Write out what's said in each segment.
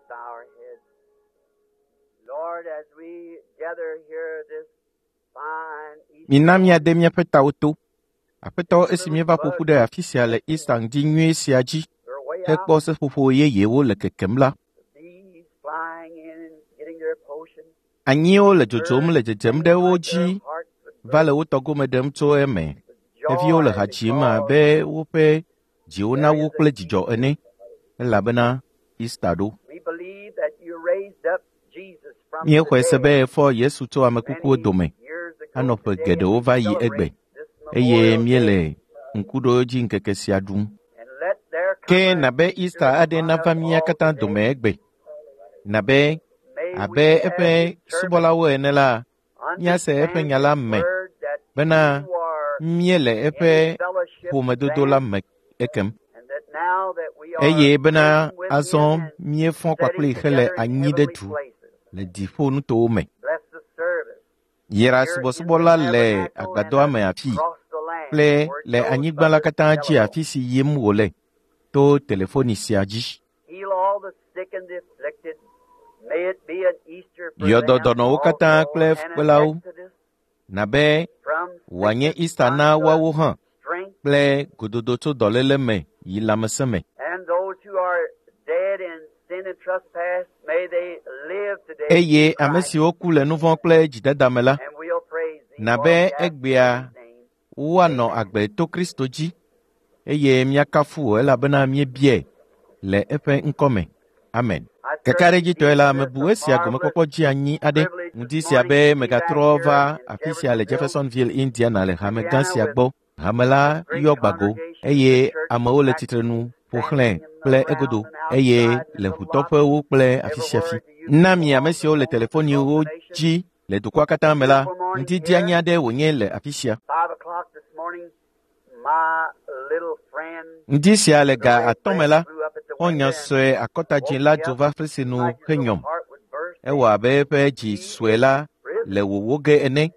bow our heads. Lord, as we gather here this fine Mina Easter míade míaƒe tawo to. Aƒetɔ esi little míeva ƒo buds ƒu ɖe afi sia le Easter ŋdi nyui sia dzi their way hekpɔ out, seƒoƒo yeyewo le kekem la, the bees flying in and getting their potion, anyiwo le dzodzom birds le dzedzem ɖe singing wo like their dzi hearts would va le burst wo tɔgome ɖem tso eme. with Xeviwo le joy ha dzim because abe woƒe dziwo there nawo is kple an dzidzɔ Easter. ene elabena Easter ɖo. We believe that you raised up Jesus from the Míexɔe se dead be èfɔ Yesu tso ame kukuwo many dome years ago anɔ ƒe today, and geɖewo we va yi egbe celebrate this eye memorial day. míele ŋkuɖodzi ŋkeke sia ɖum. And let there Ke come an nabe Easter Easter aɖe among nava us mía all katã today. dome egbe. Nabe May abe we, as eƒe his servants, subɔlawo ene la, míase eƒe understand nya la his me word that bena you are míele in eƒe his fellowship ƒomedodo la then, me ekem. and that now that we are Eye bena risen with azɔ him and míefɔ sitting kpakplii hele together in anyi ɖe heavenly du places. le dziƒonutowo me. Bless the service Yra here in the subɔsubɔ la le tabernacle and agbadɔa me afii across the land kple where it le goes by anyigba la this katã dzi telephone. afi si yim wòle to telefoni sia dzi. Heal all the sick and the afflicted. May it be an Easter for Yɔ dɔ them dɔnɔwo katã also kple and an fukpelawo exodus nabe from wòanye sickness Easter na unto woawo hã strength kple gododo tso dɔléle me yi lãmesẽ me. and those who are dead in sin and trespass, may they live today Eye in ame Christ. siwo ku le nu vɔ̃ kple dzidada me la, And we'll praise thee for nabe we ask in egbea his name. woanɔ Amen. agbe to Kristo dzi eye míakafu wò elabena míebiae le eƒe ŋkɔ me. Amen. I certainly Kakaɖedzitɔe la, consider mebu this a esia marvelous gomekpɔkpɔ dzi anyi aɖe privilege ŋdi this sia morning be to be back megatrɔ here va in afi sia le Jeffersonville, Jeffersonville, Indiana le hame gã Indiana, sia with gbɔ. Hame la this great yɔ gbago congregation, the eye church amewo le packed, tsitre nu ƒo xlãe standing in the kple egodo ground and eye outside and in le the lobby, ʋutɔƒewo kple afi sia afi. everywhere to you Na people mi ame on the siwo le phone across telefoniwo the nation. dzi le dukɔa katã me la, Beautiful morning ŋdi here. dzeani aɖe wònye le afi sia. 5 o'clock this morning, my little friend, Ŋdi sia le the ga red atɔ̃ me breast la, flew up at the xɔ̃nya window and sue akɔtadzĩ woke la me dzo up va fesre nu like his little henyɔm. heart would burst Ewɔ saying, abe eƒe dzi He sue is la risen. le wòwó ge ene.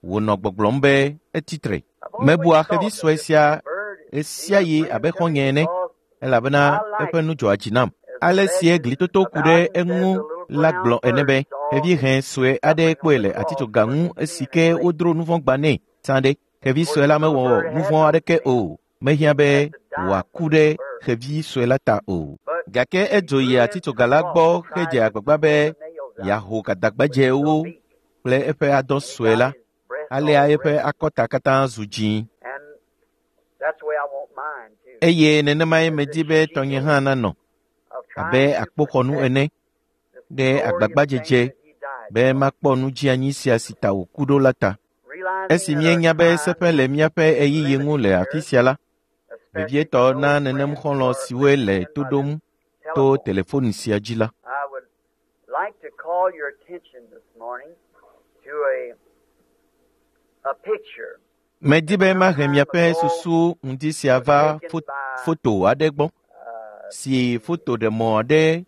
Wònɔ gbɔgblɔm be etsi tre. I've always Mebua xevi thought of sue this sia little bird as ɣe sia being a ɣi abe friend to me xɔ̃nye ene because elabena I like eƒe nu dzɔa dzi nam. as the Ale sie legend glitoto ku ɖe about him says, eŋu the little la brown gblɔ ene bird be saw xevi hẽ sue aɖe suffering kpɔe on le the cross atitsoga for ŋu his esi sin ke and great. wodro nu vɔ̃ gba nɛ sã ɖe. Xevi Of course, sue the la little mewɔ bird nu had vɔ̃ no aɖeke sin o. Mehiã be except to die wòaku for ɖe the bird. xevi sue la ta o. But Gake he edzo flew yi into the atitsoga la cross gbɔ and tried hedze to agbagba be pull the nails out yeaho with his gadagbadzewo little beak. kple eƒe adɔ And he sue got la. his breast Alea all eƒe red. akɔta katã zu dzĩ. And that's the way I want mine too. Eye nenemae As a medi be tɔnye shield hã nanɔ of abe trying to akpoxɔnu protect ene this ɖe glorious thing agbagbadzedze that he died be for. makpɔ nu dzeanyi sia si ta wòku ɖo la ta. Realizing Esi that our míenya be time seƒe is le míaƒe ɣeyiɣi ŋu limited le afi here, sia la, especially to vevietɔ na those nenem friends who xɔlɔ̃ are siwoe le listening in to by ɖom this to telephone. telefoni sia dzi la. I would like to call your attention this morning to a picture Medi that be some mahe time miaƒe ago susu ŋdi sia was va taken fo by foto aɖe gbɔ si the fotoɖemɔ aɖe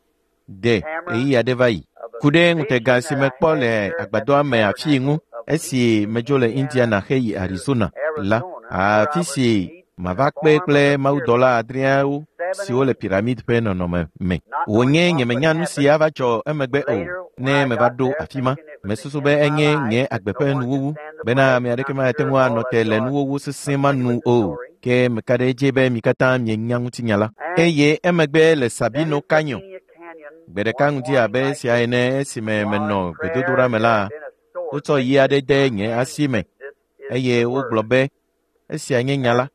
ɖe camera ɣeyiɣi aɖe va yi. of a Ku ɖe ŋutega vision si that I mekpɔ had le here at the agbadɔa me afii ŋu tabernacle of esi Eastern medzo le Indiana Indiana heyi to Arizona la, Arizona, where I afi was si to meet in the mava kpe form of kple a pyramid, mawudɔla adreawo seven siwo le angels, piramid ƒe nɔnɔme me. not knowing Wònye what would nyemenya nu si happen ava dzɔ emegbe o. later when Ne I meva got ɖo there, afi ma, thinking it was the mesusu end be of my enye life, nye that agbe no ƒe one could nuwuwu stand the bena plague, ame and aɖeke I'm mate sure ŋu all anɔ of te you le are nuwuwu sesẽ ma acquainted nu with the o. story. Ke meka ɖe edzi be mi katã mienya ŋutinya la. And Eye emegbe le then Sabino in Canyon, Sabino Canyon, gbe ɖeka one ŋdi morning abe like esia this, ene esime while menɔ in prayer, gbedodoɖa me there la, had been a sword wotsɔ yi placed aɖe in de my nye hand and asi me said, This is eye the wogblɔ word. be esia nye nya And la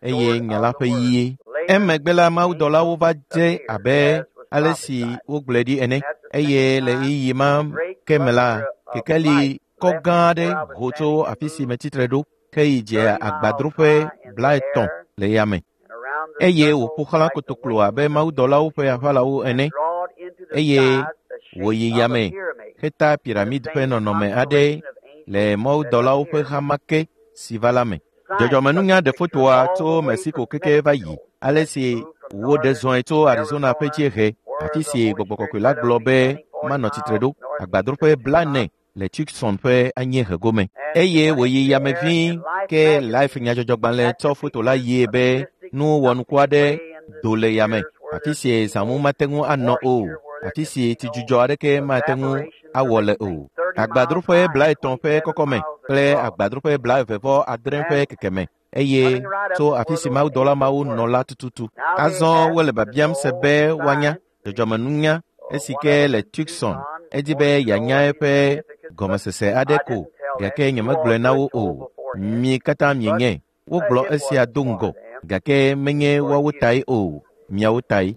the eye sword nya of la the ƒe word. yie. Later, Emegbe la mawudɔlawo angels va dze appeared abe as was ale si prophesied. wogblɔe ɖi ene And at the eye same le time, ɣeyiɣi ma a great ke me la, cluster of kekeli light kɔ left gã aɖe where I was ho tso standing and afi si moved metsi tre ɖo heyi dze 30 miles agbadroƒe high in the 30 air le yame and around the eye circle wòƒo xlã like the kotoklo wings abe of mawudɔlawo ƒe eagles aʋalawo and ene drawed into the eye skies the shape wòyi of a yame pyramid, heta the piramid ƒe same nɔnɔme aɖe constellation of le angels that mawudɔlawo ƒe appeared. ha ma ke si va la me. Science took Dzɔdzɔmenunya the ɖe picture fotoa all tso the way Mexico from keke va yi Mexico ale as it si moved from woɖe northern zɔe tso Arizona ƒe Arizona, dziehe where afi the si Holy Gbɔgbɔ Spirit Kɔkɔe la said I gblɔ would be be standing 40 manɔ tsitre miles ɖo northeast agbadroƒe of Tucson. 40 le Tucson ƒe anyiehe gome. And it Eye went wòyi into the yame air ʋĩi in Life ke Life magazine nyadzɔdzɔgbalẽ captured tsɔ foto la pictures yie of be mystic nu wɔnuku something aɖe gray in the do le yame spheres where afi the si zãmu mate ŋu anɔ o moisture where afi si tsidzudzɔ aɖeke mate ŋu awɔ le o. Agbadroƒe 30 ƒe kɔkɔme kple agbadroƒe 29 ƒe kekeme eye tso afi si mawudɔla mawo nɔ la tututu. Azɔ wole biabiam se be woanya dzɔdzɔmenunya esi ke le Tucson. Edi be yeanya eƒe gɔmesese aɖe ko, gake nyemegblɔe na wo o. Mi katã mienyae. Wogblɔ esia do ŋgɔ, gake menye woawo tae o, miawo tae.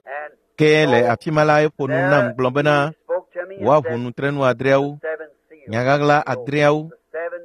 Ke le afi ma la eƒo nu nam gblɔ bena woaʋu nutrenu 6, nyaɣaɣla 6,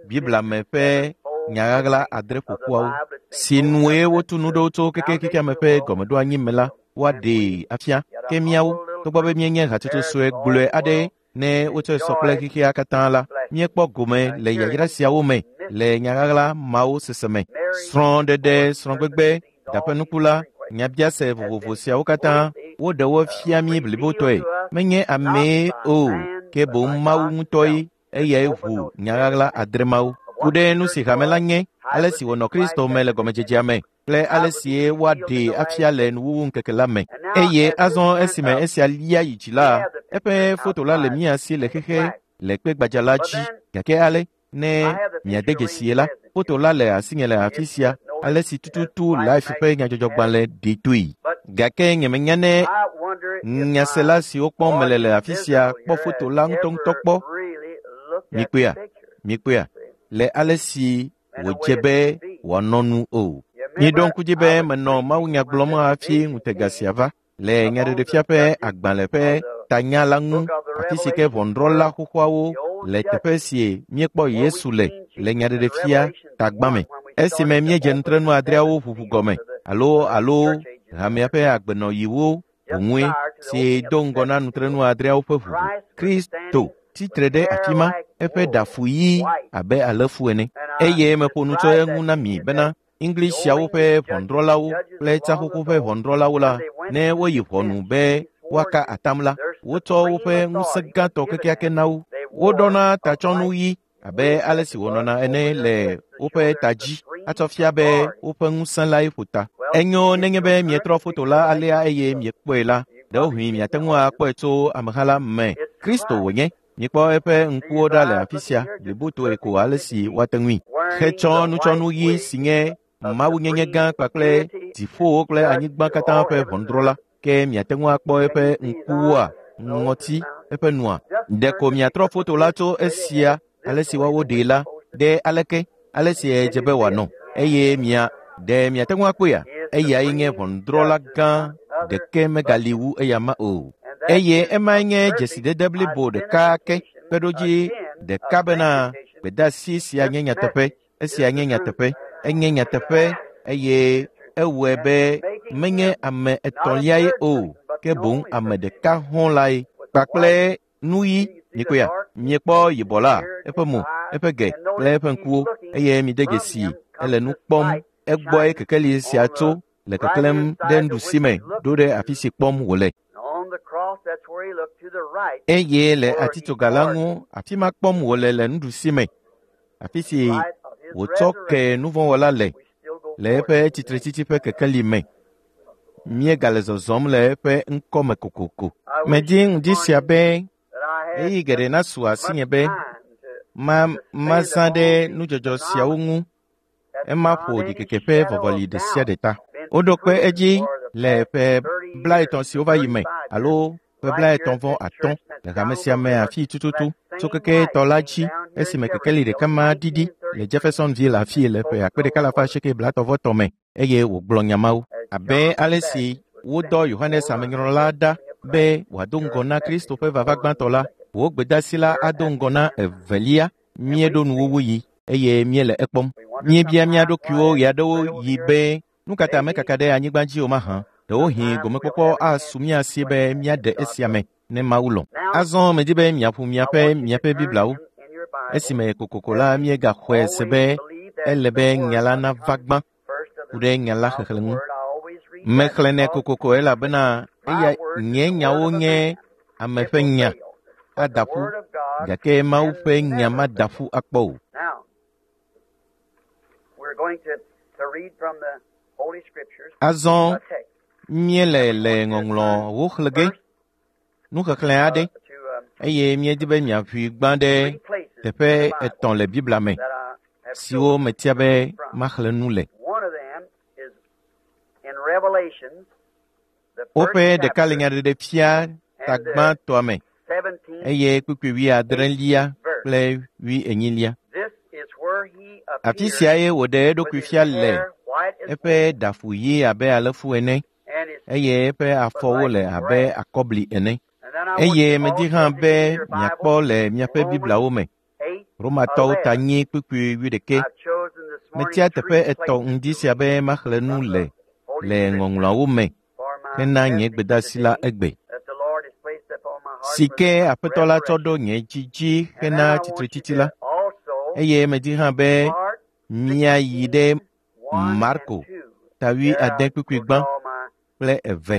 Biblia me ƒe nyaɣaɣla 6 ƒoƒuawo, si nue wotu nu ɖo tso keke xexeame ƒe gɔmeɖoanyi me la, woaɖee afia. Ke míawo, togbɔ be míenye hatsotso sue gblɔe aɖe ne wotsɔe sɔ kple xexea katã la, míekpɔ gome le yayra siawo me le nyaɣaɣla mawo sese me. Srɔ̃ɖeɖe, srɔ̃gbegbe, daƒenukula, nyabiase vovovo siawo katã woɖe wo fia mí blibotɔe. Menye amee o, ke boŋ Mawu ŋutɔe eyae ʋu nyaɣaɣla 6 mawo. Ku ɖe nu si hame la nye, ale si wònɔ Kristo me le gɔmedzedzea me, kple ale si woaɖee afia le nuwuwu ŋkeke la me. Eye azɔ esime esia lia yi dzi la, eƒe foto la le mía si le xexe le kpe gbadza la dzi. Gake ale ne miade dzesie la, foto la le asinye le afi sia, ale si tututu Life ƒe nyadzɔdzɔgbalẽ ɖi toe. Gake nyemenya ne nyasela siwo kpɔm mele le afi sia kpɔ foto la ŋutɔŋutɔ kpɔ. Mikpɔea, le ale si wòdze be wòanɔ nu o. Miɖo ŋku dzi be menɔ mawunya gblɔm hafi ŋutega sia va le nyaɖeɖefia ƒe agbalẽ ƒe tanya la ŋu, afi si ke ʋɔnudrɔ̃la xoxoawo le teƒe si míekpɔ Yesu le le nyaɖeɖefia tagbã me. Esime míedze nutrenu 6 ʋuʋu gɔme alo hamea ƒe agbenɔɣiwo ʋuŋue si do ŋgɔ na nutrenu 6 ƒe ʋuʋu. Kristo tsitre ɖe afi ma, eƒe ɖafu ɣi abe alẽfu ene. Eye meƒo nu tso eŋu na mi bena Englishsiawo ƒe ʋɔnudrɔ̃lawo kple tsaxoxo ƒe ʋɔnudrɔ̃lawo la, ne woyi ʋɔnu be woaka atam la, wotsɔ woƒe ŋusẽ gãtɔ kekeake na wo. Woɖɔna tatsɔnu ɣi abe ale si wònɔna ene le woƒe ta dzi atsɔ fia be woƒe ŋusẽ lae ƒo ta. Enyo nenye be mietrɔ foto la alea eye miekpɔe la, ɖewohĩ miate ŋu akpɔe tso ameha la me. Kristo wònye. Mikpɔ eƒe ŋkuwo ɖa le afi sia blibotoe ko ale si woate ŋui. Hetsɔ nutsɔnu ɣi si nye mawunyenye gã kpakple dziƒowo kple anyigba katã ƒe ʋɔnudrɔ̃la. Ke miate ŋu akpɔ eƒe ŋkuwoa, ŋɔti, eƒe nua. Ɖeko miatrɔ foto la tso esia ale si woawo ɖee la ɖe aleke ale si edze be wòanɔ. Eye ɖe miate ŋu akpɔea? Eyae nye ʋɔnudrɔ̃la gã, ɖeke megali wu eya ma o. Eye emae nye dzesidede blibo ɖeka ke kpeɖodzi ɖeka bena gbedeasi sia nye nyateƒe, esia nye nyateƒe, enye nyateƒe eye ewɔe be menye ame etɔ̃liae o, ke boŋ ame ɖeka hɔ̃ lae kpakple nuyi. Mikpɔea, miekpɔ yibɔ la, eƒe mo, eƒe ge kple eƒe ŋkuwo, eye mide dzesi ele nu kpɔm. Egbɔe kekeli sia tso le keklẽm ɖe nuɖusi me ɖo ɖe afi si kpɔm wòle. Eye le atitsoga la ŋu, afi ma kpɔm wòle le nuɖusi me, afi si wòtsɔ ke nuvɔ̃wɔla le le eƒe tsitretsitsi ƒe kekeli me. Míegale zɔzɔm le eƒe ŋkɔme kokoko. Medi ŋdi sia be ɣeyiɣi geɖe nasu asinye be mazã ɖe nudzɔdzɔ siawo ŋu. Ema ƒo ɖikeke ƒe vɔvɔli ɖe sia ɖe ta. Woɖo kpe edzi le ƒe 30 siwo va yi me alo ƒe 35 le hame sia me afi tututu tso keke tɔ la dzi esime kekeli ɖeka ma ɖiɖi le Jeffersonville afi le ƒe 1933 me eye wògblɔ nya mawo. Abe ale si wodɔ Yohanes Amenyrɔla ɖa be wòado ŋgɔ na Kristo ƒe vava gbãtɔ la, wò gbedeasi la ado ŋgɔ na evelia. Míeɖo nuwuwu yi eye míele ekpɔm. Míebia mía ɖokuiwo ɣeaɖewo yi be nu ka ta mekaka ɖe anyigba dzi o mahã. Ɖewohĩ gomekpɔkpɔ asu mía si be míaɖe esia me ne Mawu lɔ̃. Azɔ medi be miaƒo miaƒe Bibliawo. Esime kokoko la míegaxɔe se be ele be nya la nava gbã ku ɖe nya la xexlẽ ŋu. Mexlẽnɛ kokoko elabena eya nye nyawo nye ame ƒe nya ada ƒu, gake Mawu ƒe nya mada ƒu akpɔ o. Azɔ míele le ŋɔŋlɔwo xlẽ ge. Nuxexlẽ aɖe eye míedi be miaʋui gbã ɖe teƒe etɔ̃ le Biblia me siwo metia be maxlẽ nu le. Woƒe ɖeka le nyaɖeɖefia ta gbãtɔa me eye kpukpui wuiadrelia kple wuienyilia. Afi siae wòɖe eɖokui fia le eƒe ɖafu ɣi abe alẽfu ene eye eƒe afɔwo le abe akɔbli ene. Eye medi hã be miakpɔ le miaƒe Bibliawo me. Romatɔwo ta nyi kpukpui wuiɖekɛ. Metia teƒe etɔ̃ ŋdi sia be maxlẽ nu le le ŋɔŋlɔawo me hena nye gbedeasi la egbe. Si ke Aƒetɔ la tsɔ ɖo nye dzi dzi hena tsitretsitsi la. Eye medi hã be miayi ɖe Marko ta wuiade kpukpui gbã kple eve.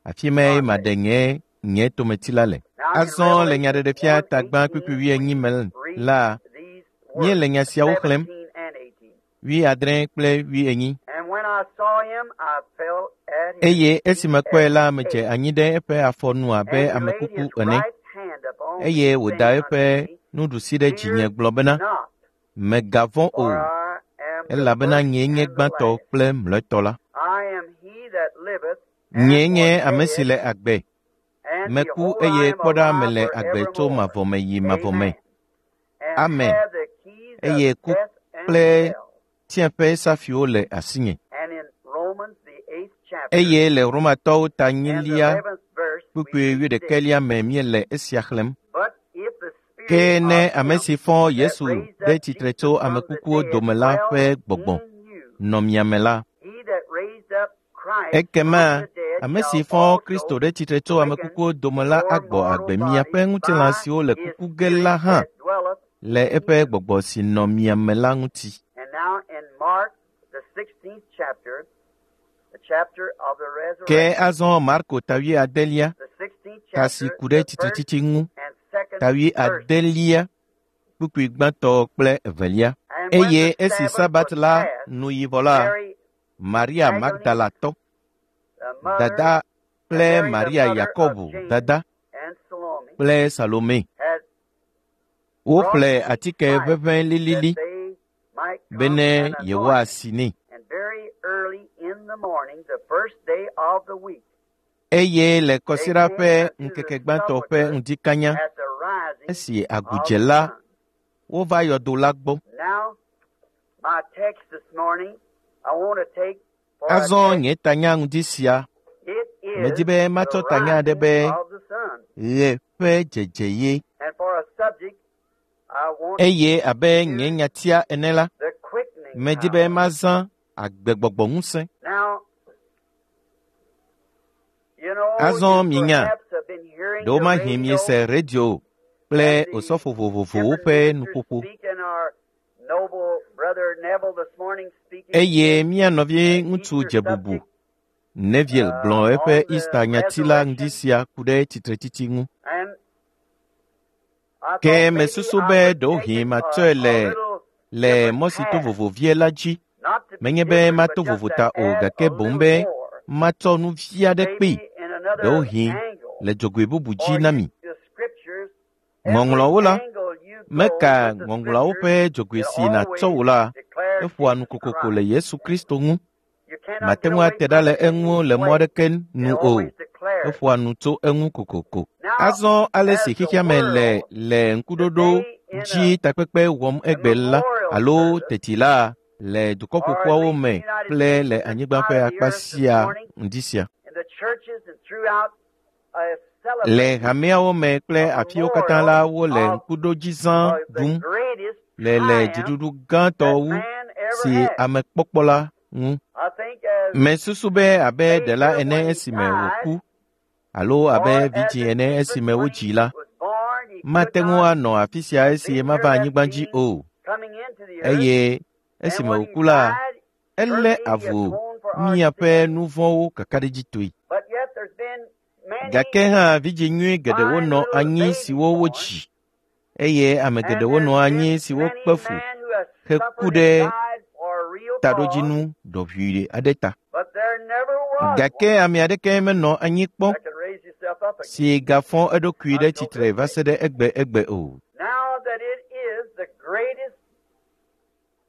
Afi mae maɖe nye nye tometsi la le. Azɔ le nyaɖeɖefia ta gbã kpukpui wuienyi me la, míele nya siawo xlẽm wuiadre kple wuienyi. Eye esi mekpɔe la, medze anyi ɖe eƒe afɔ nu abe ame kuku ene. Eye wòda eƒe nuɖusi ɖe dzinye gblɔ bena, Mègavɔ̃ o, elabena nyee nye gbãtɔ kple mlɔetɔ la. Nyee nye ame si le agbe. Meku eye kpɔ ɖa mele agbe tso mavɔ me yi mavɔ me. Amen. Eye ku kple tsiẽƒe safiwo le asinye. Eye le Romatɔwo ta nyilia kpukpui wuiɖekɛlia me míele esia xlẽm. Ke ne ame si fɔ Yesu ɖe tsitre tso ame kukuwo dome la ƒe gbɔgbɔ nɔ mia me la, ekema ame si fɔ Kristo ɖe tsitre tso ame kukuwo dome la agbɔ agbe miaƒe ŋutilã siwo le kuku ge la hã le eƒe gbɔgbɔ si nɔ mia me la ŋuti. Ke azɔ Marko ta wuiadelia, ta si ku ɖe tsitretsitsi ŋu, ta wuiadelia, kpukpui gbãtɔ kple evelia. Eye esi Sabat la nu yi vɔ la, Maria Magdalatɔ, dada kple Maria Yakobo dada kple Salome woƒle atike ʋeʋẽ lilili bene yewoasi nɛ. Eye le kɔsiɖa ƒe ŋkeke gbãtɔ ƒe ŋdi kanya, esi agu dze la, wova yɔdo la gbɔ. Azɔ nye tanya ŋdi sia, medi be matsɔ tanya aɖe be ɣe ƒe dzedze ye. Eye abe nye nyatia ene la, medi be mazã agbegbɔgbɔ ŋusẽ. Azɔ minya, ɖewomahi miese radio kple osɔfo vovovowo ƒe nuƒoƒo. Eye mía nɔvi ŋutsu dze bubu Neville gblɔ eƒe Easter nyati la ŋdi sia ku ɖe tsitretsitsi ŋu. Ke mesusu be ɖewohĩ matsɔe le le mɔ si to vovo vie la dzi. Menye be mato vovo ta o gake boŋ be matsɔ nu vi aɖe kpee, ɖewohĩ le dzogoe bubu dzi na mi. Ŋɔŋlɔawo la, meka ŋɔŋlɔawo ƒe dzogoe si nàtsɔ wò la, eƒoa nu kokoko le Yesu Kristo ŋu. Màte ŋu ate ɖa le eŋu le mɔ aɖeke nu o. Eƒoa nu tso eŋu kokoko. Azɔ ale si xexea me le le ŋkuɖoɖo dzi takpekpe wɔm egbe la alo teti la le dukɔ ƒoƒuawo me kple le anyigba ƒe akpa sia ŋdi sia. Le hameawo me kple afiwo katã la wole ŋkuɖodzizã ɖum le le dziɖuɖu gãtɔ wu si ame kpɔkpɔ la ŋu. Mesusu be abe ɖela ene esime wòku alo abe vidzĩ ene esime wodzii la, mate ŋu anɔ afi sia esi mava anyigba dzi o. Eye esime wòku la, elé avu míaƒe nu vɔ̃wo kakaɖedzitɔe. Gake hã vidzĩ nyui geɖewo nɔ anyi siwo wodzi eye ame geɖewo nɔ anyi siwo kpe fu heku ɖe taɖodzinu ɖɔʋui aɖe ta. Gake ame aɖeke menɔ anyi kpɔ si gafɔ eɖokui ɖe tsitre va se ɖe egbe egbe o.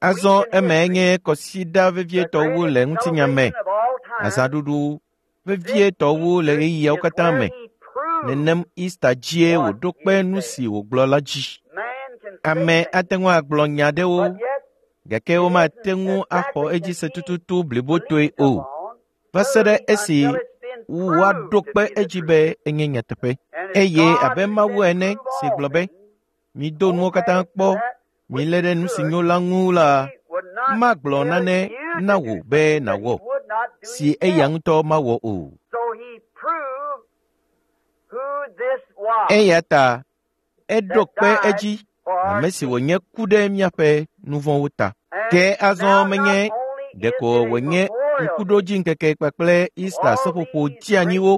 Azɔ emae nye kɔsiɖa vevietɔwo le ŋutinya me, azãɖuɖu vevietɔwo le ɣeyiɣiawo katã me. Nenem Easter dzie wòɖo kpe nu si wògblɔ la dzi. Ame ate ŋu agblɔ nya aɖewo, gake womate ŋu axɔ edzi se tututu blibotoe o, va se ɖe esi woaɖo kpe edzi be enye nyateƒe. Eye abe Mawu ene si gblɔ be, mido nuwo katã kpɔ, milé ɖe nu si nyo la ŋu la, magblɔ nane na wò be nàwɔ, si eya ŋutɔ mawɔ o. Eya ta eɖo kpe edzi ame si wònye ku ɖe míaƒe nu vɔ̃wo ta. Ke azɔ menye ɖeko wònye ŋkuɖodziŋkeke kpakple Easter seƒoƒo dzeanyiwo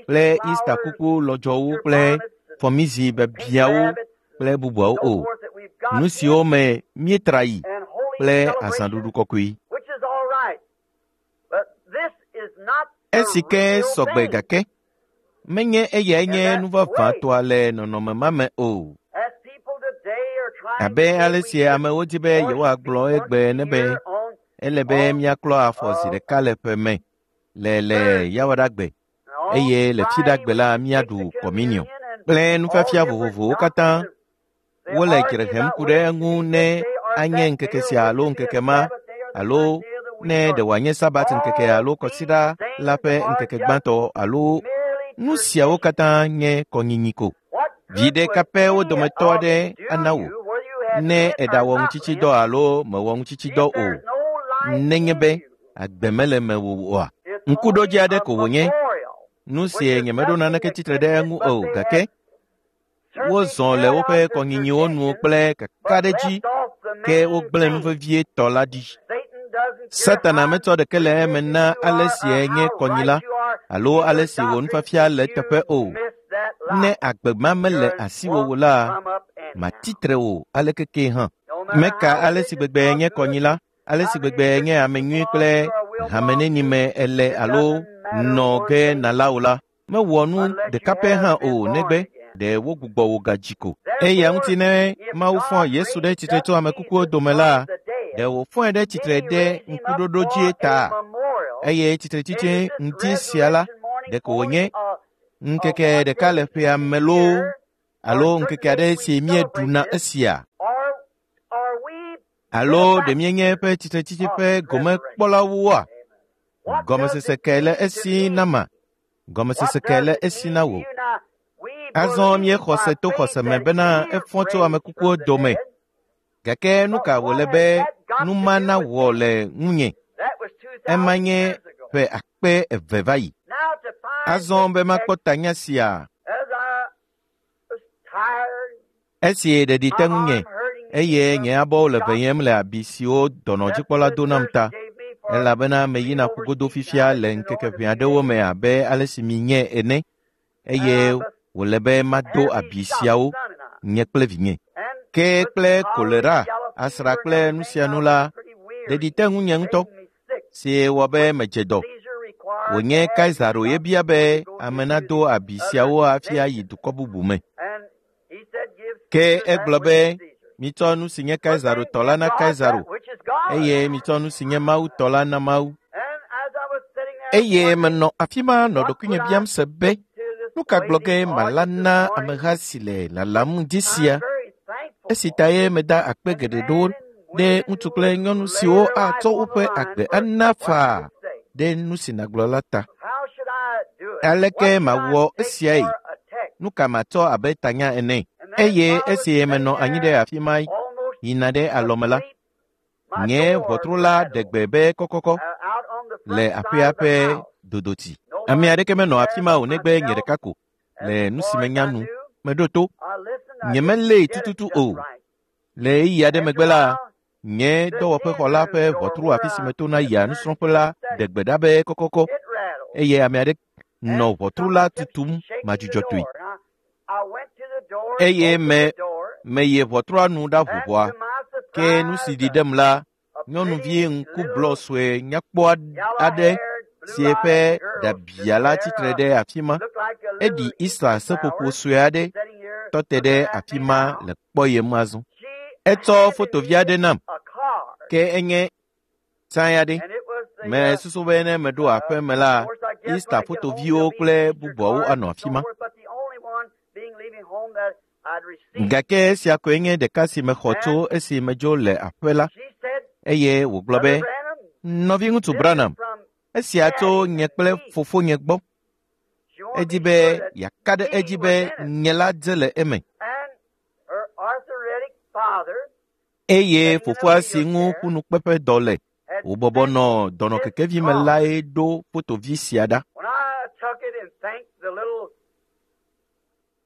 kple Easter kuku lɔdzɔwo kple fɔmizi biabiawo kple bubuawo o. Nu siwo me míetra yi kple azãɖuɖu kɔkɔe. Esi ke sɔgbe gake menye eyae nye nu vavãtɔa le nɔnɔme ma me o. Abe ale si amewo di be yewoagblɔ egbe ene be ele be míaklɔ afɔ zi ɖeka le ƒe me le le Yawoɖagbe eye le Fiɖagbe la míaɖu kɔminiɔ kple nufiafia vovovowo katã. Wole dzre hem ku ɖe eŋu ne anye ŋkeke sia alo ŋkeke ma alo ne ɖe wòanye Sabat ŋkeke alo kɔsiɖa la ƒe ŋkeke gbãtɔ alo nu siawo katã nye kɔnyinyi ko. Viɖe ka pɛ wo dometɔ aɖe ana wò ne èɖawɔ ŋutsitsidɔ alo mewɔ ŋutsitsidɔ o, nenye be agbe mele mewò oa? Ŋkuɖodzi aɖe ko wònye, nu si nyemeɖo naneke tsitre ɖe eŋu o, gake wozɔ le woƒe kɔnyinyiwo nu kple kakaɖedzi ke wogblẽ nu vevietɔ la ɖi. Satana metsɔ ɖeke le eme na ale si enye kɔnyila alo ale si wò nufiafia le eteƒe o. Ne agbe ma mele asiwò o la, matitre wò aleke ke hã. Meka ale si gbegbe nye kɔnyila, ale si gbegbe nye ame nyui kple hame neni me ele alo nɔ ge nàla o la, mewɔ nu ɖeka pɛ hã o negbe ɖe wogbugbɔ wò gadzi ko. Eya ŋuti ne Mawu fɔ Yesu ɖe tsitre tso ame kukuwo dome la, ɖe wòfɔe ɖe tsitre ɖe ŋkuɖoɖo dzie ta. Eye tsitretsitsi ŋdi sia la, ɖeko wònye ŋkeke ɖeka le ƒea me loo alo ŋkeke aɖe si míeɖuna esia. Alo ɖe míenye eƒe tsitretsitsi ƒe gomekpɔlawoa? Gɔmesese kae le esi nama? Gɔmesese kae le esi na wò? Azɔ míexɔ se to xɔse me bena efɔ tso ame kukuwo dome. Gake nu ka wòle be nu ma nawɔ le ŋunye? Ema nye ƒe 2000 va yi. Azɔ be makpɔ tanya sia. Esi ɖeɖi te ŋunye eye nye abɔwo le veyem le abi siwo dɔnɔdzikpɔla do nam ta, elabena meyina ƒugodo fifia le ŋkeke ʋɛ aɖewo me abe ale si minye ene, eye wòle be mado abi siawo, nye kple vinye. Ke kple kolera, asra kple nu sia nu la, ɖeɖi te ŋunye ŋutɔ, si wɔ be medze dɔ. Wònye Kaisaro ye bia be ame nado abi siawo hafi ayi dukɔ bubu me. Ke egblɔ be, mitsɔ nu si nye Kaisaro tɔ la na Kaisaro, eye mitsɔ nu si nye Mawu tɔ la na Mawu. Eye menɔ afi ma nɔ ɖokuinye biam se be, nu ka gblɔ ge mala na ameha si le lalam ŋdi sia? Esi ta ye meda akpe geɖe ɖo ɖe ŋutsu kple nyɔnu siwo atsɔ woƒe agbe ana faa ɖe nu si nàgblɔ la ta. Aleke mawɔ esiae? Nu ka matsɔ abe tanya ene? Eye esi menɔ anyi ɖe afi ma yina ɖe alɔme la, nye ʋɔtru la ɖe gbe be kɔkɔkɔ le aƒea ƒe dodoti. Ame aɖeke menɔ afi ma o negbe nye ɖeka ko le nu si menya nu. Meɖo to. Nyemelée tututu o. Le ɣeyiɣi aɖe megbe la, nye dɔwɔƒexɔ la ƒe ʋɔtru afi si metona yia nusrɔ̃ƒe la ɖe gbe ɖa be kɔkɔkɔ eye ame aɖe nɔ ʋɔtru la tutum madzudzɔtɔe. Eye meyi ʋɔtrua nu ɖaʋu ʋɔa, ke nu si ɖi ɖem la, nyɔnuvi ŋkublɔ sue nyakpɔ aɖe si eƒe ɖabia la tsitre ɖe afi ma. Eɖi Easter seƒoƒo sue aɖe tɔ te ɖe afi ma le kpɔyem azɔ. Etsɔ fotovi aɖe nam ke enye tsã aɖe. Mesusu be ne meɖo aƒe me la, Easter fotoviwo kple bubuawo anɔ afi ma. Gake esia koe nye ɖeka si mexɔ tso esi medzo le aƒe la eye wògblɔ be, Nɔviŋutsu Branham, esia tso nye kple fofonye gbɔ. Edi be yeaka ɖe edzi be nye la dze le eme. Eye fofoa si ŋu ƒunukpeƒe dɔ le wòbɔbɔ nɔ dɔnɔkekevi me lae ɖo fotovi sia ɖa.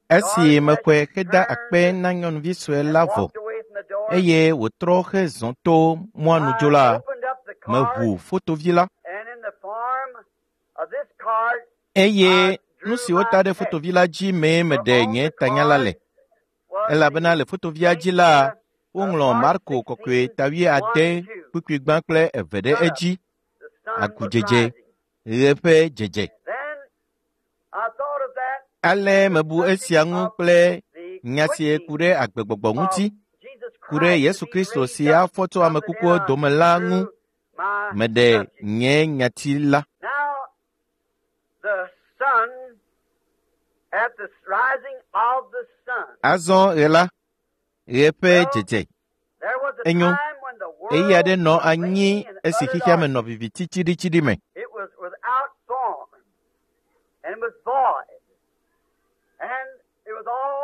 Esi mexɔe heda akpe na nyɔnuvi sue la vɔ eye wòtrɔ hezɔ to mɔa nu dzo la, meʋu fotovi la eye nu si wota ɖe fotovi la dzi mee meɖe nye tanya la le. Elabena le fotovia dzi la, woŋlɔ Marko kɔkɔe ta 6 kpukpui 2 kple 2 ɖe edzi, agudzedze, ɣe ƒe dzedze. Ale mebu esia ŋu kple nya si ku ɖe agbegbɔgbɔ ŋuti, ku ɖe Yesu Kristo si afɔ tso ame kukuwo dome la ŋu. Meɖe nye nyati la. Azɔ ɣe la, ɣe ƒe dzedze. Enyo, ɣeyiɣi aɖe nɔ anyi esi xexea me nɔ viviti tsiɖitsiɖi me.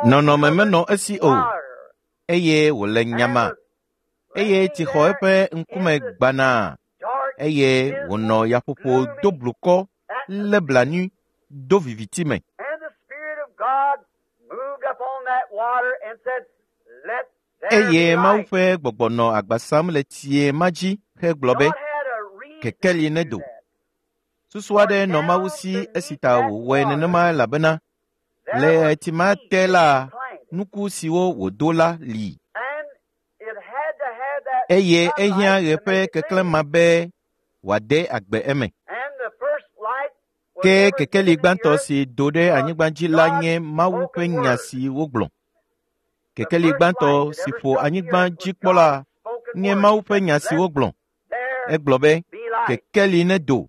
Nɔnɔme menɔ esi o eye wòle nyama eye tsi xɔ eƒe ŋkume gbanaa eye wònɔ yaƒoƒo do blukɔ lé blanui do viviti me. Eye Mawu ƒe gbɔgbɔ nɔ agba sam le tsie ma dzi hegblɔ be, kekeli nedo. Susu aɖe nɔ Mawu si esi ta wòwɔe nenema elabena le ɣleti ma te la, nuku siwo wòdo la li. Eye ehiã ɣe ƒe keklẽ ma be wòade agbe eme. Ke kekeli gbãtɔ si do ɖe anyigba dzi la nye Mawu ƒe nya si wogblɔ. Kekeli gbãtɔ si ƒo anyigba dzi kpɔ la nye Mawu ƒe nya si wogblɔ. Egblɔ be, kekeli nedo,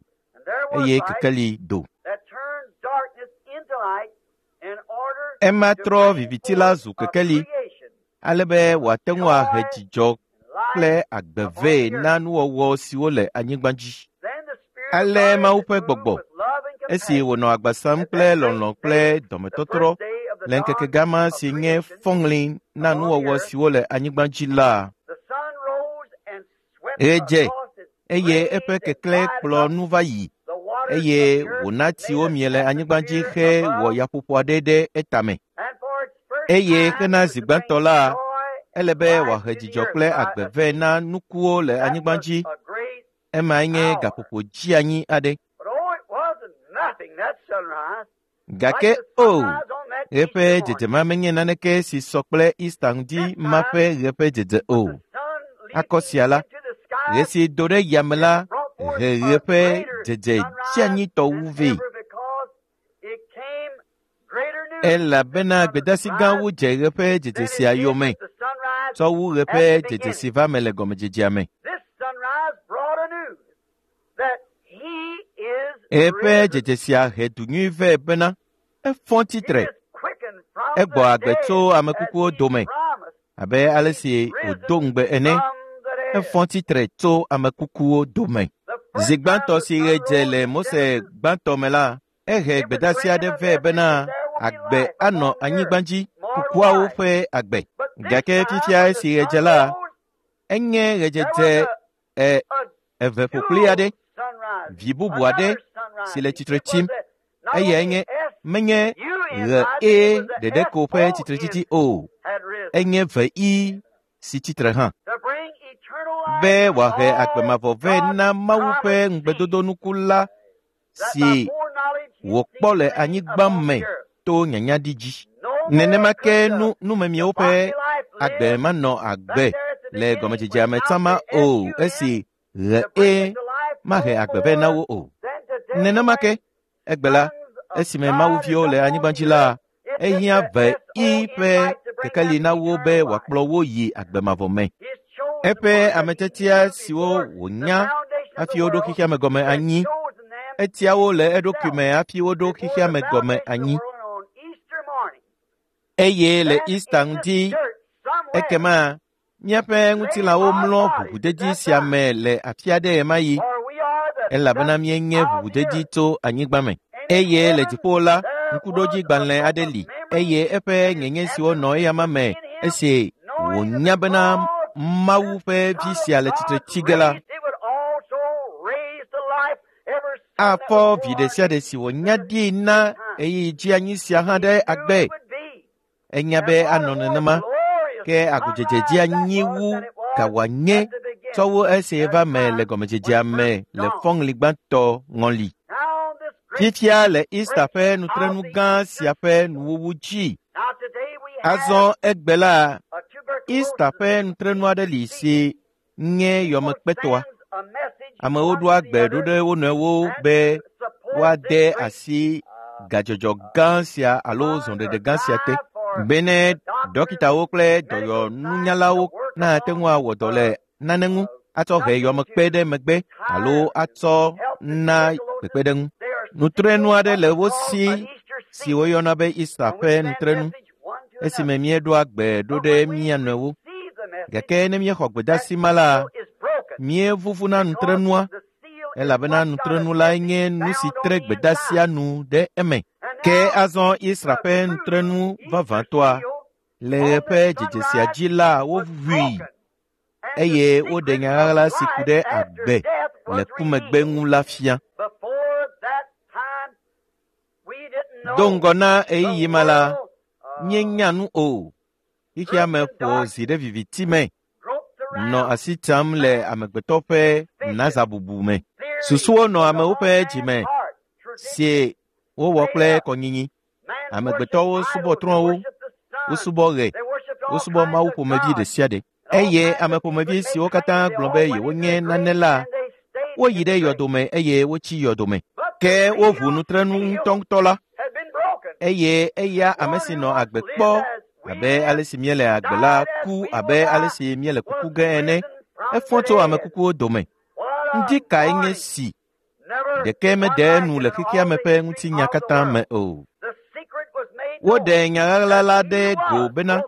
eye kekeli do. Ema trɔ viviti la zu kekeli ale be wòate ŋu ahe dzidzɔ kple agbe vɛ na nuwɔwɔ siwo le anyigba dzi. Ale Mawu ƒe gbɔgbɔ, esi wònɔ agba sam kple lɔlɔ̃ kple dɔmetɔtrɔ le ŋkeke gama si nye fɔŋli na nuwɔwɔ siwo le anyigba dzi la, ɣe dze eye eƒe keklẽ kplɔ nu va yi eye wòna tsiwo mie le anyigba dzi hewɔ yaƒoƒo aɖe ɖe etame. Eye hena zi gbãtɔ la, ele be wòahe dzidzɔ kple agbe vɛ na nukuwo le anyigba dzi. Emae nye gaƒoƒo dzeanyi aɖe. Gake o, ɣe ƒe dzedze ma menye naneke si sɔ kple Easter ŋdi ma ƒe ɣe ƒe dzedze o. Akɔ sia la, ɣe si do ɖe yame la he ɣe ƒe dzedze dzeanyitɔ wu vɛ. Elabena gbedeasi gãwo dze ɣe ƒe dzedze sia yome tsɔ wu ɣe ƒe dzedze si va me le gɔmedzedzea me. Ɣe ƒe dzedze sia he du nyui vɛ bena efɔ tsitre, egbɔ agbe tso ame kukuwo dome abe ale si wòdo ŋugbe ene. Efɔ tsitre tso ame kukuwo dome. Zi gbãtɔ si ɣe dze le Mose gbãtɔ me la, ehe gbedeasi aɖe vɛ bena agbe anɔ anyigba dzi, kukuawo ƒe agbe. Gake fifia esi ɣe dze la, enye ɣedzedze eve ƒokpli aɖe, vi bubu aɖe si le tsitre tsim. Eyae nye menye ɣe E ɖeɖe ko ƒe tsitretsitsi o, enye ve I si tsitre hã. Be wòahe agbe mavɔ vɛ na Mawu ƒe ŋugbedodonuku la si wòkpɔ le anyigba me to nyanyaɖi dzi. Nenema ke numemiwo ƒe agbe manɔ agbe le gɔmedzedzea me tsã ma o esi ɣe E mahe agbe vɛ na wo o. Nenema ke egbe la, esime mawuviwo le anyigba dzi la, ehiã ve i ƒe kekeli na wo be wòakplɔ wo yi agbe mavɔ me. Eƒe ametiatia siwo wònya hafi woɖo xexea me gɔme anyi, etia wo le eɖokui me hafi woɖo xexea me gɔme anyi. Eye le Easter ŋdi, ekema míaƒe ŋutilãwo mlɔ ʋuʋudedi sia me le afi aɖe ɣemaɣi, elabena míenye ʋuʋudedi tso anyigba me. Eye le dziƒo la, ŋkuɖodzigbalẽ aɖe li, eye eƒe nyenye siwo nɔ eyama me esi wònya bena Mawu ƒe vi sia le tsitre tsi ge la, afɔ vi ɖe sia ɖe si wònya ɖi na ɣeyiɣi dzi anyi sia hã ɖe agbe. Enya be anɔ nenema, ke agudzedze dzi anyi wu ka wòanye tsɔ wu esi va me le gɔmedzedzea me le fɔŋli gbãtɔ ŋɔli. Fifia le Easter ƒe nutrenu gã sia ƒe nuwuwu dzi. Azɔ egbe la, Easter ƒe nutrenu aɖe li si nye yɔmekpetɔa. Amewo ɖoa gbe ɖo ɖe wo nɔewo be woade asi gadzɔdzɔ gã sia alo zɔɖeɖe gã sia te bene dɔkitawo kple dɔyɔnunyalawo nate ŋu awɔ dɔ le nane ŋu atsɔ he yɔmekpe ɖe megbe alo atsɔ na kpekpeɖeŋu. Nutrenu aɖe le wo si si woyɔna be Easter ƒe nutrenu esime míeɖoa gbe ɖo ɖe mía nɔewo. Gake ne míexɔ gbedeasi ma la, míevuvuna nutrenua elabena nutrenu lae nye nu si tre gbedeasia nu ɖe eme. Ke azɔ Israel ƒe nutrenu vavãtɔa le ɣe ƒe dzedze sia dzi la woʋui eye woɖe nya ɣaɣla si ku ɖe agbe le ku megbe ŋu la fia. Do ŋgɔ na ɣeyiɣi ma la, míenya nu o. Xexea me ƒo zi ɖe viviti me, nɔ asi tsam le amegbetɔ ƒe nazabubu me. Susuwo nɔ amewo ƒe dzime si wowɔ kple kɔnyinyi. Amegbetɔwo subɔ trɔ̃wo, wosubɔ ɣe, wosubɔ mawu ƒomevi ɖe sia ɖe. Eye ame ƒomevi siwo katã gblɔ be yewonye nane la, woyi ɖe yɔdome eye wotsi yɔdome. Ke woʋu nutrenu ŋutɔŋutɔ la, eye eya ame si nɔ agbe kpɔ abe ale si míele agbe la ku abe ale si míele kuku ge ene, efɔ tso ame kukuwo dome. Ŋdi kae nye si? Ɖeke mede enu le xexea me ƒe ŋutinya katã me o. Woɖe nya ɣaɣla la ɖe go bena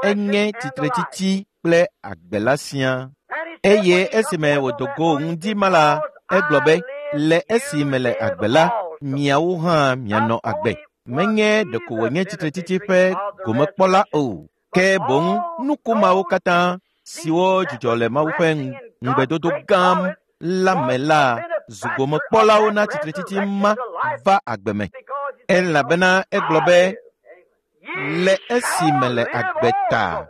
enye tsitretsitsi kple agbe la siaa. Eye esime wòdo go ŋdi ma la, egblɔ be, le esi mele agbe la, miawo hã mianɔ agbe. Menye ɖeko wònye tsitretsitsi ƒe gomekpɔla o, ke boŋ nuku mawo katã siwo dzudzɔ le Mawu ƒe ŋugbedodo gã la me la zu gomekpɔlawo na tsitretsitsi ma va agbe me. Elabena egblɔ be, le esi mele agbe ta,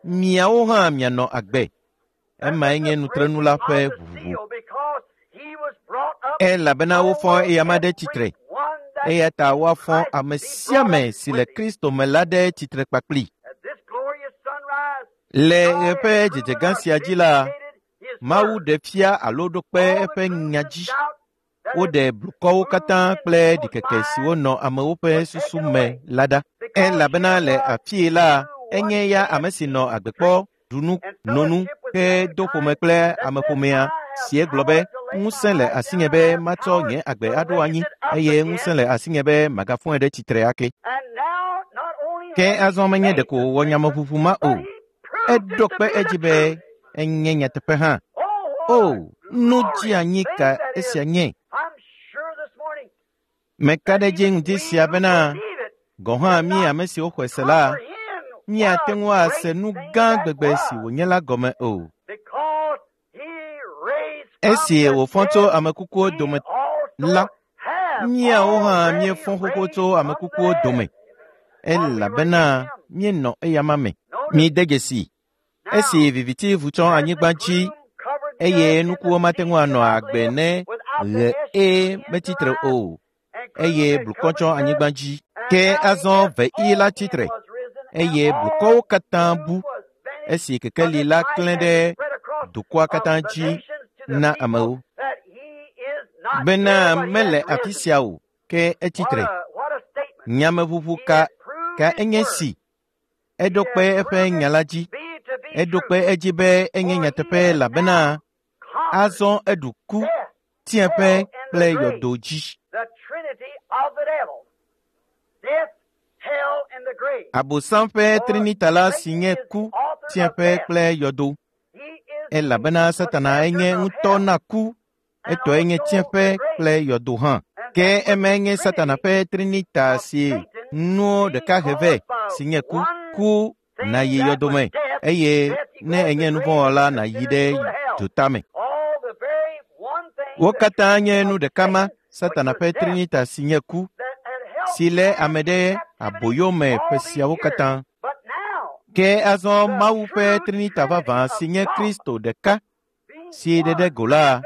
miawo hã mianɔ agbe. Emae nye nutrenu la ƒe ʋuʋu. Elabena wofɔ eyama ɖe tsitre, eya ta woafɔ ame sia ame si le Kristo me la ɖe tsitre kpakpli. Le ɣe ƒe dzedze gã sia dzi la, Mawu ɖe fia alo ɖo kpe eƒe nya dzi. Woɖe blukɔwo katã kple ɖikeke siwo nɔ amewo ƒe susu me la ɖa. Elabena le afii la, enye ya ame si nɔ agbe kpɔ, ɖu nu, no nu, ke do ƒome kple ameƒomea si egblɔ be, ŋusẽ le asinye be matsɔ nye agbe aɖo anyi eye ŋusẽ le asinye be magafɔe ɖe tsitre ake. Ke azɔ menye ɖeko wòwɔ nyameʋuʋu ma o, eɖo kpe edzi be enye nyateƒe hã. O, nu dzi anyi ka esia nye? Meka ɖe edzi ŋdi sia bena gɔ̃ hã mí ame siwo xɔe se la, míate ŋu ase nu gã gbegbe si wònye la gɔme o. Esi wòfɔ tso ame kukuwo dome la, míawo hã míefɔ xoxo tso ame kukuwo dome, elabena míenɔ eyama me. Mide dzesi, esi viviti vu tsɔ anyigba dzi eye nukuwo mate ŋu anɔ agbe ne ɣe e metsitre o, eye blukɔ tsɔ anyigba dzi. Ke azɔ veɣi la tsitre, eye blukɔwo katã bu esi kekeli la klẽ ɖe dukɔa katã dzi na amewo. Bena mele afi sia o, ke etsitre. Nyameʋuʋu ka ka enye si. Eɖo kpe eƒe nya la dzi. Eɖo kpe edzi be enye nyateƒe elabena azɔ eɖu ku, tsiẽƒe kple yɔdo dzi. Abosam ƒe trinita la si nye ku, tsiẽƒe kple yɔdo. Elabena Satana enye ŋutɔ na ku, etɔe nye tsiẽƒe kple yɔdo hã. Ke emae nye Satana ƒe trinita si nuwo ɖeka he vɛ si nye ku. Ku nàyi yɔdo me eye ne ènye nuvɔ̃wɔla nàyi ɖe dzotame. Wo katã nye nu ɖeka ma, Satana ƒe trinita si nye ku, si lé ame ɖe aboyo me ƒe siawo katã. Ke azɔ Mawu ƒe trinita vavã si nye Kristo ɖeka si ɖe ɖe go la,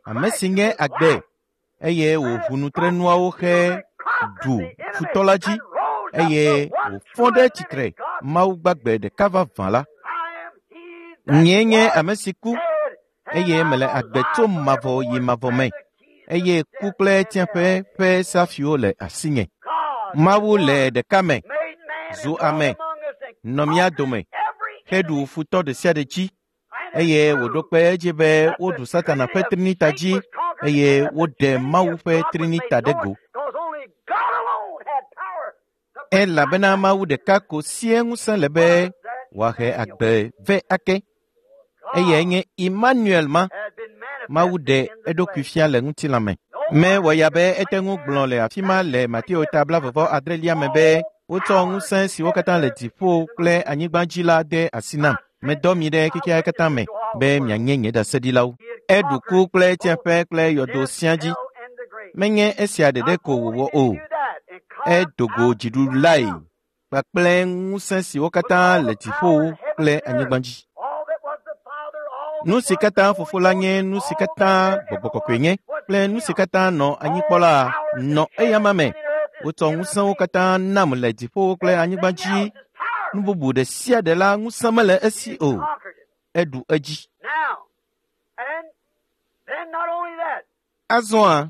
ame si nye agbe eye wòʋu nutrenuawo he ɖu futɔ la dzi eye wòfɔ ɖe tsitre Mawu gbagbe ɖeka vavã la. Nyee nye ame si ku eye mele agbe tso mavɔ yi mavɔ me eye ku kple tsiẽƒe ƒe safiwo le asinye. Mawu le ɖeka me, zu ame, nɔ mía dome, heɖu futɔ ɖe sia ɖe dzi eye wòɖo kpe edzi be woɖu Satana ƒe trinita dzi eye woɖe Mawu ƒe trinita ɖe go. Elabena Mawu ɖeka ko sie ŋusẽ le be wòahe agbe vɛ ake. Eyae nye Emmanuel ma. Mawu ɖe eɖokui fia le ŋutilã me. Mewɔ ya be ete ŋu gblɔ le afi ma le Mateo ta 28 me be wotsɔ ŋusẽ siwo katã le dziƒo kple anyigba dzi la de asi nam. Medɔ mi ɖe xexea katã me be mianye nye ɖaseɖilawo. Eɖu ku kple tsiẽƒe kple yɔdo sia dzi. Menye esia ɖeɖe ko wòwɔ o. Edo go dziɖulae kpakple ŋusẽ siwo katã le dziƒo kple anyigba dzi. Nu si katã Fofo la nye, nu si katã Gbɔgbɔ Kɔkɔe nye kple nu si katã nɔ anyikpɔ la nɔ eyama me. Wotsɔ ŋusẽwo katã nam le dziƒowo kple anyigba dzi. Nu bubu ɖe sia ɖe la ŋusẽ mele esi o. Eɖu edzi. Azɔa,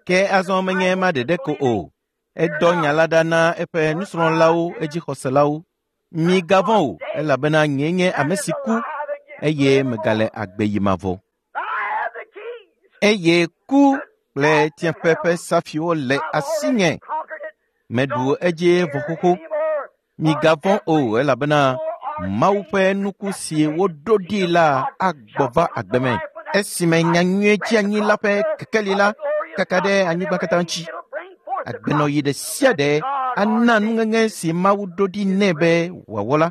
ke azɔ menye ema ɖeɖe ko o. Edɔ nya la ɖa na eƒe nusrɔ̃lawo edzixɔselawo. Migavɔ̃ o, elabena nyee nye ame si ku eye megale agbe yi mavɔ. Eye ku kple tsiẽƒe ƒe safiwo le asinye. Meɖu edzi vɔ xoxo. Migavɔ̃ o, elabena Mawu ƒe nuku si woɖo ɖi la agbɔ va agbe me. Esime nyanyuie tsi anyi la ƒe kekeli la kaka ɖe anyigba katã dzi. Agbenɔɣi ɖe sia ɖe ana nuŋeŋe si Mawu ɖo ɖi nɛ be wòawɔ la.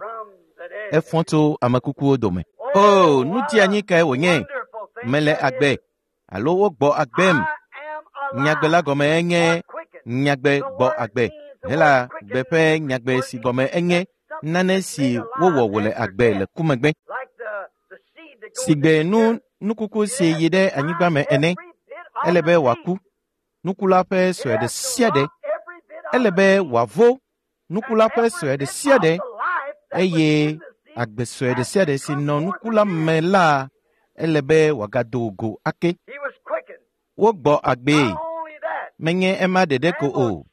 Efɔ tso ame kukuwo dome. O, nu dzeanyi kae wònye? Mele agbe alo wogbɔ agbem. Nyagbe la gɔme enye nyagbe gbɔ agbe. Hela gbe ƒe nyagbe si gɔme enye nane si wowɔ wòle agbe le ku megbe. Sigbe nu nukuku si yi ɖe anyigba me ene, ele be wòaku. Nuku la ƒe sue ɖe sia ɖe, ele be wòavo nuku la ƒe sue ɖe sia ɖe eye agbe sue ɖe sia ɖe si nɔ nuku la me la, ele be wòagado go ake. Wogbɔ agbee. Menye ema ɖeɖe ko o,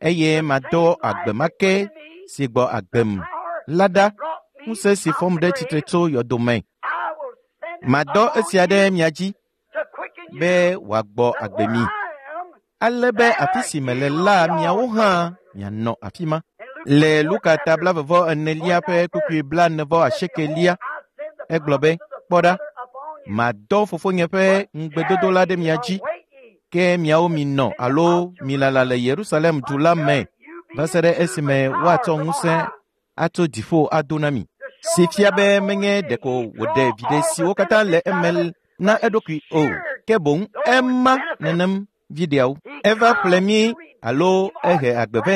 eye madɔ agbe ma ke si gbɔ agbem la ɖa, ŋusẽ si fɔm ɖe tsitre tso yɔdo me. Madɔ esia ɖe mia dzi be wòagbɔ agbe mi, ale be afi si mele la miawo hã mianɔ afi ma. Le Luka ta 44 ƒe kpukpui 48, egblɔ be, Kpɔ ɖa, madɔ fofonye ƒe ŋugbedodo la ɖe mia dzi, ke miawo minɔ alo milala le Yerusalem du la me va se ɖe esime woatsɔ ŋusẽ atso dziƒo ado na mi. Si fia be menye ɖeko wòɖe viɖe siwo katã le eme na eɖokui o, ke boŋ ema nenem viɖeawo. Eva ƒle mí alo ehe agbe vɛ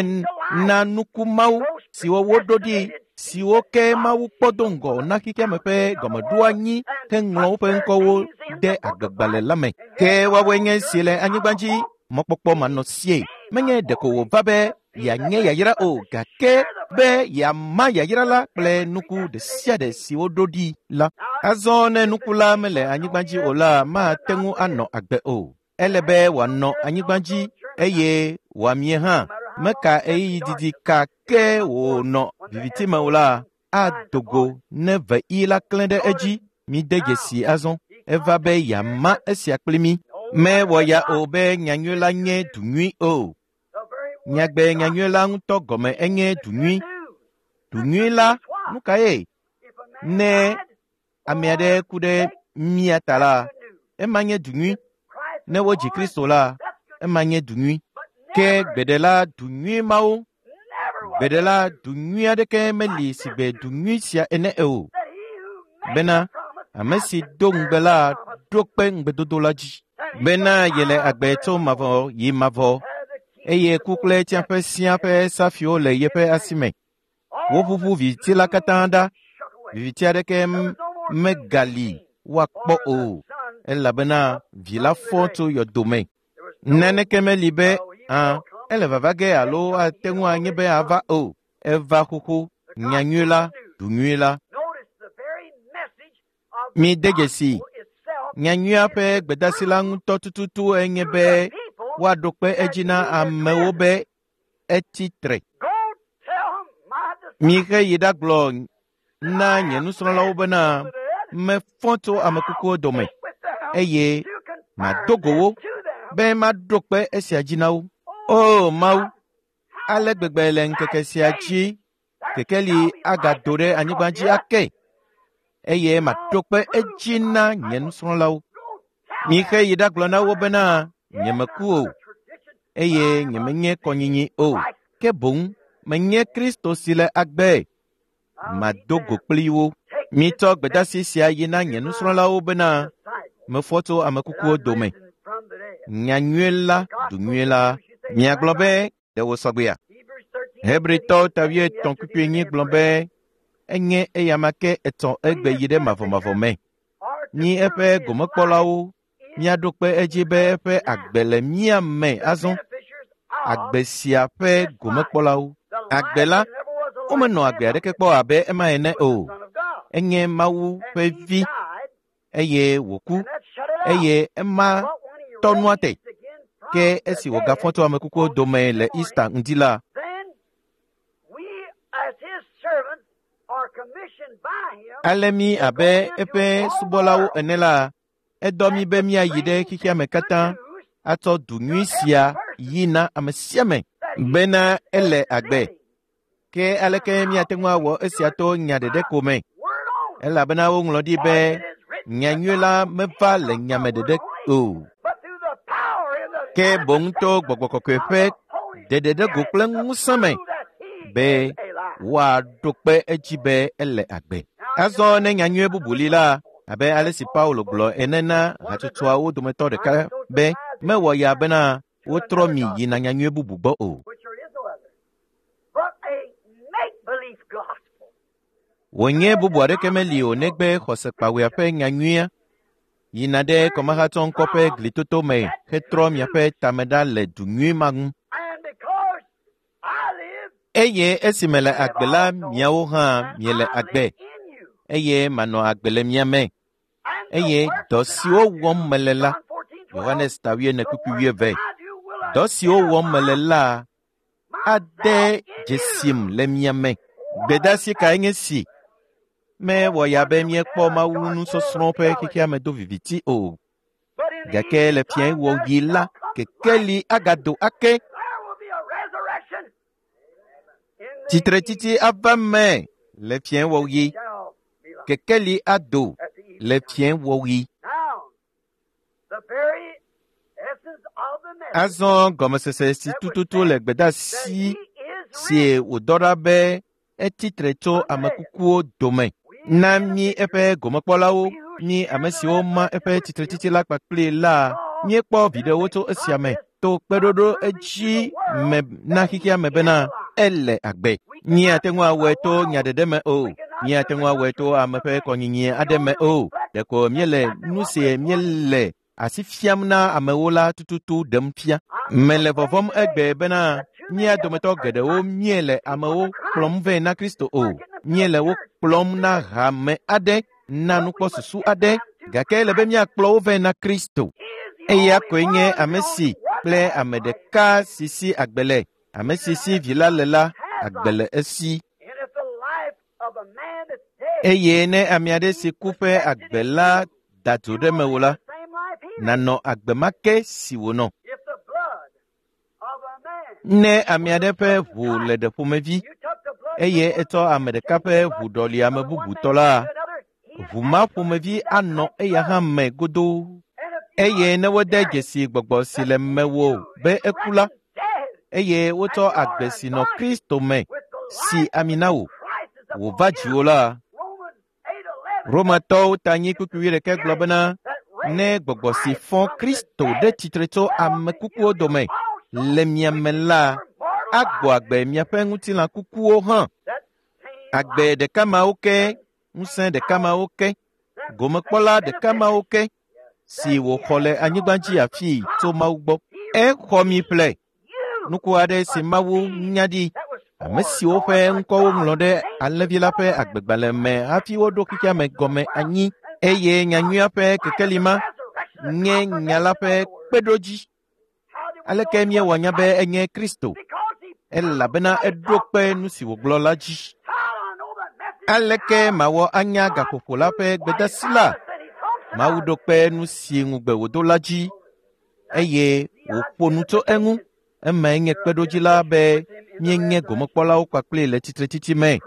na nuku mawo siwo woɖo ɖi siwo ke Mawu kpɔ do ŋgɔ na xexeame ƒe gɔmeɖoanyi heŋlɔ woƒe ŋkɔwo de agbegbalẽ la me. Ke woawoe nye esi le anyigba dzi mɔkpɔkpɔ manɔsie. Menye ɖeko wòva be yeanye yayra o, gake be yeama yayra la kple nuku ɖe sia ɖe si woɖo ɖi la. Azɔ ne nuku la mele anyigba dzi o la, mate ŋu anɔ agbe o. Ele be wòanɔ anyigba dzi eye wòamie hã. Meka ɣeyiɣi didi ka ke wònɔ viviti me o la, ado go ne veɣi la klẽ ɖe edzi. Mide dzesi azɔ. Eva be yeama esia kpli mí. Mewɔ ya o be nyanyui la nye du nyui o. Nyagbe nyanyui la ŋutɔ gɔme enye du nyui. Du nyui la, nu kae? Ne ame aɖe ku ɖe mía ta la, ema nye du nyui. Ne wodzi Kristo la, ema nye du nyui. Ke gbeɖe la du nyui mawo, gbeɖe la du nyui aɖeke meli sigbe du nyui sia ene o. Bena ame si do ŋugbe la ɖo kpe ŋugbedodo la dzi. Bena yele agbe tso mavɔ yi mavɔ eye ku kple tsiaƒe sia ƒe safiwo le yeƒe asi me. Woʋuʋu viviti la katã ɖa. Viviti aɖeke megali woakpɔ o elabena vi la fɔ tso yɔdo me. Naneke meli be ã ele vava ge alo ate ŋu anye be ava o. Eva xoxo, nyanyui la, du nyui la. Mide dzesi, nyanyuia ƒe gbedasi la ŋutɔ tututu enye be woaɖo kpe edzi na amewo be etsi tre. Mihe yi ɖagblɔ na nye nusrɔ̃lawo bena mefɔ tso ame kukuwo dome eye mado go wo be maɖo kpe esia dzi na wo. O Mawu, ale gbegbe le ŋkeke sia dzi kekeli agado ɖe anyigba dzi ake eye maɖo kpe edzi na nye nusrɔ̃lawo. Mihe yi ɖagblɔ na wo bena nyemeku o eye nyemenye kɔnyinyi o, ke boŋ menye Kristo si le agbe. Mado go kpli wo. Mitsɔ gbedasi sia yi na nye nusrɔ̃lawo bena mefɔ tso ame kukuwo dome. Nyanyui la, du nyui la. Miagblɔ be ɖe wòsɔgbea? Hebritɔwo ta wuietɔ̃ kpukpui enyi gblɔ be enye eyama ke etɔ egbe yi ɖe mavɔmavɔ me. Mí eƒe gomekpɔlawo míaɖo kpe edzi be eƒe agbe le mía me azɔ. Agbe sia ƒe gomekpɔlawo. Agbe la, womenɔ agbe aɖeke kpɔ abe ema ene o. Enye Mawu ƒe vi eye wòku eye ema tɔ nua te. Ke esi wògafɔ tso ame kukuwo dome le Easter ŋdi la, ale mí abe eƒe subɔlawo ene la, edɔ mí be míayi ɖe xexea me katã atsɔ du nyui sia yi na ame sia ame bena ele agbe. Ke aleke míate ŋu awɔ esia to nya ɖeɖe ko me? Elabena woŋlɔ ɖi be nyanyui la meva le nyame ɖeɖe o. Ke boŋ to gbɔgbɔ kɔkɔe ƒe ɖeɖeɖego kple ŋusẽ me be woaɖo kpe edzi be ele agbe. Azɔ ne nyanyui bubu li la, abe ale si Paulo gblɔ ene na hatsotsoawo dometɔ ɖeka be mewɔ ya bena wotrɔ mi yina nyanyui bubu gbɔ o. But a make-believe gospel. Wònye bubu aɖeke meli o negbe xɔsekpawuia ƒe nyanyuia yina ɖe kɔmahatsɔ ŋkɔ ƒe glitoto me hetrɔ miaƒe tame ɖa le du nyui ma ŋu. And because I live, Eye esi mele agbe la, miawo hã miele agbe in you. eye manɔ agbe le mia me. And the Eye works dɔ that siwo I do, wɔm mele la, John 14, 12, Yohanes ta wuiene the kpukpui works wuieve, that I do will dɔ siwo wɔm mele la ade myself in dzesim you. le mia me. Gbedasi kae nye si? Mewɔ ya be míekpɔ Mawu nusɔsrɔ̃ ƒe xexea me do viviti o. But in the Gake le evening fiẽ time wɔɣi there la, shall come kekeli light. agado ake. There will be a resurrection. In the Tsitretsitsi ava me le fiẽ wɔɣi. evening shall be light. Kekeli ado At the evening le time. fiẽ wɔɣi. Now, the very essence of the message Azɔ gɔmesese si tututu le that gbedasi he is si risen. wòdɔ ɖa be etsi tre tso ame kukuwo dome. Na mí eƒe gomekpɔlawo, mí ame siwo ma eƒe tsitretsitsi la kpakpli la, míekpɔ viɖewo tso esia me to kpeɖoɖo edzi me na xexea me bena ele agbe. Míate ŋu awɔe to nya ɖeɖe me o. Míate ŋu awɔe to ame ƒe kɔnyinyi aɖe me o. Ɖeko míele nu si míele asi fiam na amewo la tututu ɖem fia. Mele vɔvɔ̃m egbe bena mía dometɔ geɖewo míele amewo kplɔm vɛ na Kristo o. Míele wo kplɔm na hame aɖe, na nukpɔsusu aɖe, gake ele be míakplɔ wo vɛ na Kristo. His Eya koe nye ame si kple ame ɖeka si si agbe le. Ame si si vi la le la, agbe le esi. Eye ne ame aɖe si ku ƒe agbe la da dzo ɖe mewò la, nànɔ agbe ma ke si wònɔ. Ne ame aɖe ƒe ʋu le ɖe ƒomevi eye etsɔ ame ɖeka ƒe ʋu ɖɔli ame bubu tɔ la, ʋu ma ƒomevi anɔ eya hã me godoo. Eye ne wode dzesi gbɔgbɔ si le mewò be eku la, eye wotsɔ agbe si nɔ Kristo me si ami na wò, wòva dziwò la, Romatɔwo ta anyi kpukpui wuiɖekɛ gblɔ bena ne gbɔgbɔ si fɔ Kristo ɖe tsitre tso ame kukuwo dome le mia me la, agbɔ agbe miaƒe ŋutilã kukuwo hã. Agbe ɖeka mawo ke, ŋusẽ ɖeka mawo ke, gomekpɔla ɖeka mawo ke si wòxɔ le anyigba dzi afii tso Mawu gbɔ. Exɔ mi ƒle. Nuku aɖe si Mawu nya ɖi, ame siwo ƒe ŋkɔwo ŋlɔ ɖe alẽvi la ƒe agbegbalẽ me hafi woɖo xexea me gɔme anyi eye nyanyuia ƒe kekeli ma nye nya la ƒe kpeɖodzi. Aleke míewɔ nya be enye Kristo? Elabena eɖo kpe nu si wògblɔ la dzi. Aleke mawɔ anya gaƒoƒo la ƒe gbedasi la? Mawu ɖo kpe nu si ŋugbe wòdo la dzi eye wòƒo nu tso eŋu. Emae nye kpeɖodzi la be míenye gomekpɔlawo kpakple le tsitretsitsi me.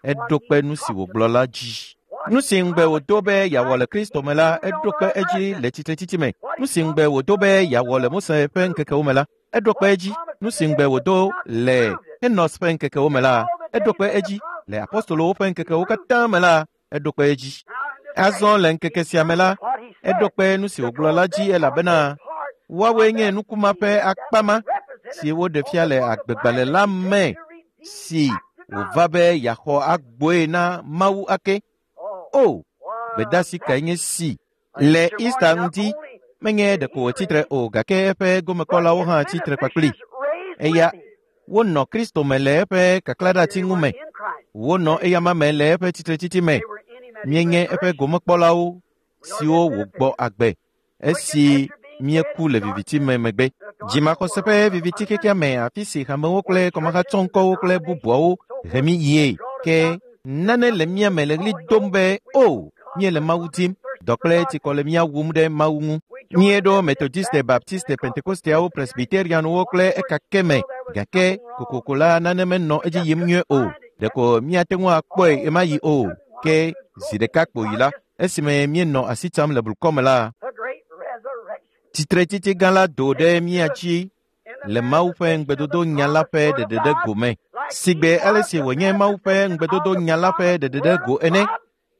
Eɖo kpe nu si wògblɔ la dzi. Nu si ŋugbe wòdo be yeawɔ le Kristo me la, eɖo kpe edzi le tsitretsitsi me. Nu si ŋugbe wòdo be yeawɔ le Mose ƒe ŋkekewo me la, eɖo kpe edzi. Nu si ŋugbe wòdo le Enos ƒe ŋkekewo me la, eɖo kpe edzi. Le apostolowo ƒe ŋkekewo katã me la, eɖo kpe edzi. Azɔ le ŋkeke sia me la, eɖo kpe nu si wògblɔ la dzi elabena woawoe nye nukuma ƒe akpa ma si woɖe fia le agbegbalẽ la me si wòva be yeaxɔ agboe na Mawu ake. O, gbedasi kae nye si le Easter ŋuti menye ɖeko wòtsi tre o gake eƒe gomekpɔlawo hã tsi tre kpakpli. Eya wonɔ Kristo me le eƒe kaklaɖeati ŋu me. Wonɔ eyama me le eƒe tsitretsitsi me. Míenye eƒe gomekpɔlawo siwo wògbɔ agbe esi míeku le viviti me megbe. Dzimaxɔse ƒe viviti xexea me afi si hamewo kple kɔmahatsɔŋkɔwo kple bubuawo he mí yie ke nane le mía me le ɣli dom be o míele Mawu dim. Dɔ kple tsikɔ le mía wum ɖe Mawu ŋu. Míeɖo Methodiste, Baptiste, Pentekosteawo, Presbyterianwo kple ekake me gake kokoko la nane menɔ edzi yim nyuie o. Ɖeko míate ŋu akpɔe ɣemaɣi o. Ke zi ɖeka kpoyi la, esime míenɔ asi tsam le blukɔ me la, tsitretsitsi gã la do ɖe mía dzi le Mawu ƒe ŋugbedodo nya la ƒe ɖeɖeɖe go me. Sigbe ale si wònye Mawu ƒe ŋugbedodo nya la ƒe ɖeɖeɖe go ene,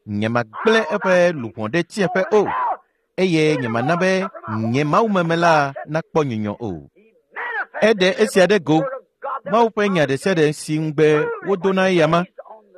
nyemagblẽ eƒe luʋɔ ɖe tsiẽƒe o eye nyemana be nye mawumeme la nakpɔ nyunyɔ o. Eɖe esia ɖe go. Mawu ƒe nya ɖe sia ɖe si ŋugbe wodo na eyama,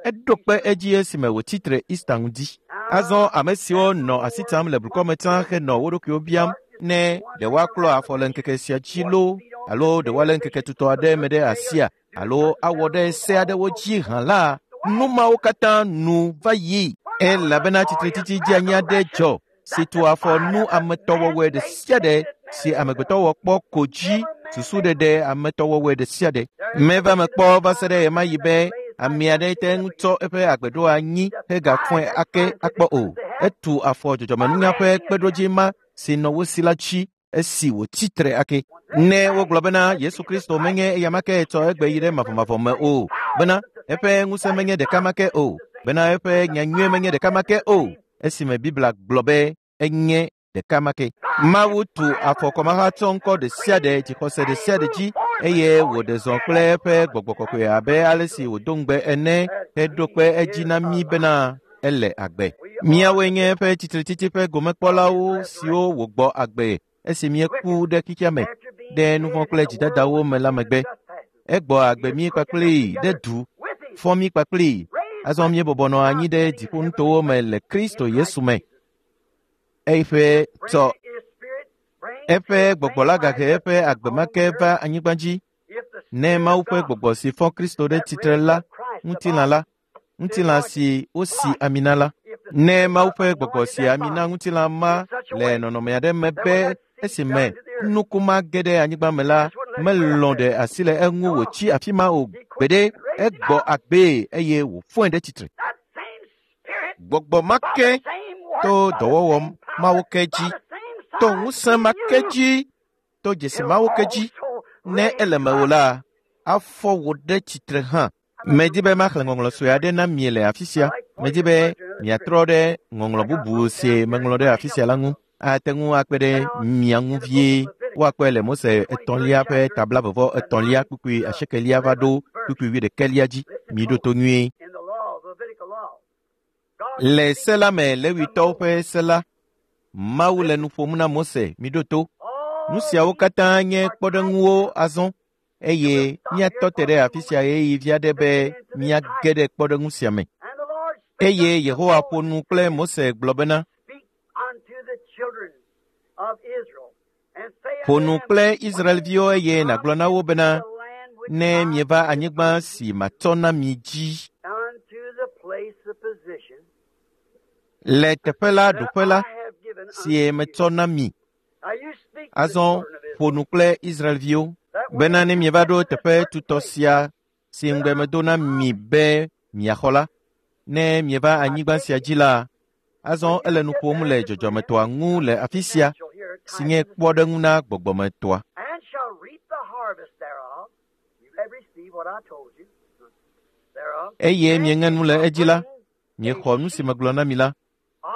eɖo kpe edzi esime wòtsi tre Easter ŋdi. Azɔ ame siwo nɔ asi tsam le blukɔ me tsã henɔ wo ɖokuiwo biam ne ɖe woaklɔ afɔ le ŋkeke sia dzi loo alo ɖe woalé ŋkeke tutɔ aɖe me ɖe asia alo awɔ ɖe se aɖewo dzi hã la, nu mawo katã nu va yi elabena tsitretsitsi dzeanyi aɖe dzɔ si tu afɔ nu ametɔwɔwɔe ɖe sia ɖe si amegbetɔ wɔ kpɔ ko dzi susuɖeɖe ametɔwɔwɔe ɖe sia ɖe. Meva me kpɔ va se ɖe ɣemaɣi be ame aɖe te ŋu tsɔ eƒe agbe ɖo anyi hegafɔe ake akpɔ o. Etu afɔ dzɔdzɔmenunya ƒe kpeɖodzi ma si nɔ wo si la dzi esi wòtsi tre ake. Ne wogblɔ bena Yesu Kristo menye eyama ke tsɔ egbe yi ɖe mavɔmavɔ me o, bena eƒe ŋusẽ menye ɖeka ma ke o, bena eƒe nyanyui menye ɖeka ma ke o, esime Biblia gblɔ be enye ɖeka ma ke. Mawu tu afɔ kɔmahatsɔŋkɔ ɖe sia ɖe dzixɔse ɖe sia ɖe dzi eye wòɖe zɔ kple eƒe gbɔgbɔ kɔkɔe abe ale si wòdo ŋugbe ene heɖo kpe edzi na mí bena ele agbe. Míawoe nye eƒe tsitretsitsi ƒe gomekpɔlawo siwo wògbɔ agbe esi míeku ɖe xexea me ɖe nu vɔ̃ kple dzidadawo me la megbe. Egbɔ agbe mí kpakplii ɖe du, fɔ mí kpakplii. Azɔ míebɔbɔ nɔ anyi ɖe dziƒonutowo me le Kristo Yesu me. Eƒe tsɔ eƒe gbɔgbɔ la gahe eƒe agbe ma ke va anyigba dzi. Ne Mawu ƒe gbɔgbɔ si fɔ Kristo ɖe tsitre la ŋutilã la, ŋutilã si wosi ami na la. Ne Mawu ƒe gbɔgbɔ si ami na ŋutilã ma le nɔnɔme aɖe me be Esime nuku ma ge ɖe anyigba me la, melɔ̃ ɖe asi le eŋu wòtsi afi ma o gbeɖe. Egbɔ agbee eye wòfɔe ɖe tsitre. Gbɔgbɔ ma ke to dɔwɔwɔ mawo ke dzi, to ŋusẽ ma ke dzi, to dzesi mawo ke dzi. Ne ele mewò la, afɔ wò ɖe tsitre hã. Medi be maxlẽ ŋɔŋlɔ sue aɖe na mi le afi sia. Medi be miatrɔ ɖe ŋɔŋlɔ bubu si meŋlɔ ɖe afi sia la ŋu. Ate ŋu akpe ɖe mia ŋu vie. Woakpɔe le Mose etɔ̃lia ƒe tabla vɔvɔ etɔ̃lia kpukpui asiekelia va ɖo kpukpui wuiɖekɛlia dzi. Miɖo to nyuie. Le se la me, Lewitɔwo ƒe se la, Mawu le nu ƒom na Mose. Miɖo to. Nu siawo katã nye kpɔɖeŋuwo azɔ eye míatɔ te ɖe afi sia ɣeyiɣi vi aɖe be míage ɖe kpɔɖeŋu sia me. Eye Yehowa ƒo nu kple Mose gblɔ bena, Ƒo nu kple Israelviwo eye nàgblɔ na wo bena, ne mieva anyigba si matsɔ na mi dzi le teƒe la ɖoƒe la si metsɔ na mi. Azɔ ƒo nu kple Israelviwo bena ne mieva ɖo teƒe tutɔ sia si ŋugbe medo na mi be miaxɔ la, ne mieva anyigba sia dzi la, azɔ ele nu ƒom le dzɔdzɔmetɔa ŋu le afi sia si nye kpɔɖeŋu na gbɔgbɔmetɔa. Eye mieŋe nu le edzi la, miexɔ nu si megblɔ na mi la,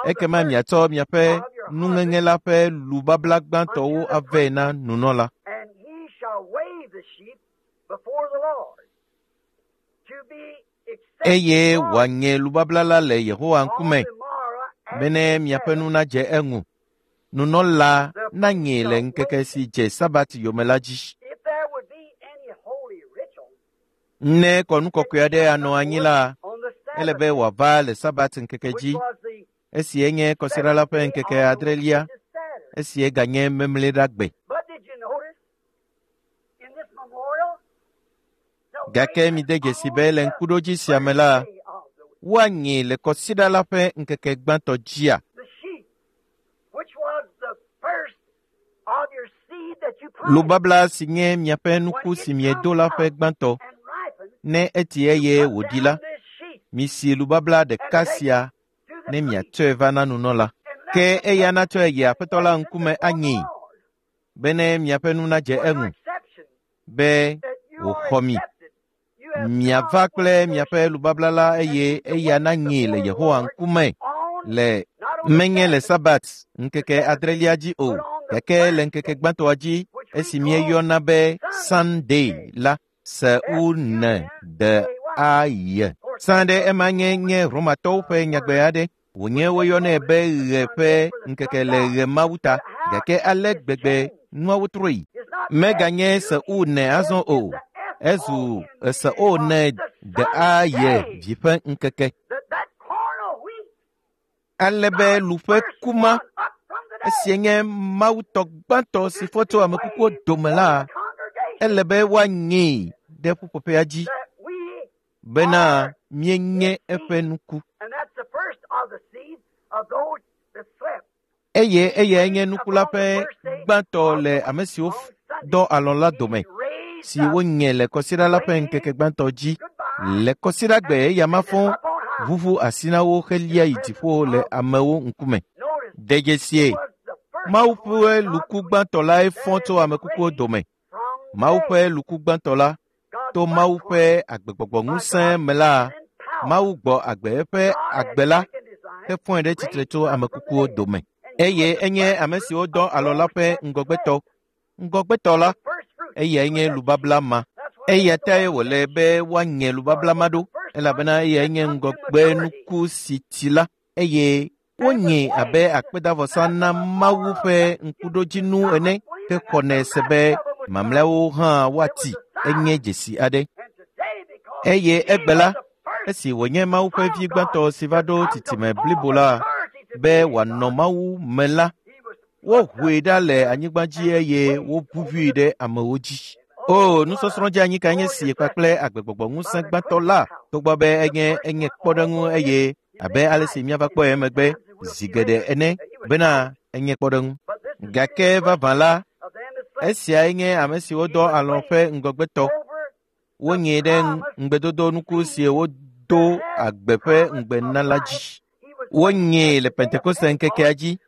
ekema miatsɔ miaƒe nuŋeŋe la ƒe lubabla gbãtɔwo avɛ na nunɔla. Eye wòaŋe lubabla la le Yehowa ŋkume bene miaƒe nu nadze eŋu. Nunɔla naŋe le ŋkeke si dze Sabat yome la dzi. Ne kɔnu kɔkɔe aɖe anɔ anyi la, ele be wòava le Sabat ŋkeke dzi, esi enye kɔsiɖa la ƒe ŋkeke adrelia, esi eganye Memleɖagbe. Gake mide dzesi be le ŋkuɖodzi sia me la, woaŋe le kɔsiɖa la ƒe ŋkeke gbãtɔ dzia. Lubabla si nye miaƒe nuku si miedo la ƒe gbãtɔ, ne eti eye wòɖi la, misi lubabla ɖeka sia ne miatsɔe va na nunɔla. Ke eya natsɔe yi Aƒetɔ la ŋkume anyee, bene miaƒe nu nadze eŋu, be wòxɔ mi. Miava kple miaƒe lubabla la eye eya nanyee le Yehowa ŋkume le menye le Sabat ŋkeke adrelia dzi o, gake le ŋkeke gbãtɔa dzi esi míeyɔna be Sunday la, S U N D A Y. Sã ɖe ema nye nye Romatɔwo ƒe nyagbe aɖe. Wònye woyɔnɛ be ɣe ƒe ŋkeke le ɣe mawu ta, gake ale gbegbe nuawo trɔe. Meganye S U N azɔ o, ezu S O N D A Y vi ƒe ŋkeke. Ale be lu ƒe ku ma, esie nye Mawutɔ gbãtɔ si fɔ tso ame kukuwo dome la, ele be woanyee ɖe ƒuƒoƒea dzi bena míenye eƒe nuku. Eye eyae nye nuku la ƒe gbãtɔ le ame siwo dɔ alɔ̃ la dome, si wonye le kɔsiɖa la ƒe ŋkeke gbãtɔ dzi. Le kɔsiɖagbe eya ma fɔ ʋuʋu asi na wo helia yi dziƒo le amewo ŋkume. De dzesie, Mawu ƒe luku gbãtɔ lae fɔ tso ame kukuwo dome. Mawu ƒe luku gbãtɔ la, to Mawu ƒe agbegbɔgbɔ ŋusẽ me la, Mawu gbɔ agbe eƒe agbe la hefɔe ɖe tsitre tso ame kukuwo dome. Eye enye ame siwo dɔ alɔ̃ la ƒe ŋgɔgbetɔ. Ŋgɔgbetɔ la, eyae nye lubabla ma. Eya tae wòle be woaŋe lubabla ma ɖo, elabena eyae nye ŋgɔgbenuku si tsi la, eye wonye abe akpedavɔsa na Mawu ƒe ŋkuɖodzinu ene ke xɔnɛ se be mamlɛawo hã woati. Enye dzesi aɖe. Eye egbe la, esi wònye Mawu ƒe vi gbãtɔ si va ɖo tsitsime blibo la be wòanɔ Mawu me la, wohoe ɖa le anyigba dzi eye woʋuʋui ɖe amewo dzi. O, nusɔsrɔ̃ dzeanyi kae nye si kpakple agbegbɔgbɔ ŋusẽ gbãtɔ la, togbɔ be enye enye kpɔɖeŋu eye abe ale si míava kpɔe emegbe zi geɖe ene bena enye kpɔɖeŋu. Gake vavã la, esiae nye ame siwo dɔ alɔ̃ ƒe ŋgɔgbetɔ. Wonyee ɖe ŋugbedodo nuku si wodo agbe ƒe ŋugbe na la dzi. Wonyee le Pentekoste ŋkekea dzi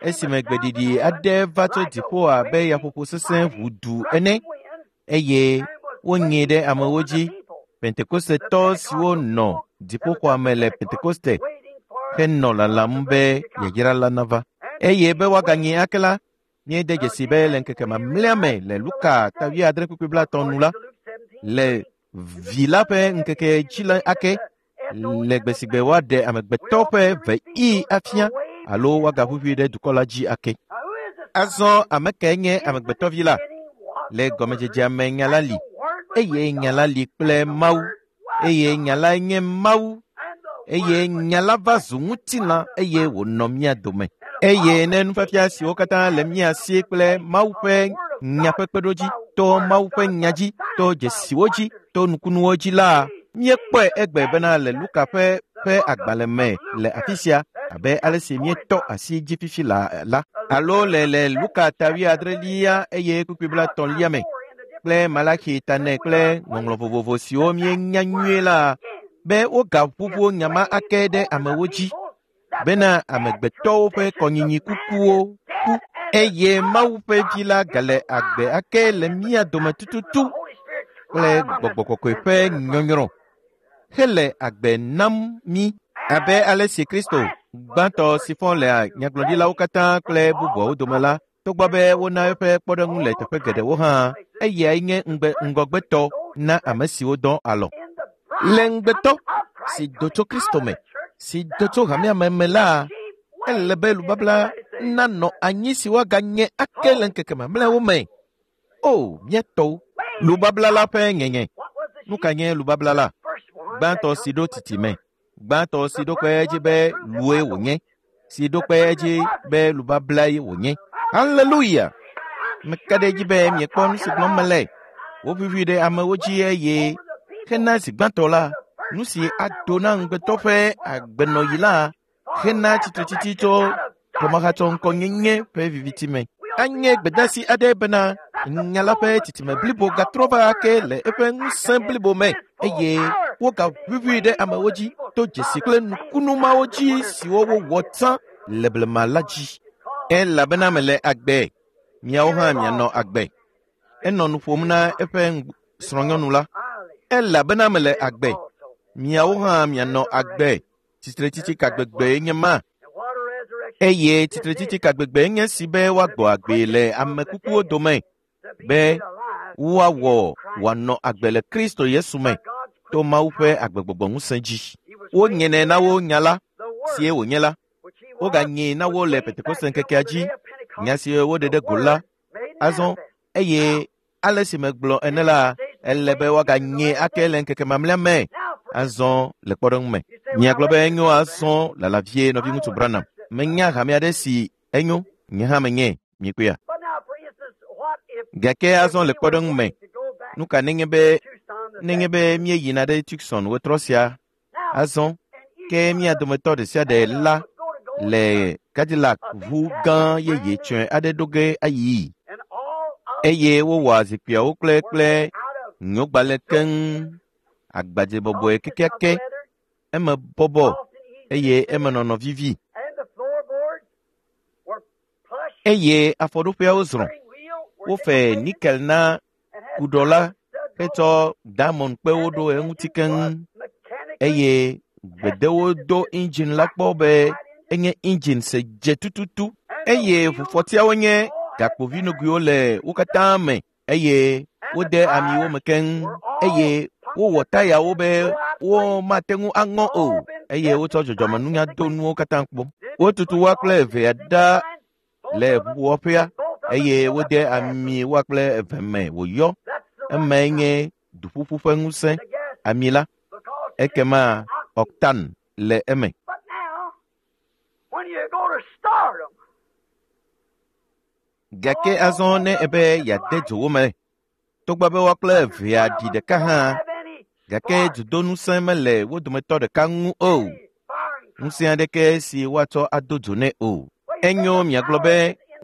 esime gbeɖiɖi aɖe va tso dziƒo abe yaƒoƒo sesẽ ʋudu ene eye wonyee ɖe amewo dzi. Pentekostetɔ siwo nɔ dziƒoxɔa me le Pentekoste henɔ lalam be yayra la nava. Eye be woaganyee ake la, míede dzesi be le ŋkeke mamlɛa me le Luka ta 7:30 nu la, le vi la ƒe ŋkeke dzi la ake le gbe si gbe woaɖe amegbetɔ ƒe veɣi afia alo woagaʋuʋui ɖe dukɔ la dzi ake. Azɔ ame kae nye amegbetɔvi la? Le gɔmedzedzea me nya la li, eye nya la li kple Mawu, eye nya lae nye Mawu, eye nya la va zu ŋutilã eye wònɔ mía dome. Eye ne nufiafia siwo katã le mía si kple Mawu ƒe nya ƒe kpeɖodzi, to Mawu ƒe nya dzi, to dzesiwo dzi, to nukunuwo dzi la, míekpɔe egbe bena le Luka ƒe agbalẽ me le afi sia abe ale si míetɔ asi dzi fifi la alo le Luka ta 70 eye kpukpui 30 me kple Malaki ta 4 kple ŋɔŋlɔ vovovo siwo míenya nyuie la be wogaʋuʋu nya ma ake ɖe amewo dzi bena amegbetɔwo ƒe kɔnyinyi kukuwo ku eye Mawu ƒe vi la gale agbe ake le mía dome tututu kple gbɔgbɔ kɔkɔe ƒe nyɔnyrɔ hele agbe nam mí abe ale si Kristo gbãtɔ si fɔ le nyagblɔɖilawo katã kple bubuawo dome la, togbɔ be wona eƒe kpɔɖeŋu le teƒe geɖewo hã, eyae nye ŋgɔgbetɔ na ame siwo dɔ alɔ̃. Le ŋugbetɔ si do tso Kristo me, si do tso hamea me la, ele be lubabla nanɔ anyi si woaganye ake le ŋkeke mamlɛawo me. O, mía tɔwo, lubabla la ƒe ŋeŋe. Nu ka nye lubabla la? Gbãtɔ si ɖo titime, gbãtɔ si ɖo kpe edzi be lue wònye, si ɖo kpe edzi be lubablae wònye. Haleluya! Meka ɖe edzi be miekpɔ nu si gblɔm mele. Woʋuʋui ɖe amewo dzi eye hena zi gbãtɔ la, nu si ado na ŋugbetɔ ƒe agbenɔɣi la hena tsitretsitsi tso xɔmahatsɔŋkɔnyenye ƒe viviti me. Anye gbedeasi aɖe bena nya la ƒe titime blibo gatrɔ va ake le eƒe ŋusẽ blibo me eye wogaʋuʋui ɖe amewo dzi to dzesi kple nukunu mawo dzi siwo wowɔ tsã le blema la dzi. Elabena mele agbe, miawo hã mianɔ agbe. Enɔ nu ƒom na eƒe srɔ̃nyɔnu la. Elabena mele agbe, miawo hã mianɔ agbe. Tsitretsitsi ka gbegbee nye ma? Eye tsitretsitsi ka gbegbee nye si be woagbɔ agbe le ame kukuwo dome, be woawɔ wòanɔ agbe le Kristo Yesu me to Mawu ƒe agbegbɔgbɔ ŋusẽ dzi. Wonyenɛ na wo nya la, sie wònye la. Woganyee na wo le Pentekoste ŋkekea dzi, nya si woɖe ɖe go la. Azɔ eye ale si megblɔ ene la, ele be woaganyee ake le ŋkeke mamlɛa me. Azɔ le kpɔɖeŋu me, miagblɔ be enyo azɔ lala vie nɔviŋutsu Branham. Menya hame aɖe si enyo, nye hã menye, miekpɔea. Gake azɔ le kpɔɖeŋu me, nu ka nenye be míeyina ɖe Tucson wetrɔ sia azɔ ke mía dometɔ ɖe sia ɖe la le Cadillac ʋu gã yeye tsɔe aɖe ɖo ge ayi eye wowɔa zikpuiawo kple nyogbalẽ keŋ, agbadze bɔbɔe kekeake, eme bɔbɔ eye eme nɔnɔ vivi. Eye afɔɖoƒeawo zrɔ̃. Wofe nikel na kuɖɔ la hetsɔ diamond kpewo ɖo eŋuti keŋ eye gbedewo do engine la kpɔ be enye engine se dze tututu eye ʋufɔtiawo nye gakpovinuguiwo le wo katã me eye wode amiwo me keŋ eye wowɔ tayawo be womate ŋu aŋɔ o eye wotsɔ dzɔdzɔmenunya do nuwo katã kpɔ. Wotutu woa kple evea ɖa le ʋuwɔƒea eye wode ami woa kple eve me wòyɔ. Emae nye duƒuƒu ƒe ŋusẽ, ami la, ekema octane le eme. Gake azɔ ne ebe yeade dzo wo me, togbɔ be woa kple evea ɖi ɖeka hã, gake dzodoŋusẽ mele wo dometɔ ɖeka ŋu o. Ŋusẽ aɖeke si woatsɔ ado dzo nɛ o. Enyo miagblɔ be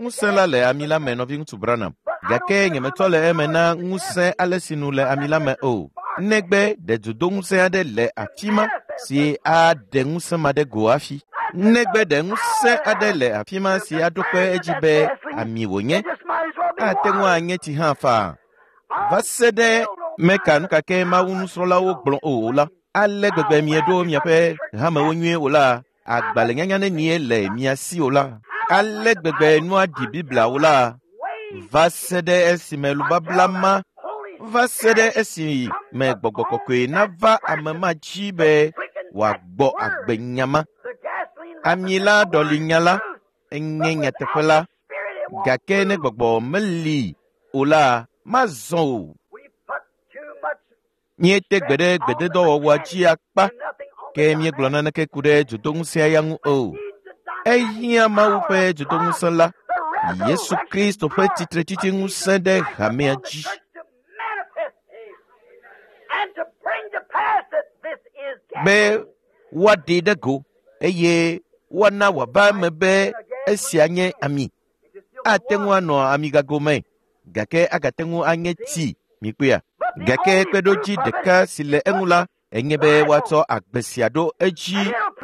Ŋusẽ la le ami la me, nɔviŋutsu Branham. Gake nyemetɔ le eme na ŋusẽ ale si nu le ami la me o. Negbe ɖe dzodoŋusẽ aɖe le afi ma si aɖe ŋusẽ ma ɖe go hafi. Negbe ɖe ŋusẽ aɖe le afi ma si aɖo kpe edzi be ami wònye, ate ŋu anye tsi hã faa. Va se ɖe meka nu ka ke Mawu nusrɔ̃lawo gblɔ o la, ale gbegbe mieɖo miaƒe hamewo nyuie o la, agbalẽnyanya nenie le mia si o la, ale gbegbe nua ɖi Biblia o la, va se ɖe esime lubabla ma, va se ɖe esime gbɔgbɔ kɔkɔe nava ame ma dzi be wòagbɔ agbe nya ma. Ami la ɖɔli nya la, enye nyateƒe la, gake ne gbɔgbɔ meli o la, mazɔ o. Míete gbe ɖe gbededɔwɔwɔa dzi akpa, ke míegblɔ naneke ku ɖe dzodoŋusẽa ya ŋu o. Ehiã Mawu ƒe dzodoŋusẽ la, Yesu Kristo ƒe tsitretsitsi ŋusẽ ɖe hamea dzi. Be woaɖee ɖe go eye woana wòava eme be esia nye ami. Ate ŋu anɔ amigago me, gake agate ŋu anye tsi, mikpɔea? Gake kpeɖodzi ɖeka si le eŋu la, enye be woatsɔ agbe sia ɖo edzi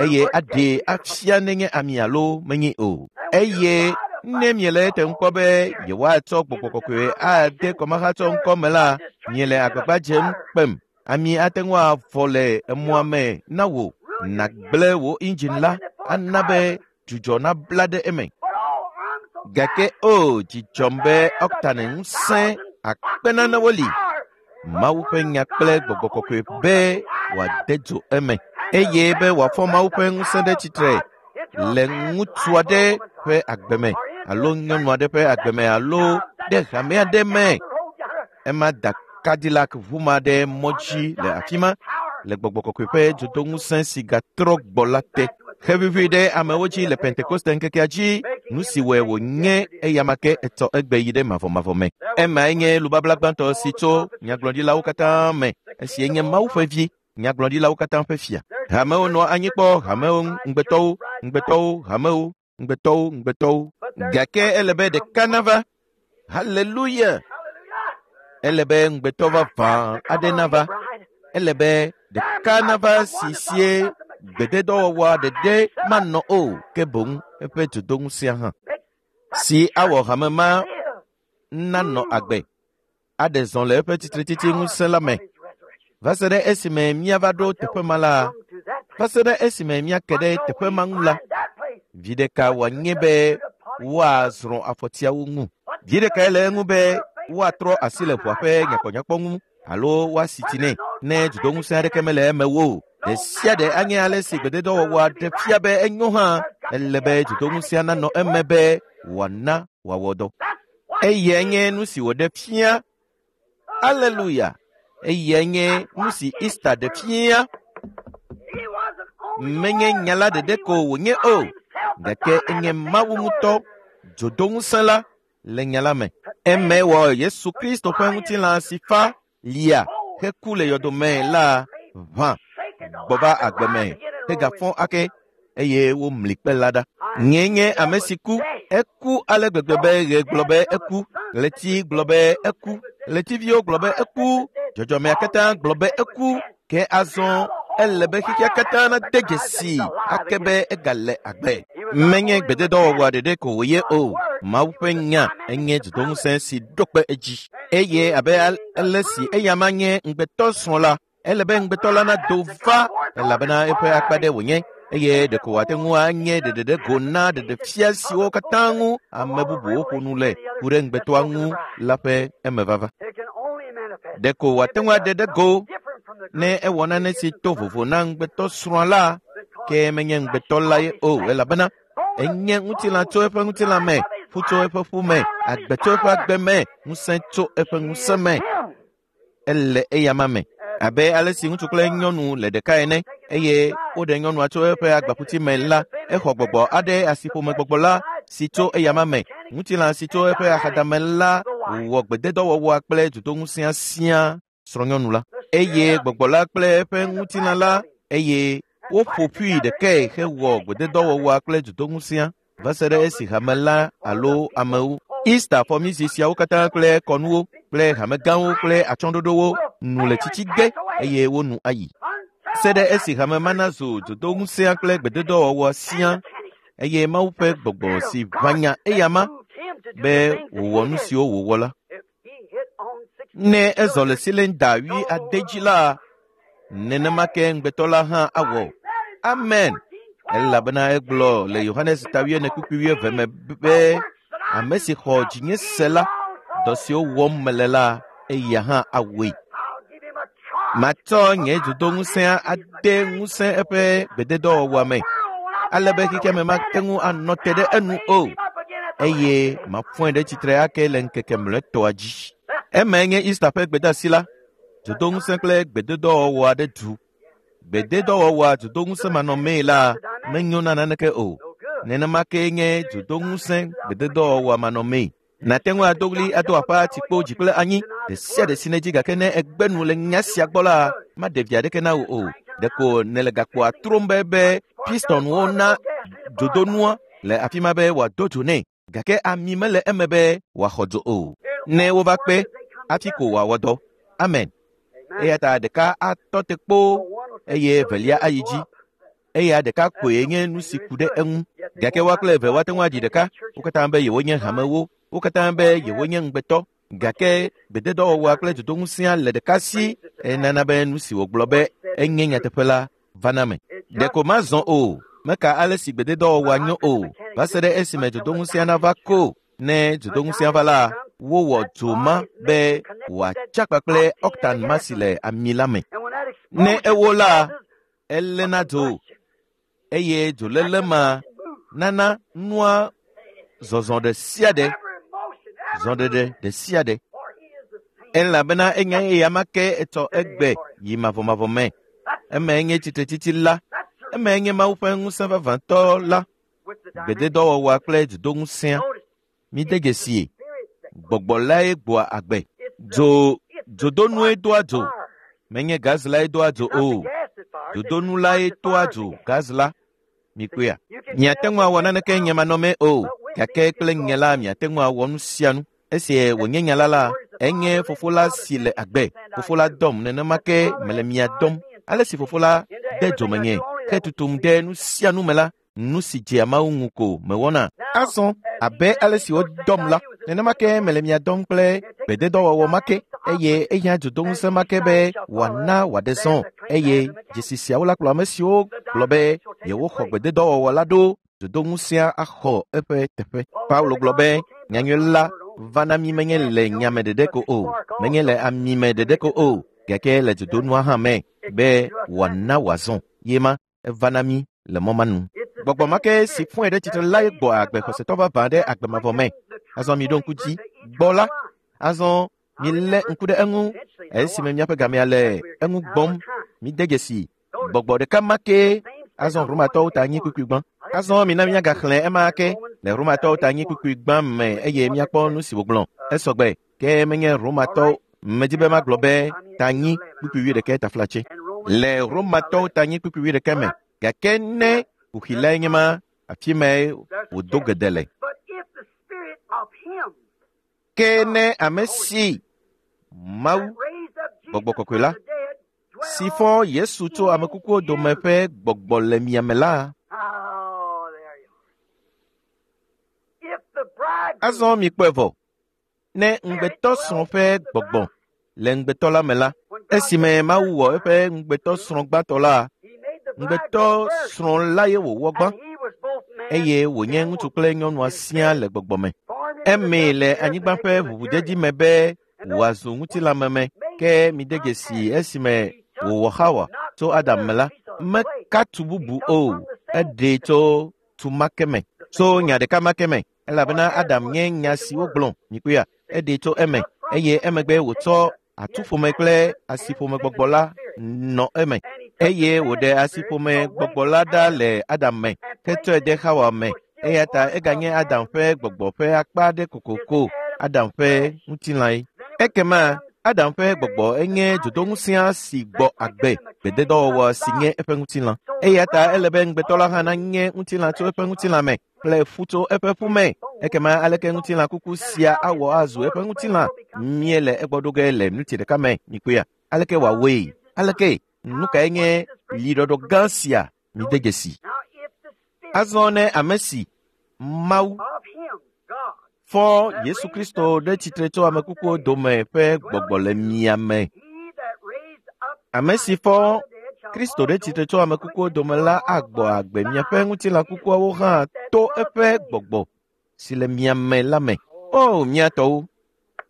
eye aɖee afia nenye ami alo menye o. Eye ne miele ete ŋu kpɔ be yewoatsɔ gbɔgbɔ kɔkɔe ade kɔmahatsɔ ŋkɔ me la, miele agbagba dzem kpem. Ami ate ŋu avɔ le emɔa me na wò, nàgblẽ wò indzin la, ana be dzudzɔ nabla ɖe eme. Gake o, dzidzɔm be ɔktane ŋusẽ akpe nanewo li. Mawu ƒe nya kple gbɔgbɔ kɔkɔe be wòade dzo eme eye be wòafɔ Mawu ƒe ŋusẽ ɖe tsitre le ŋutsu aɖe ƒe agbe me alo nyɔnu aɖe ƒe agbe me alo ɖe hame aɖe me. Ema da Cadillac ʋu ma ɖe mɔ dzi le afi ma le gbɔgbɔ kɔkɔe ƒe dzodoŋusẽ si gatrɔ gbɔ la te. Xevivi ɖe amewo dzi le Pentekoste ŋkekea dzi, nu si wɔe wònye eyama ke etsɔ egbe yi ɖe mavɔmavɔ me. Emae nye lubabla gbãtɔ si tso nyagblɔɖilawo katã me, esie nye Mawu ƒe vi, nyagblɔɖilawo katã ƒe fia. Hamewo nɔa anyi kpɔ hamewo ŋugbetɔwo, ŋugbetɔwo, hamewo, ŋugbetɔwo, ŋugbetɔwo. Gake ele be ɖeka nava. Haleluya! Ele be ŋugbetɔ vavã aɖe nava. Ele be ɖeka nava si sie gbededɔwɔwɔa ɖeɖe manɔ o, ke boŋ eƒe dzodoŋusẽa hã. Si awɔ hame ma nanɔ agbe, aɖe zɔ le eƒe tsitretsitsi ŋusẽ la me. Va se ɖe esime míava ɖo teƒe ma la, va se ɖe esime míake ɖe teƒe ma ŋu la, vi ɖeka wòanye be woazrɔ̃ afɔtiawo ŋu. Vi ɖekae le eŋu be woatrɔ asi le ʋua ƒe nyakpɔnyakpɔ ŋu alo woasi tsi nɛ ne dzodoŋusẽ aɖeke mele eme o. Ɖe sia ɖe anye ale si gbededɔwɔwɔa ɖe fia be enyo hã, ele be dzodoŋusẽa nanɔ eme be wòana wòawɔ dɔ. Eyae nye nu si wòɖe fia. Aleluya! Eyae nye nu si Easter ɖe fia. Menye nya la ɖeɖe ko wònye o, gake enye Mawu ŋutɔ dzodoŋusẽ la le nya la me. Eme wɔ Yesu Kristo ƒe ŋutilã si fa lia heku le yɔdome la ʋã gbɔ va agbe me hegafɔ ake eye womli kpe la ɖa. Nyee nye ame si ku. Eku ale gbegbe be ɣe gblɔ be eku, ɣleti gblɔ be eku, ɣletiviwo gblɔ be eku, dzɔdzɔmea katã gblɔ be eku, ke azɔ ele be xexea katã nade dzesi ake be egale agbe. Menye gbededɔwɔwɔa ɖeɖe ko wòye o. Mawu ƒe nya enye dzodoŋusẽ si ɖo kpe edzi. Eye abe ale si eyama nye ŋugbetɔ srɔ̃ la, ele be ŋugbetɔ la nado va elabena eƒe akpa ɖe wònye eye ɖeko wòate ŋu anye ɖeɖeɖe go na ɖeɖefia siwo katã ŋu ame bubuwo ƒo nu le ku ɖe ŋugbetɔa ŋu la ƒe emevava. Ɖeko wòate ŋu aɖe ɖe go ne ewɔ nane si to vovo na ŋugbetɔ srɔ̃a la, ke menye ŋugbetɔ la ye o elabena enye ŋutilã tso eƒe ŋutilã me, ƒu tso eƒe ƒu me, agbe tso eƒe agbe me, ŋusẽ tso eƒe ŋusẽ me. Ele eyama me. Abe ale si ŋutsu kple nyɔnu le ɖeka ene eye woɖe nyɔnua tso eƒe agbaƒuti me la, exɔ gbɔgbɔ aɖe asiƒomegbɔgbɔ la si tso eyama me. Ŋutilã si tso eƒe axadame la wɔ gbededɔwɔwɔa kple dzodoŋusẽa siaa srɔ̃nyɔnu la. Eye gbɔgbɔ la kple eƒe ŋutilã la eye woƒo ƒui ɖekae hewɔ gbededɔwɔwɔa kple dzodoŋusẽa. Va se ɖe esi hame la alo amewo. Easter fɔmizi siawo katã kple kɔnuwo kple hamegãwo kple atsyɔ̃ɖoɖowo nu le tsitsi ge eye wo nu ayi. Se ɖe esi hame ma nazu dzodoŋusẽa kple gbededɔwɔwɔ siaa eye Mawu ƒe gbɔgbɔ si ʋã eyama be wòwɔ nu siwo wòwɔ la. Ne ezɔ le silinda 70 dzi la, nenema ke ŋugbetɔ la hã awɔ. Amen. Elabena egblɔ le Yohanes ta 4:22 me be ame si xɔ dzinye se la, dɔ siwo wɔm mele la, eya hã awɔe. Matsɔ nye dzodoŋusẽa ade ŋusẽ eƒe gbededɔwɔwɔa me, ale be xexeame mate ŋu anɔ te ɖe enu o, eye mafɔe ɖe tsitre ake le ŋkeke mlɔetɔa dzi. Emae nye Easter ƒe gbedeasi la, dzodoŋusẽ kple gbededɔwɔwɔ aɖe du. Gbededɔwɔwɔa dzodoŋusẽ manɔmee la menyo na naneke o. Nenema kee nye dzodoŋusẽ gbededɔwɔwɔa manɔmee. Nàte ŋu ado ɣli ado aƒa tsikpo dzi kple anyi ɖe sia ɖe si nèdzi gake ne ègbe nu le nya sia gbɔ la, maɖe vi aɖeke na wò o. Ɖeko nèle gakpoa trom be pistonwo na dzodonua le afi ma be wòado dzo nɛ gake ami mele eme be wòaxɔ dzo o. Ne wova kpe hafi ko wòawɔ dɔ. Amen. Eya ta ɖeka atɔ te kpoo eye evelia ayi dzi. Eya ɖeka koe nye nu si ku ɖe eŋu. Gake woa kple eve woate ŋu adzi ɖeka. Wo katã be yewonye hamewo. Wo katã be yewonye ŋugbetɔ. Gake gbededɔwɔwɔa kple dzodoŋusẽa le ɖeka si enana be nu si wògblɔ be enye nyateƒe la vana me. Ɖeko mazɔ o, meka ale si gbededɔwɔwɔa nyo o, va se ɖe esime dzodoŋusẽa nava ko. Ne dzodoŋusẽa va la, wowɔ dzo ma be wòatsa kpakple octan ma si le ami la me. Ne ewo la, eléna dzo eye dzoléle ma nana nua zɔzɔ ɖe sia ɖe, zɔɖeɖe ɖe sia ɖe. Elabena enya eya ma ke etsɔ egbe yi mavɔmavɔ me. Emae nye tsitretsitsi la. Emae nye Mawu ƒe ŋusẽ vavãtɔ la. Gbededɔwɔwɔa kple dzodoŋusẽa. Mide dzesie. Gbɔgbɔ lae gbɔa agbe. Dzo dzodonue doa dzo. Menye gaz lae doa dzo o. Dzodonu lae toa dzo gaz la. Mikpɔea? Miate ŋu awɔ naneke nye manɔmee o, gake kple nye la miate ŋu awɔ nu sia nu. Esi wònye nya la la, enye fofo la si le agbe. Fofo la dɔm nenema ke mele mia dɔm. Ale si fofo la de dzo menye hetutum ɖe nu sia nu me la, nu si dzea Mawu ŋu ko mewɔna. Azɔ abe ale si wodɔm la, nenema ke mele mia dɔm kple gbededɔwɔwɔ ma ke eye ehiã dzodoŋusẽ ma ke be wòana wòaɖe zɔ eye dzesi siawo la kplɔ ame siwo gblɔ be yewoxɔ gbededɔwɔwɔ la ɖo dzodoŋusẽa axɔ eƒe teƒe. Paulo gblɔ be nyanyui la va na mí menye le nyame ɖeɖe ko o, menye le ami me ɖeɖe ko o, gake le dzodonua hã me be wòana wòazɔ. Ye ma eva na mí le mɔ ma nu. Gbɔgbɔ ma ke si fɔe ɖe tsitre lae gbɔ agbe xɔsetɔ vavã ɖe agbe mavɔ me. Azɔ miɖo ŋku dzi gbɔ la. Azɔ milé ŋku ɖe eŋu esime míaƒe gamea le eŋu gbɔm. Mide dzesi gbɔgbɔ ɖeka ma ke. Azɔ Romatɔwo ta anyi kpukpui gbã. Azɔ mina míagaxlẽ ema ke le Romatɔwo ta anyi kpukpui gbã me eye míakpɔ nu si wògblɔ. Esɔgbe ke menye Romatɔwo. Medi be magblɔ be ta anyi kpukpui 11 taflatse. Le Romatɔwo ta anyi kpukpui 11 me. Gake ne kuxi lae nye ma, afi mae wòdo gede le. Ke ne ame si Mawu, Gbɔgbɔ Kɔkɔe la, si fɔ Yesu tso ame kukuwo dome ƒe gbɔgbɔ le mia me la, azɔ mikpɔe vɔ. Ne ŋugbetɔsrɔ̃ ƒe gbɔgbɔ le ŋugbetɔ la me la, esime Mawu wɔ eƒe ŋugbetɔsrɔ̃ gbãtɔ la, ŋugbetɔsrɔ̃ la ye wòwɔ gbã eye wònye ŋutsu kple nyɔnua siaa le gbɔgbɔ me. Emee le anyigba ƒe ʋuʋudedi me be wòazu ŋutilãmeme ke mide dzesi esime wòwɔ Xawa tso Adam me la, meka tu bubu o, eɖee tso tu ma ke me, tso nya ɖeka ma ke me, elabena Adam nye nya si wogblɔ, mikpɔea, eɖee tso eme eye emegbe wòtsɔ atuƒome kple asiƒome gbɔgbɔ la nɔ eme eye wòɖe asiƒome gbɔgbɔ la ɖa le Adam me hetsɔe de Xawa me. Eya ta eganye Adam ƒe gbɔgbɔ ƒe akpa aɖe kokoko, Adam ƒe ŋutilãe. Ekema Adam ƒe gbɔgbɔ enye dzodoŋusẽa si gbɔ agbe gbededɔwɔwɔ si nye eƒe ŋutilã. Eya ta ele be ŋugbetɔ la hã nanye ŋutilã tso eƒe ŋutilã me. kple ƒu tso eƒe ƒu me. Ekema aleke ŋutilã kuku sia awɔ azu eƒe ŋutilã? Míele egbɔ ɖo ge le miniti ɖeka me. Mikpɔea? Aleke wòawɔe? Aleke? Nu kae nye liɖɔɖɔ gã sia? Mide dzesi. Azɔ ne ame si Mawu fɔ Yesu Kristo ɖe tsitre tso ame kukuwo dome ƒe gbɔgbɔ le mia me. Ame si fɔ Kristo ɖe tsitre tso ame kukuwo dome la agbɔ agbe miaƒe ŋutilã kukuawo hã to eƒe gbɔgbɔ si le mia me la me. O, mia tɔwo,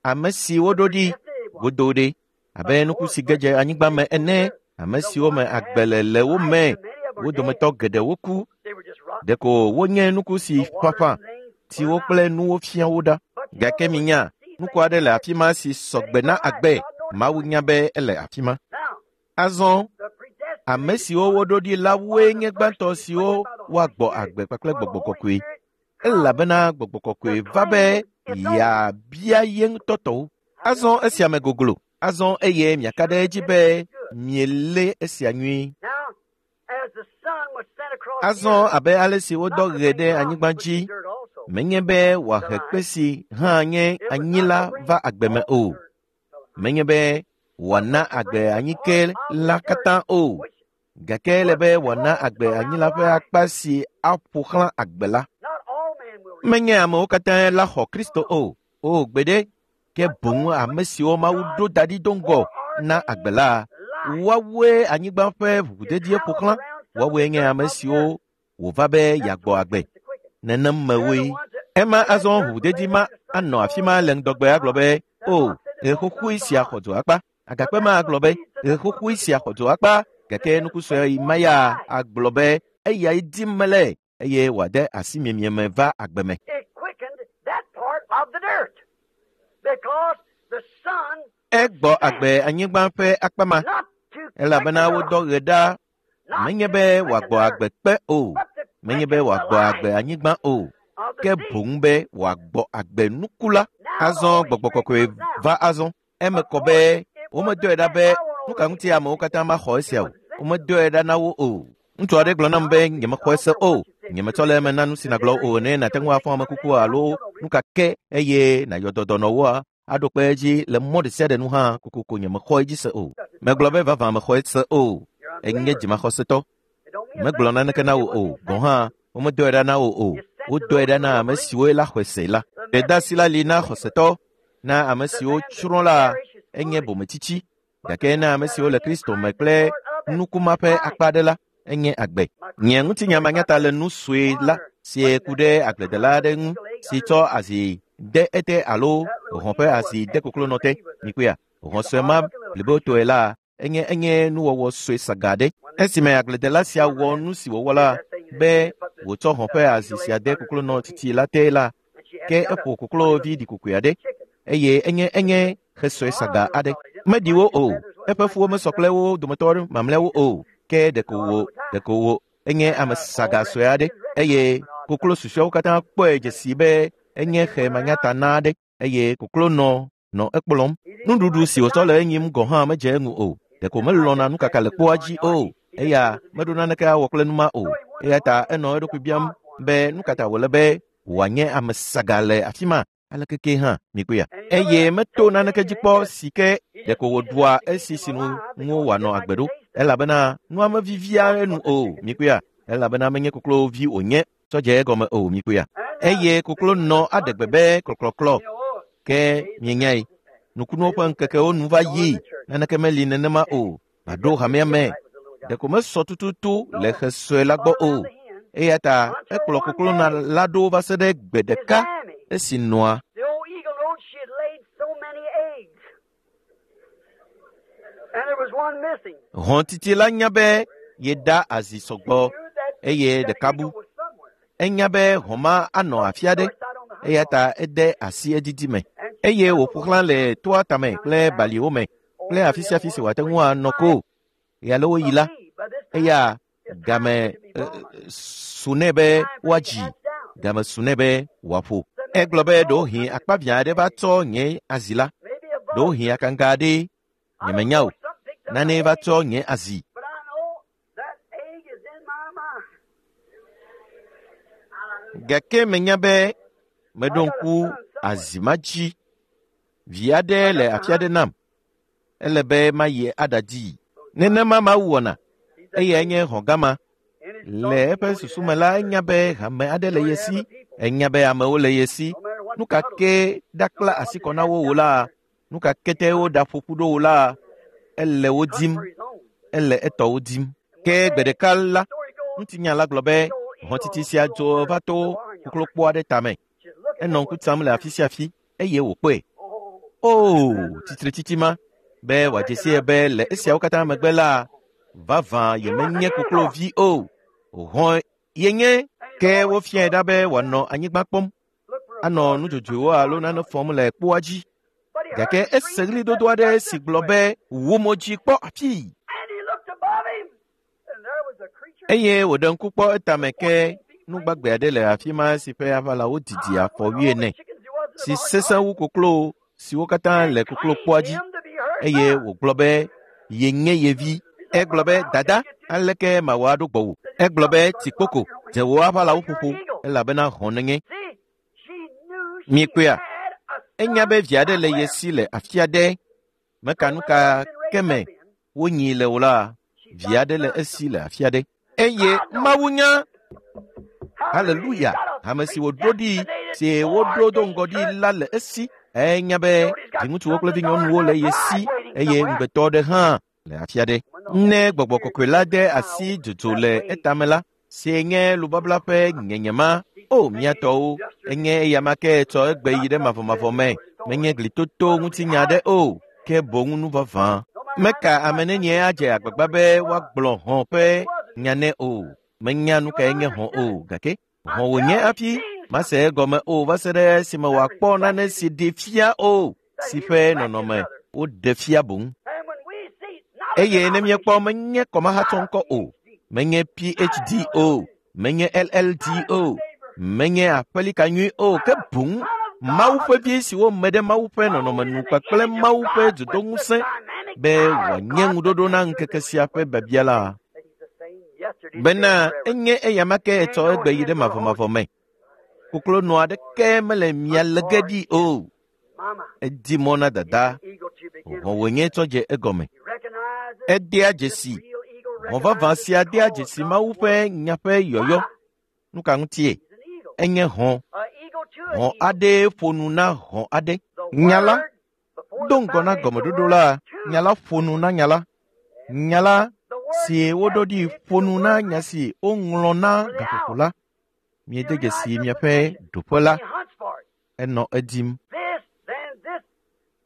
ame si woɖo ɖi godo ɖe abe nuku si ge dze anyigba me ene, ame siwo me agbe le le wo me, wo dometɔ geɖewo ku. Ɖeko wonye nuku si ƒaƒã, tsiwo kple nuwo fia wo ɖa. Gake minya, nuku aɖe le afi ma si sɔgbe na agbe. Mawu nya be ele afi ma. Azɔ, ame siwo woɖo ɖi la woe nye gbãtɔ siwo woagbɔ agbe kpakple gbɔgbɔ kɔkɔe. Elabena gbɔgbɔ kɔkɔe va be yeabia ye ŋutɔ tɔwo. Azɔ esia me goglo. Azɔ eye miaka ɖe edzi be mielé esia nyuie. Azɔ abe ale si wodɔ ɣe ɖe anyigba dzi, menye be wòahe kpe si hã nye anyi la va agbe me o. Menye be wòana agbe anyike la katã o. Gake ele be wòana agbe anyi la ƒe akpa si aƒo xlã agbe la. Menye amewo katã la xɔ Kristo o. O gbeɖe, ke boŋ ame siwo Mawu ɖo da ɖi do ŋgɔ na agbe la, woawoe anyigba ƒe ʋuʋudedie ƒo xlã. Woawoe nye ame siwo wòva be yeagbɔ agbe. Nenem mewoe. Ema azɔ ʋuʋudedi ma anɔ afi ma le ŋdɔgbe agblɔ be, o, ɣe xoxoe sia xɔ dzo akpa. Agakpe ma agblɔ be, ɣe xoxoe sia xɔ dzo akpa. Gake nuku sue ma ya agblɔ be, eyae dim mele eye wòade asi miemie me va agbe me. Egbɔ agbe anyigba ƒe akpa ma, elabena wodɔ ɣe ɖa menye be wòagbɔ agbe kpe o, menye be wòagbɔ agbe anyigba o, ke boŋ be wòagbɔ agbe nuku la. Azɔ gbɔgbɔ kɔkɔe va azɔ. Eme kɔ be womedɔe ɖa be nu ka ŋuti amewo katã maxɔ esia o. Womedɔe ɖa na wo o. Ŋutsu aɖe gblɔ nam be nyemexɔ ese o. Nyemetsɔ le eme na nu si nàgblɔ o ne nàte ŋu afɔ ame kuku alo nu ka ke eye nàyɔ dɔ dɔnɔwoa aɖo kpe edzi le mɔ ɖe sia ɖe nu hã kokoko nyemexɔ edzi se o. Megblɔ be vavã mexɔ ese o. Enye dzimaxɔsetɔ. Megblɔ naneke na wò o. Gɔ̃ hã womedɔe ɖa na wò o. Wodɔe ɖa na ame siwo la xɔe se la. Gbedeasi la li na xɔsetɔ, na ame siwo tsrɔ̃ la enye bometsitsi, gake na ame siwo le Kristo me kple nukuma ƒe akpa aɖe la, enye agbe. Nye ŋutinya manyata le nu sue la si ku ɖe agbledela aɖe ŋu si tsɔ azi de ete alo hɔ̃ ƒe azi de koklonɔ te. Mikpɔea, hɔ̃ sue ma blibotɔe la enye enye nuwɔwɔ sue saga ɖe. Esime agbledela sia wɔ nu si wòwɔ la be wòtsɔ hɔ̃ ƒe azi sia de koklonɔ tsitsi la te la, ke eƒo koklovi ɖikokoe aɖe eye enye enye xe sue saga aɖe. Meɖi wo o, eƒe fuwo mesɔ kple wo dometɔ mamlɛawo o, ke ɖeko wo ɖeko wo enye ame saga sue aɖe eye koklo susɔeawo katã kpɔe dzesi be enye xe manyatana aɖe eye koklonɔ nɔ ekplɔm. Nuɖuɖu si wòtsɔ le enyim gɔ̃ hã medze eŋu o. Ɖeko melɔ̃na nukaka le kpoa dzi o. Eya meɖo naneke awɔ kple nu ma o. Eya ta enɔ eɖokui biam be nu ka ta wòle be wòanye ame saga le afi ma aleke ke hã mikpɔea. Eye meto naneke dzi kpɔ si ke ɖeko wòɖua esi sinu ŋu wòanɔ agbe ɖo. Elabena nua mevivia enu o mikpɔea. Elabena menye koklovi wònye tsɔ dze egɔme o mikpɔea. Eye koklonɔ aɖe gbe be klɔklɔklɔ ke mienyae. Nukunuwo ƒe ŋkekewo nu va yi, naneke meli nenema o. Maɖo hamea me. Ɖeko mesɔ tututu le xe sue la gbɔ o. Eya ta ekplɔ koklonɔ la ɖo va se ɖe gbe ɖeka esi nɔa The old eagle knowed she had laid so many eggs. And there was one missing. Hɔ̃titi la nya be yeda azi sɔgbɔ eye ɖeka bu. Enya be hɔ̃ ma anɔ afi aɖe eya ta ede asi edidi me eye wòƒo xlã le toa tame kple baliwo me kple afi sia afi si wòate ŋu anɔ ko. Ɣealewoɣi la, eya game su nɛ be woadzi, game su nɛ be wòaƒo. Egblɔ be ɖewohĩ akpaviã aɖe va tsɔ nye azi la, ɖewohĩ akanga aɖee, nyemenya o. Nane va tsɔ nye azi. But I know that egg is in my mind. Gake menya be meɖo ŋku azi ma dzi. Vi aɖe le afi aɖe nam. Ele be mayi aɖadii. Nenema Mawu wɔna. Eyae nye hɔ̃ gama. Le eƒe susu me la, enya be hame aɖe le ye si. Enya be amewo le ye si. Nu ka ke ɖakpla asi kɔ na wo o la, nu ka ke te woɖaƒo ƒu ɖo o la, ele wo dim. Ele etɔwo dim. Ke gbe ɖeka la, ŋutinya la gblɔ be hɔ̃titi sia dzo va to koklokpo aɖe tame. Enɔ ŋku tsam le afi sia afi eye wòkpɔe. Oo, tsitretsitsi ma be wòadze sie be le esiawo katã megbe la, vavã yemenye koklovi o. Hɔ̃ yenye. Ke wofiae ɖa be wòanɔ anyigba kpɔm, anɔ nudzodzoewo alo nane fɔm le kpoa dzi. Gake ese ɣlidodo aɖe si gblɔ be wò mo dzi kpɔ afii. Eye wòɖe ŋku kpɔ etame ke nugbagbe aɖe le afi ma si ƒe aʋalawo didi afɔ wuiene, si sesẽ wu koklo siwo katã le koklokpoa dzi. Eye wògblɔ be yenye ye vi. Egblɔ be, dada, aleke mawɔ aɖo gbɔwò? Egblɔ be, tsikpoko, dze wò aʋalawo ƒoƒo, elabena hɔ̃ nenye. Miekpɔea? Enya be vi aɖe le ye si le afi aɖe. Meka nu ka ke me wonyii le o la, vi aɖe le esi le afi aɖe. Eye Mawu nya. Haleluya! Ame si wòɖo ɖi, si woɖo do ŋgɔ ɖi la le esi. Enya be viŋutsuwo kple vinyɔnuwo le ye si eye ŋugbetɔ aɖe hã le afi aɖe. Ne gbɔgbɔ kɔkɔe la de asi dzodzo le etame la, si nye lubabla ƒe nyenyema, ma, o mía tɔwo, enye eyama ke tsɔ egbe yi ɖe mavɔmavɔ me. Menye glitoto ŋutinya aɖe o, ke boŋ nu vavã. Meka ame nenie adze agbagba be woagblɔ hɔ̃ ƒe nya nɛ o. Menya nu kae nye hɔ̃ o, gake hɔ̃ wònye hafi mase egɔme o va se ɖe esime wòakpɔ nane si ɖi fia o, si ƒe nɔnɔme woɖe fia boŋ. Eye ne míekpɔ menye kɔmahatsɔŋkɔ o, menye PhD o, menye LLD o, menye aƒelika nyui o, ke boŋ Mawu ƒe vi si wome ɖe Mawu ƒe nɔnɔme nu kpakple Mawu ƒe dzodoŋusẽ be wòanye ŋuɖoɖo na ŋkeke sia ƒe biabia la. Bena enye eyama ke etsɔ egbe yi ɖe mavɔmavɔ me. Koklonɔ aɖeke mele mia le ge ɖi o. Edi mɔ na dada. Hɔ̃ wònye tsɔ dze egɔme. Edea dzesi. Hɔ̃ vavã sia dea dzesi Mawu ƒe nya ƒe yɔyɔ. Nu ka ŋutie? Enye hɔ̃. Hɔ̃ aɖee ƒo nu na hɔ̃ aɖe. Nya la do ŋgɔ na gɔmeɖoɖo la, nya la ƒo nu na nya la. Nya la si woɖo ɖi ƒo nu na nya si woŋlɔ na gaƒoƒo la. Miede dzesi miaƒe ɖoƒe la. Enɔ edim.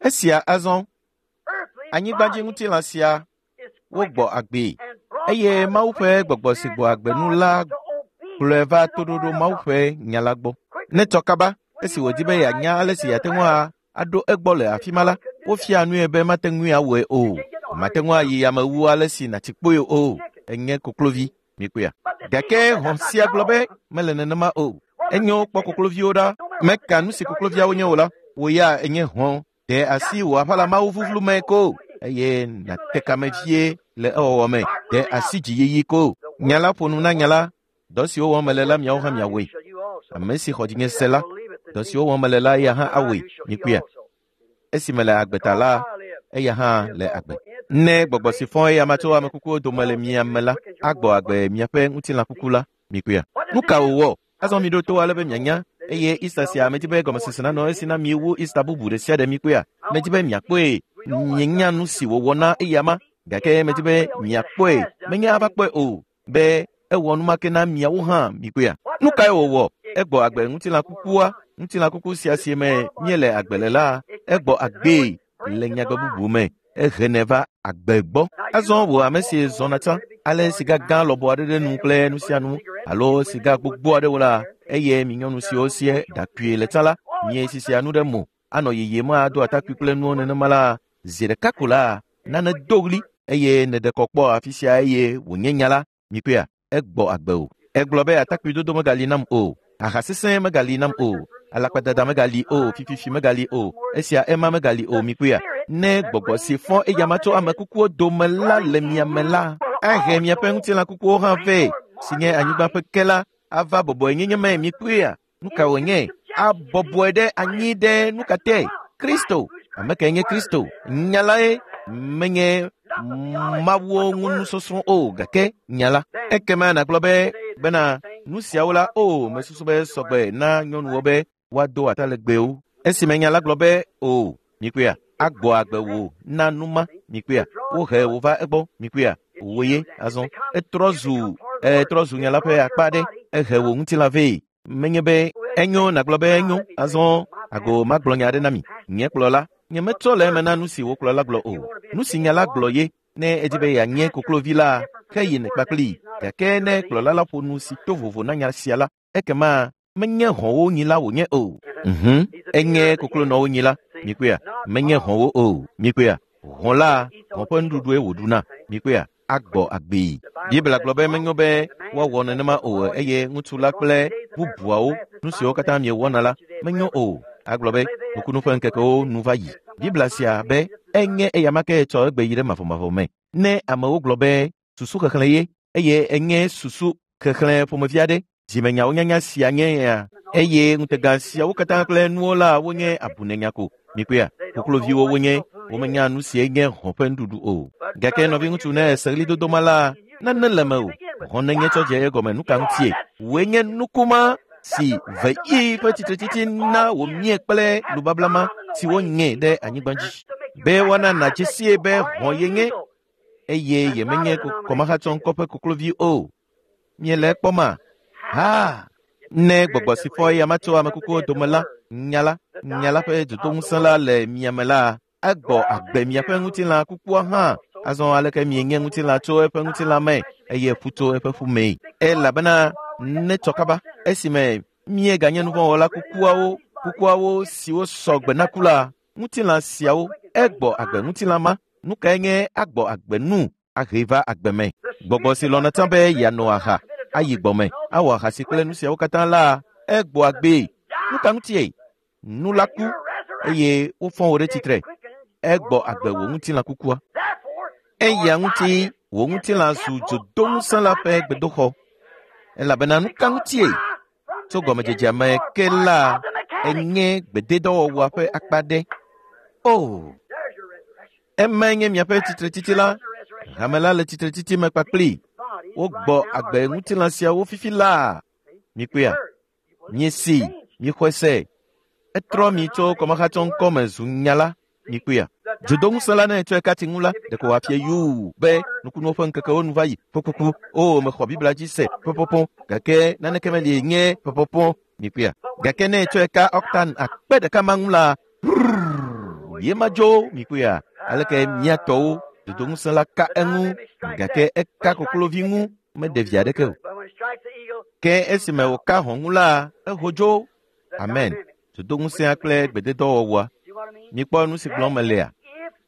Esia azɔ, anyigbadziŋutilã sia wogbɔ agbee eye Mawu ƒe gbɔgbɔ si gbɔ agbe nu la kplɔe va toɖoɖo Mawu ƒe nya la gbɔ. Ne tsɔ kaba, esi wòdi be yeanya ale si yeate ŋu aɖo egbɔ le afi ma la, wofia nue be mate ŋui awɔe o. Mate ŋu ayi yame wu ale si nàtsi kpoe o. Enye koklovi, mikpɔea? Gake hɔ̃ sia gblɔ be mele nenema o. Enyo kpɔ kokloviwo ɖa. Meka nu si kokloviawo nye o la, wò ya enye hɔ̃. De asi wò aʋala Mawu vuvlu me ko eye nàte kame vie le ewɔwɔ me. De asi dziyiyi ko. Nya la ƒo nu na nya la. Dɔ siwo wɔm mele la miawo hã miawɔe. Ame si xɔ dzinye se la, dɔ siwo wɔm mele la eya hã awɔe. Mikpɔea? Esi mele agbe ta la, eya hã le agbe. Ne gbɔgbɔ si fɔ eya ma tso ame kukuwo dome le mia me la, agbɔ agbe miaƒe ŋutilã kuku la. Mikpɔea? Nu ka wòwɔ? Azɔ miɖo to ale be mianya eye Easter sia medi be gɔmesese nanɔ esi na mi wu Easter bubu ɖe sia ɖe mikpɔea? Medi be miakpɔe. Mienya nu si wòwɔ na eya ma, gake medi be miakpɔe. Menye ava kpɔe o be ewɔ nu ma ke na miawo hã mikpɔea? Nu kae wòwɔ? Egbɔ agbe ŋutilã kukua, ŋutilã kuku sia si me míele agbe le la, egbɔ agbee le nyagbe bubu me. Ehenɛ va agbe gbɔ. Azɔ wò ame si zɔna tsã, ale siga gã lɔbɔ aɖe ɖe nu kple nu sia nu alo siga gbogbo aɖewo la, eye mi nyɔnu siwo sie ɖakui le tsã la, miesisia nu ɖe mo, anɔ yiyim ado atakpui kple nuwo nenema la, zi ɖeka ko la, nane do ɣli eye nèɖe kɔ kpɔ afi sia eye wònye nya la, mikpɔea? Egbɔ agbe o. Egblɔ be atakpui dodo megali nam o, aha sesẽ megali nam o, alakpadada megali o, fififi megali o, esia ema megali o, mikpɔea? Ne gbɔgbɔ si fɔ eyama tso ame kukuwo dome la le mia me la, ahe miaƒe ŋutilã kukuwo hã vɛ, si nye anyigba ƒe ke la, Ava bɔbɔenyenye me mikpɔea? Nu ka wònye? Abɔbɔe ɖe anyi ɖe nu ka te? Kristo. Ame kae nye Kristo? Nya lae menye Mawuwo ŋu nusɔsrɔ̃ o, gake nya la. Ekema nàgblɔ be bena nu siawo la o mesusu be sɔgbe na nyɔnuwo be woado atalegbewo. Esime nya la gblɔ be o mikpɔea, agbɔ agbe wò na nu ma mikpɔea, wohe wò va egbɔ mikpɔea, wò ye azɔ. Etrɔ zu nya la ƒe akpa aɖe, ehe wò ŋutilã vɛ. Menye be enyo nàgblɔ be enyo, azɔ ago magblɔ nya aɖe na mi. Nye kplɔla, nye metrɔ le eme na nu si wò kplɔla gblɔ o. Nu si nya la gblɔ ye, ne edi be yeanye koklovi la, ke yi kpakplii. Gake ne kplɔla la ƒo nu si to vovo na nya sia la, ekema menye hɔ̃wo nyila wònye o. Enye koklonɔwo nyila, mikpɔea, menye hɔ̃wo o, mikpɔea. Hɔ̃ la, hɔ̃ ƒe nuɖuɖue wòɖuna, mikpɔea, agbɔ agbee. Biblia gblɔ be menyo be woawɔ nenema o eye ŋutsu la kple bubuawo, nu siwo katã miewɔna la, menyo o. Agblɔ be nukunu ƒe ŋkekewo nu va yi. Biblia sia be enye eyama ke tsɔ egbe yi ɖe mavɔmavɔ me. Ne amewo gblɔ be susu xexlẽ ye eye enye susu xexlẽ ƒomevi aɖe, dzimenyawo nyanya sia nye ya eye ŋutega siawo katã kple nuwo la wonye abunenya ko. Mikpɔea, kokloviwo wonye, womenya nu sie nye hɔ̃ ƒe nuɖuɖu o. Gake nɔviŋutsu ne ese ɣlidodo ma la, nane le me o. Hɔ̃ nenye tsɔ dze egɔme nu ka ŋutie? Wòe nye nukuma si ve yi ƒe tsitretsitsi na wòmie kple nubabla ma si wonye ɖe anyigba dzi. Be woana nàdze sie be hɔ̃ yenye eye yemenye kɔmahatsɔŋkɔ ƒe koklovi o. Miele ekpɔma? Ha! Ne gbɔgbɔ si fɔ eya ma tso amekukuwo dome la, nya la ƒe dzodoŋusẽ la le mia me la, egbɔ agbe miaƒe ŋutilã kukua hã. Azɔ aleke mienye ŋutilã tso eƒe ŋutilã me eye ƒu tso eƒe ƒu mee? Elabena ne tsɔ kaba esime mieganye nuvɔ̃wɔla kukuawo siwo sɔ gbe na ku la, ŋutilã siawo egbɔ agbe ŋutilã ma. Nu kae nye agbɔ agbe nu ahe va agbe me? Gbɔgbɔ si lɔ̃na tsã be yeano aha, ayi gbɔme, awɔ ahasi kple nu siawo katã la, egbɔ agbee. Nu ka ŋutie? Nu la ku eye wofɔ wò ɖe tsitre. Egbɔ agbe wò ŋutilã kukua. Eya ŋuti wò ŋutilã zu dzodoŋusẽ la ƒe gbedoxɔ. Elabena nu ka ŋutie? Tso gɔmedzedzea me ke la, enye gbededɔwɔwɔa ƒe akpa ɖe. O! Emae nye miaƒe tsitretsitsi la. Hame la le tsitretsitsi me kpakplii. Wogbɔ agbe ŋutilã siawo fifi laa. Mikpɔea? Miesi, mixɔe se. Etrɔ mi tso kɔmahatsɔŋkɔ me zu nya la. Mikpɔea? Dzodoŋusẽ la ne etsɔe katsi ŋu la, ɖeko wòafie yuu be nukunuwo ƒe ŋkekewo nu va yi. Ƒoƒoƒo. O, mexɔ Biblia dzi se. Ƒoƒoƒo. Gake naneke meli nye ƒoƒoƒo. Mikpɔea? Gake ne etsɔe ka ɔktan akpe ɖeka ma ŋu la, ye madzo. Mikpɔea? Aleke miatɔwo dzodoŋusẽ la ka eŋu, gake eka koklovi ŋu meɖe vi aɖeke o. Ke esime wòka hɔ̃ ŋu la, eho dzo. Amen. Dzodoŋusẽa kple gbededɔwɔwɔa. Mikpɔ nu si gblɔm melea?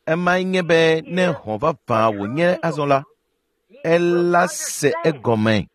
Emae nye be ne hɔ̃ vavã wònye azɔ la, ela se egɔme.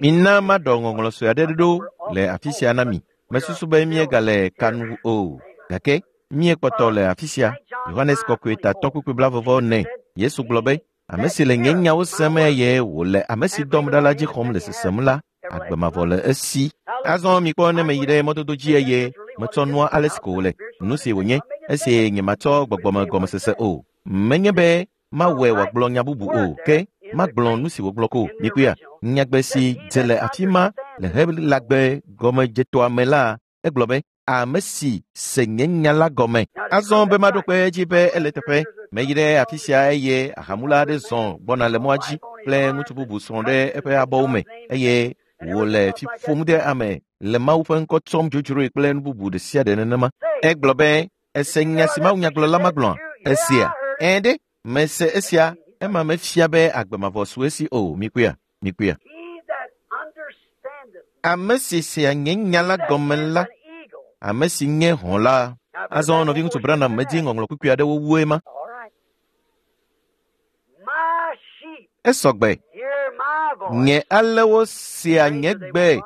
Mina maɖɔ ŋɔŋlɔ sue aɖe ɖo le afi sia na mi. Mesusu be míegale kanu o, gake míekpɔtɔ le afi sia. Yohanes Kɔkɔe tatɔ kpukpui 44. Yesu gblɔ be, ame si le nye nyawo sem eye wòle ame si dɔm ɖa la dzi xɔm le sesem la, agbe mavɔ le esi. Azɔ mikpɔ ne meyi ɖe mɔdodo dzi eye metsɔ nua ale si ko wòle, nu si wònye, esi nyematsɔ gbɔgbɔme gɔmesese o. Menye be mawɔe wòagblɔ nya bubu o, ke magblɔ nu si wògblɔ ko. Mikpɔea? Nyagbe si dze le afi ma le Helagbe gɔmedzetoa me la, egblɔ be ame si se nye nya la gɔme. Azɔ be maɖo kpe edzi be ele teƒe. Meyi ɖe afi sia eye ahamula aɖe zɔ gbɔna le mɔa dzi kple ŋutsu bubu srɔ̃ ɖe eƒe abɔwo me eye wòle fi ƒom ɖe ame le Mawu ƒe ŋkɔ tsɔm dzodzroe kple nu bubu ɖe sia ɖe nenema. Egblɔ be, ese nya si Mawu nyagblɔla ma gblɔa? Esia? Ɛ̃ ɖe, mese esia, ema mefia be agbe mavɔ su esi o. Mikpɔea? Mikpɔea? Ame si sea nye nya la gɔme la, ame si nye hɔ̃ la. Azɔ nɔviŋutsu Branham medi ŋɔŋlɔ kpukpui aɖewo wue ma. Esɔgbe. Nye alewo sea nye gbe.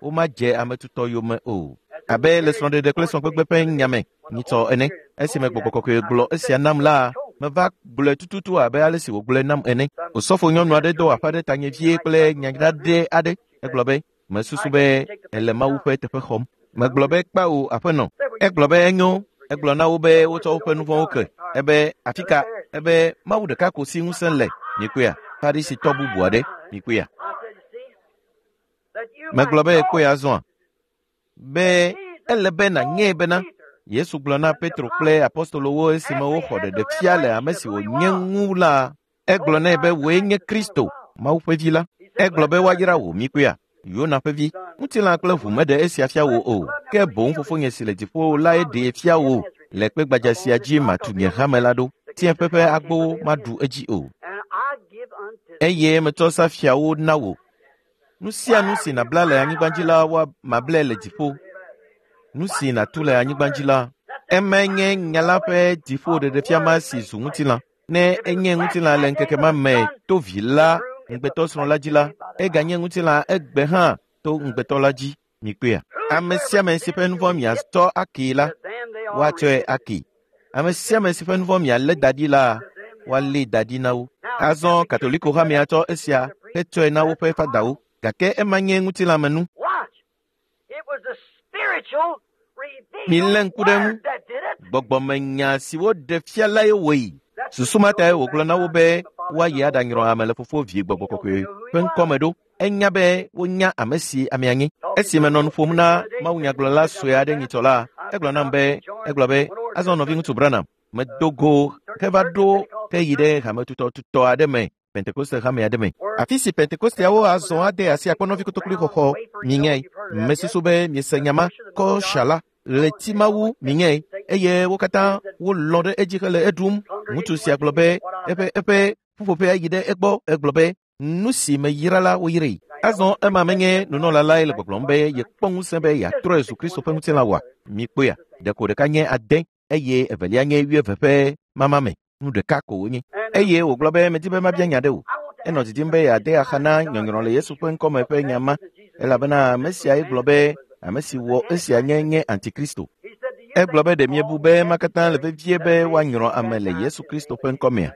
Womadze ame tutɔ yome o. Abe le srɔ̃ɖeɖe kple srɔ̃gbegbe ƒe nya me nyitsɔ ene. Esime gbɔgbɔ kɔkɔe gblɔ esia nam la, meva gblɔe tututu abe ale si wògblɔe nam ene. Osɔfo nyɔnu aɖe do aƒa ɖe tanye vie kple nya ɖaɖɛ aɖe. Egblɔ be, Mesusu be ele Mawu ƒe teƒe xɔm. Megblɔ be kpao aƒenɔ. Egblɔ be enyo. Egblɔ na wo be wotsɔ woƒe nu vɔ̃wo ke. Ebe afi ka? Ebe Mawu ɖeka ko si ŋusẽ le. Mikpɔea? Farisitɔ bubu aɖe. Mikpɔea? Megblɔ be ekpɔe azɔa? Be ele be nànyae bena Yesu gblɔ na Petro kple apostolowo esime woxɔ ɖeɖefia le ame si wònye ŋu la, egblɔ nɛ be wòe nye Kristo, Mawu ƒe vi la. Egblɔ be woayra wò mikpɔea? Yona ƒe vi, ŋutilã kple ʋu meɖe esia fia wò o, ke boŋ fofonye si le dziƒo lae ɖee fia wò. Le kpe gbadza sia dzi matu nye hame la ɖo. Tsiẽƒe ƒe agbowo maɖu edzi o. Eye metsɔ safiawo na wò. Nu sia nu si nàbla le anyigba dzi la, woamablɛ le dziƒo. Nu si nàtu le anyigba dzi la, emae nye nya la ƒe dziƒo ɖeɖefia ma si zu ŋutilã. Ne enye ŋutilã le ŋkeke ma me to vi la ŋugbetɔsrɔ̃ la dzi la, eganye ŋutilã egbe hã to ŋugbetɔ la dzi. Mikpɔea? Ame sia ame si ƒe nu vɔ̃ miatsɔ akee la, woatsɔe akee. Ame sia ame si ƒe nu vɔ̃ mialé da ɖi la, woalée da ɖi na wo. Azɔ Katoliko hamea tsɔ esia hetsɔe na woƒe fadawo, gake ema nye ŋutilãmenu. Milé ŋku ɖe eŋu. Gbɔgbɔmenya si woɖe fia lae wɔe. Susu ma tae wògblɔ na wo be woayi aɖanyrɔ ame le Fofo, Vi, Gbɔgbɔ Kɔkɔe ƒe ŋkɔ me ɖo. Enya be wonya ame si amea nye. Esi menɔ nu ƒom na mawunyagblɔla sue aɖe nyitsɔ la, egblɔ nam be, egblɔ be, azɔ nɔviŋutsu Branham, medo go heva ɖo heyi ɖe hametutɔtutɔ aɖe me, Pentekoste hame aɖe me. Afi si Pentekosteawo azɔ ade asi akpɔnɔvi kotokli xɔxɔ, miŋɛe. Mesusu be miese nya ma, kɔsha la, ɣleti mawu miŋɛe, eye wo katã wolɔ̃ ɖe edzi hele eɖum. Ŋutsu sia gblɔ be eƒe eƒe ƒuƒoƒea yi ɖe egbɔ. Egblɔ be, nu si meyra la woyrae. Azɔ ema menye nunɔla lae le gbɔgblɔm be yekpɔ ŋusẽ be yeatrɔe zu Kristo ƒe ŋutilã oa? Mikpɔea? Ɖeko ɖeka nye ade eye evelia nye wuieve ƒe mama me. Nu ɖeka ko wonye. Eye wògblɔ be medi be mabia nya ɖe wò. Enɔ didim be yeade axa na nyɔnyrɔ le Yesu ƒe ŋkɔme ƒe nya ma, elabena ame siae gblɔ be ame si wɔ esia nye nye Antikristo. Egblɔ be ɖe miebu be ema katã le vevie be woanyrɔ ame le Yesu Kristo ƒe ŋkɔmea?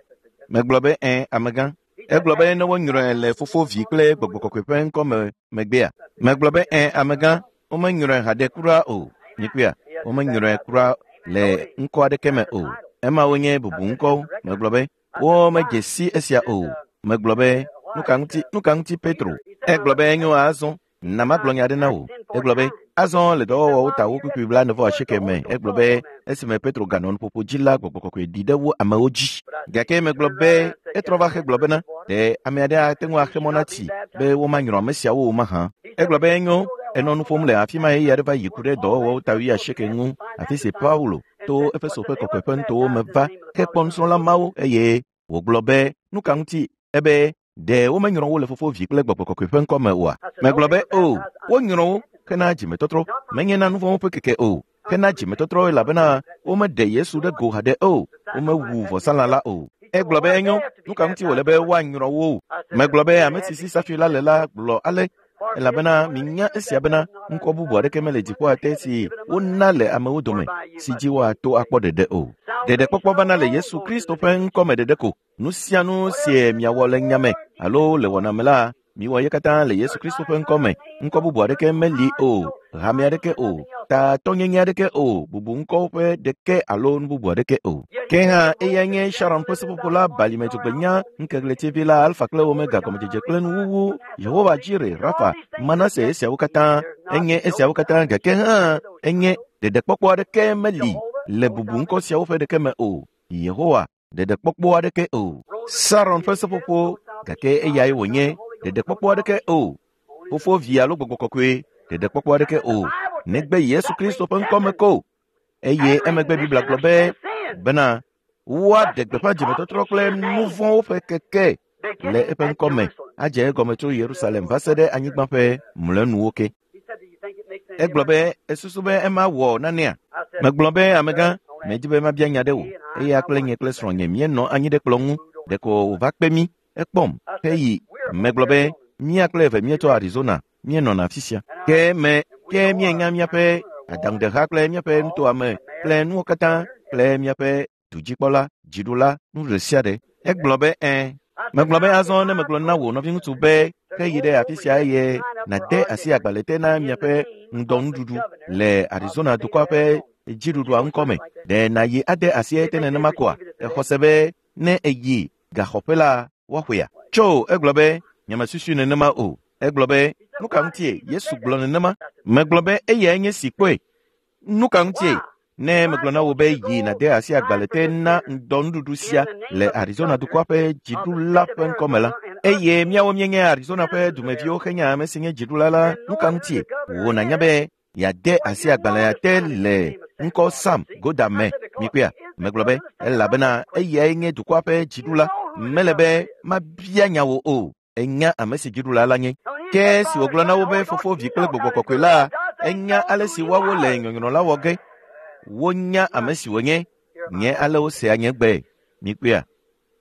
Megblɔ be ẽ, amegã. Egblɔ be ne wonyrɔe le Fofo, Vi kple Gbɔgbɔ Kɔkɔe ƒe ŋkɔ me megbea? Megblɔ be ẽ, amegã, womenyrɔe haɖe kura o. Mikpɔea? Womenyrɔe kura le ŋkɔ aɖeke me o. Emawo nye bubu ŋkɔwo. Megblɔ be womedze si esia o. Megblɔ be nu ka ŋuti, nu ka ŋuti Petro? Egblɔ be enyo azɔ. Na magblɔ nya aɖe na wò. Egblɔ be azɔ le dɔwɔwɔwo ta wo kpukpui 39 me. Egblɔ be esime Petro ganɔ nuƒoƒo dzi la, Gbɔgbɔ Kɔkɔe ɖi ɖe wo amewo dzi. Gake megblɔ be etrɔ va hegblɔ bena ɖe ame aɖe ate ŋu axe mɔ na tsi be womanyrɔ ame siawo o mahã. Egblɔ be enyo, enɔ nu ƒom le afi ma ɣeyiɣi aɖe va yi ku ɖe dɔwɔwɔwo ta 80 ŋu, afi si Paulo to Efeso ƒe kɔkɔeƒe nutowo me va hekpɔ nusrɔ̃la mawo eye wògblɔ be nu ka ŋuti ebe ɖe womenyrɔ wo le Fofo, Vi kple Gbɔgbɔ Kɔkɔe ƒe ŋkɔ me oa? Megblɔ be o, wonyrɔ wo hena dzimetɔtrɔ, menye na nu vɔ̃wo ƒe keke o, hena dzimetɔtrɔ elabena womeɖe Yesu ɖe go haɖe o, womewu vɔsalã la o. Egblɔ be enyo, nu ka ŋuti wòle be woanyrɔ wo o? Megblɔ be ame si si safi la le la gblɔ ale, elabena minya esia bena ŋkɔ bubu aɖeke mele dziƒoa te si wona le amewo dome si dzi woato akpɔ ɖeɖe o. Ɖeɖekpɔkpɔ vana le Yesu Kristo ƒe ŋkɔ me ɖeɖe ko. Nu sia nu sie miawɔ le nya me alo le wɔna me la, miwɔ ye katã le Yesu Kristo ƒe ŋkɔ me. Ŋkɔ bubu aɖeke meli o, hame aɖeke o, tatɔnyenye aɖeke o, bubu ŋkɔwo ƒe ɖeke alo nu bubu aɖeke o. Ke hã eyae nye Sharon ƒe seƒoƒo la, balime dzogbenya, ŋkeɣletivi la, Alfa kple Omega, gɔmedzedze kple nuwuwu, Yehowa Jire, Rafa, Manase, esiawo katã enye esiawo katã, gake hã enye ɖeɖekpɔkpɔ aɖeke meli le bubu ŋkɔ siawo ƒe ɖeke me o. Yehowa ɖeɖekpɔkpɔ aɖeke o. Saron ƒe seƒoƒo, gake eyae wònye, ɖeɖekpɔkpɔ aɖeke o. Fofo, Vi alo Gbɔgbɔ Kɔkɔe, ɖeɖekpɔkpɔ aɖeke o, negbe Yesu Kristo ƒe ŋkɔ me ko. Eye emegbe Biblia gblɔ be bena woaɖe gbeƒã dzimetɔtrɔ kple nu vɔ̃wo ƒe keke le eƒe ŋkɔ me adze egɔme tso Yerusalem va se ɖe anyigba ƒe mlɔenuwo ke. Egblɔ be esusu be ema wɔ nanea? Megblɔ be amegã, medi be mabia nya ɖe wò. Eya kple nye kple srɔ̃nye míenɔ anyi ɖe kplɔ̃ ŋu. Ɖeko wòva kpe mí, ekpɔm heyi. Megblɔ be mía kple eve míetso Arizona, míenɔna afi sia. Ke me ke míenya míaƒe adaŋudeha kple míaƒe nutoa me kple nuwo katã kple míaƒe dudzikpɔla, dziɖula, nu ɖe sia ɖe. Egblɔ be ẽ. Megblɔ be azɔ ne megblɔ na wò nɔviŋutsu be heyi ɖe afi sia eye nàde asi agbalẽ te na miaƒe ŋdɔnuɖuɖu le Arizona dukɔa ƒe dziɖuɖua ŋkɔme. Ɖe nàyi ade asi ete nenema koa? Exɔ se be ne èyi gaxɔƒe la, woaxɔea? Tso, egblɔ be, nyemesusui nenema o. Egblɔ be, nu ka ŋutie Yesu gblɔ nenema? Megblɔ be eyae nye si kpɔe. Nu ka ŋutie? Ne megblɔ na wò be yi nàde asi agbalẽ te na ŋdɔnuɖuɖu sia le Arizona dukɔa ƒe dziɖula ƒe ŋkɔme la, eye míawo míenye Arizona ƒe dumeviwo henye ame si nye dziɖula la, nu ka ŋutie wò nànya be yeade asi agbalẽa te le ŋkɔ Sam Goda me? Mikpɔea? Megblɔ be, elabena eyae nye dukɔa ƒe dziɖula. Mele be mabia nya wò o. Enya ame si dziɖula la nye. Ke esi wògblɔ na wo be Fofo, Vi kple Gbɔgbɔ Kɔkɔe la, enya ale si woawo le nyɔnyrɔ la wɔ ge. Wonya ame si wònye. Nye ale wosea nye gbe. Mikpɔea?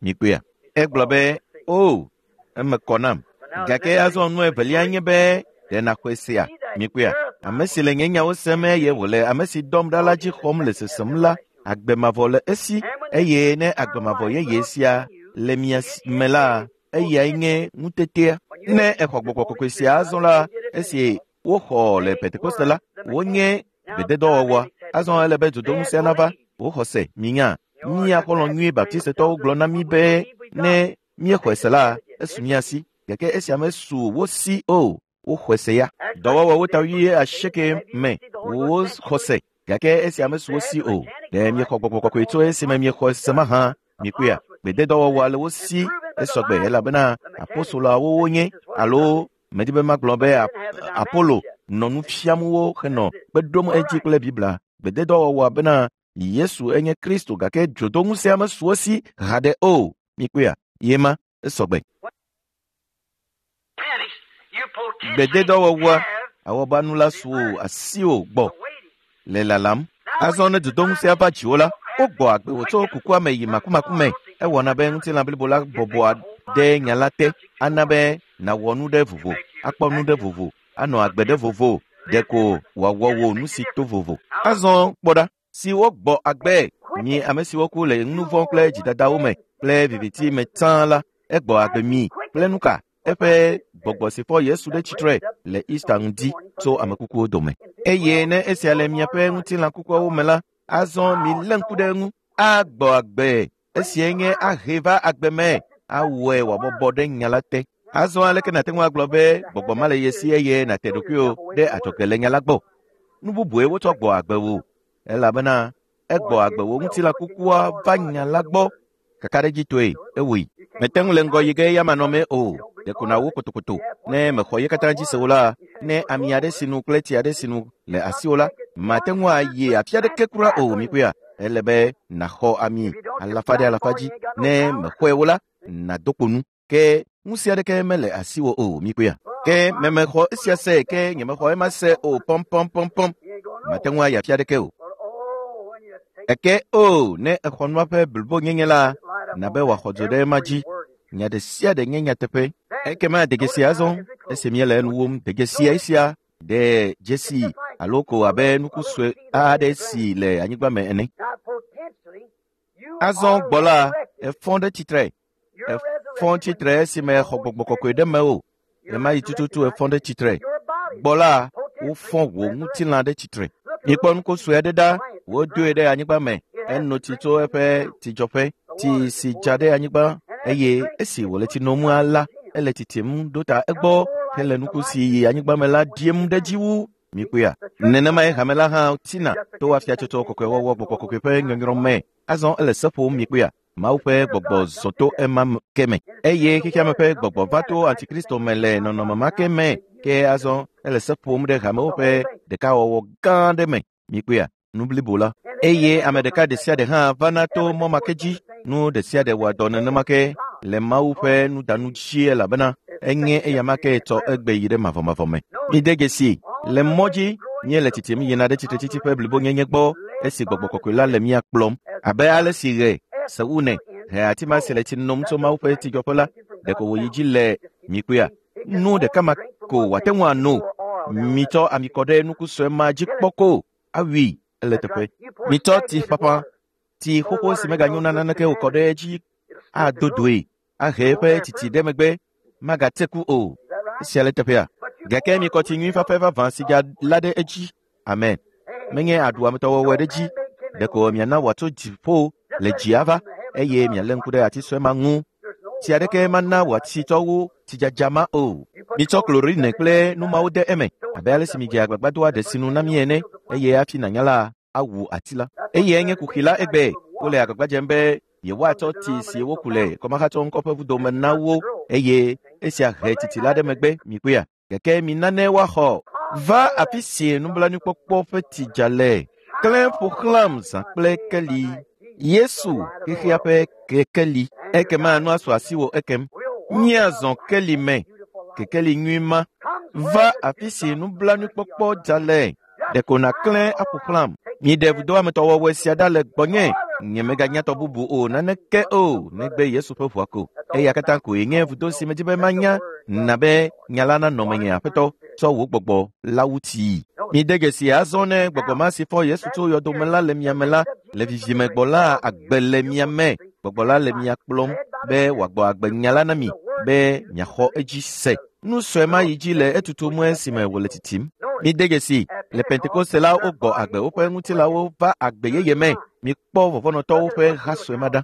Mikpɔea? Egblɔ be, O, eme kɔ nam. Gake azɔ nu evelia nye be ɖe nàxɔe sea? Mikpɔea? Ame si le nye nyawo sem eye wòle ame si dɔm ɖa la dzi xɔm le sesem la, agbe mavɔ le esi eye ne agbe mavɔ yeye sia le mia me la, eyae nye ŋutetea. Ne exɔ gbɔgbɔ kɔkɔe sia azɔ la, esi woxɔ le Pentekoste la, wonye gbededɔwɔwɔa. Azɔ ele be dzodoŋusẽ nava. Woxɔ se, minya. Mía xɔlɔ̃ nyui Baptistetɔwo gblɔ na mí be ne míexɔe se la, esu mía si. Gake esia mesu wo si o. Woxɔe se ya. Dɔwɔwɔwo ta 80 me woxɔ se. Gake esia mesu wo si o. Ɖe miexɔ gbɔgbɔ kɔkɔe tso esime miexɔe se mahã? Mikpɔea? Gbededɔwɔwɔa le wo si esɔgbe elabena apostoloawo wonye alo medi be magblɔ be Apolo nɔ nu fiam wo henɔ kpe ɖom edzi kple Biblia. Gbededɔwɔwɔa bena Yesu enye Kristo gake dzodoŋusẽa mesu wo si haɖe o. Mikpɔea? Ye ma esɔgbe. Gbededɔwɔwɔa awɔbanu la su asiwò gbɔ le lalam. Azɔ ne dzodoŋusẽa va dziwò la, wogbɔ agbe wò tso kukua me yi makumaku me. Ewɔna be ŋutilã blibo la bɔbɔa ɖe nya la te. Ana be nàwɔ nu ɖe vovo, akpɔ nu ɖe vovo, anɔ agbe ɖe vovo, ɖeko wòawɔ wò nu si to vovo. Azɔ kpɔ ɖa, si wogbɔ agbe mi ame siwo ku le nu vɔ̃ kple dzidadawo me kple viviti me tsã la, egbɔ agbe mi kple nu ka? Eƒe gbɔgbɔ si fɔ Yesu ɖe tsitre le Easter ŋdi tso ame kukuwo dome. Eye ne esia le miaƒe ŋutilã kukuawo me la, azɔ milé ŋku ɖe eŋu. Agbɔ agbe. Esiae nye ahe va agbe me, awɔe wòabɔbɔ ɖe nya la te. Azɔ aleke nàte ŋu agblɔ be gbɔgbɔ ma le ye si eye nàte ɖokuiwò ɖe adzɔge le nya la gbɔ? Nu bubue wotsɔ gbɔ agbe wò, elabena egbɔ agbe wò ŋutilã kukua va nya la gbɔ. Kakaɖedzitɔe ewɔe. Mete ŋu le ŋgɔ yi ge ya manɔmee o. Ɖeko nàwo kotokoto. Ne mexɔ ye katã dzi se o la, ne ami aɖe sinu kple tsi aɖe sinu le asiwò la, mate ŋu ayi afi aɖeke kura o. Mikpɔea? Ele be nàxɔ ami alafa ɖe alafa dzi. Ne mexɔe o la, nàdo kpo nu. Ke ŋusẽ aɖeke mele asiwò o. Mikpɔea? Ke memexɔ esia se, ke nyemexɔ ema se o. Pɔmpɔmpɔmpɔm. Mate ŋu ayi afi aɖeke o. Eke o, ne exɔ nua ƒe blibonyenye la, na be wòaxɔ dzo ɖe ema dzi. Nya ɖe sia ɖe nye nyateƒe. Ekema de dzesi azɔ, esi míele enu wom, de dzesi esia, de dzesi alo ko abe nuku sue aɖe si le anyigba me ene. Azɔ gbɔ la, efɔ ɖe tsitre. Efɔ tsitre esime exɔ gbɔgbɔ kɔkɔe ɖe mewò. Ɣemaɣi tututu efɔ ɖe tsitre. Gbɔ la, wofɔ wò ŋutilã ɖe tsitre. Mikpɔ nuko sue aɖe ɖa, wodoe ɖe anyigba me. Eno tsi tso eƒe tsidzɔƒe, tsi si dza ɖe anyigba eye esi wòle tsi nom la, ele tsitsim ɖo ta egbɔ hele nuku si yi anyigba me la ɖiem ɖe dzi wu. Mikpɔea? Nenemae hame la hã tsina to afiatsotso kɔkɔewɔwɔ gbɔgbɔ kɔkɔe ƒe nyɔnyrɔ me. Azɔ ele se ƒom mikpɔea? Mawu ƒe gbɔgbɔ zɔ to ema ke me eye xexeame ƒe gbɔgbɔ va to antikristo me le nɔnɔme ma ke me. Ke azɔ ele se ƒom ɖe hamewo ƒe ɖekawɔwɔ gã aɖe me. Mikpɔea? Nu blibo la. Eye ame ɖeka ɖe sia ɖe hã vana to mɔ ma ke dzi. Nu ɖe sia ɖe wɔa dɔ nenema ke le Mawu ƒe nudanu dzi elabena enye eyama ke tsɔ egbe yi ɖe mavɔmavɔ me. Mide dzesi, le mɔ dzi míele tsitsim yina ɖe tsitretsitsi ƒe blibonyenye gbɔ esi gbɔgbɔ kɔkɔe la le mía kplɔm. Abe ale si ɣe, seune, he ati ma si le tsi nom tso Mawu ƒe tsidzɔƒe la, ɖeko wòyi dzi le mikpɔea? Nu ɖeka ma ko wòate ŋu ano. Mitsɔ ami kɔ ɖe nuku sue ma dzi kpɔ ko awui ele teƒe. Mitsɔ tsi ƒaƒã, tsi xoxo si meganyo na naneke o kɔ ɖe edzi ado doe, ahe eƒe tsitsi ɖe megbe, magate ku o. Esia le teƒea. Gake mikɔ tsi nyui fafɛ vavã si dza la ɖe edzi. Amen. Menye aɖu ametɔwɔwɔe ɖe edzi. Ɖeko miana wòatso dziƒo le dzi ava eye mialé ŋku ɖe ati sue ma ŋu. Tsi aɖeke mana wòatsi tsɔ wu tsidzadza ma o. Mitsɔ klorine kple nu mawo de eme abe ale si midze agbagba doa ɖe sinu na mí ene eye hafi nànya la awu ati la. Eyae nye kuxi la egbe. Wole agbagba dzem be yewoatsɔ tsi si woku le kɔmahatsɔ ŋkɔ ƒe vudo me na wo eye esia he tsitsi la ɖe megbe mikpɔea. Gake mina ne woaxɔ va afi si nublanuikpɔkpɔ ƒe tsi dza le. Klẽ ƒo xlãm zã kple keli. Yesu xexea ƒe kekeli. Ekema nu asu asiwò ekem. Míazɔ keli me. Kekeli nyui ma. Va afi si nublanuikpɔkpɔ dza le. Ɖeko nàklẽ aƒo xlãm. Miɖe vudoametɔwɔwɔe sia ɖa le gbɔnye. Nyemeganya tɔ bubu o naneke o negbe Yesu ƒe ʋua ko. Eya katã koe nye vudo si medzi be manya na be nya la nanɔ menye aƒetɔ tsɔ wò gbɔgbɔ la wu tsii. Mide dzesi azɔ ne gbɔgbɔ ma si fɔ Yesu tso yɔdome la le mia me la, le vivime gbɔ la agbe le mia me. Gbɔgbɔ la le mia kplɔm be wòagbɔ agbe nya la na mi be miaxɔ edzi se. Nu sue ma yi dzi le etutum esime wòle tsitsim. Mide dzesi le Pentekoste la wogbɔ agbe woƒe ŋutilãwo va agbe yeye me. Mikpɔ vɔvɔ̃nɔtɔwo ƒe ha sue ma ɖa.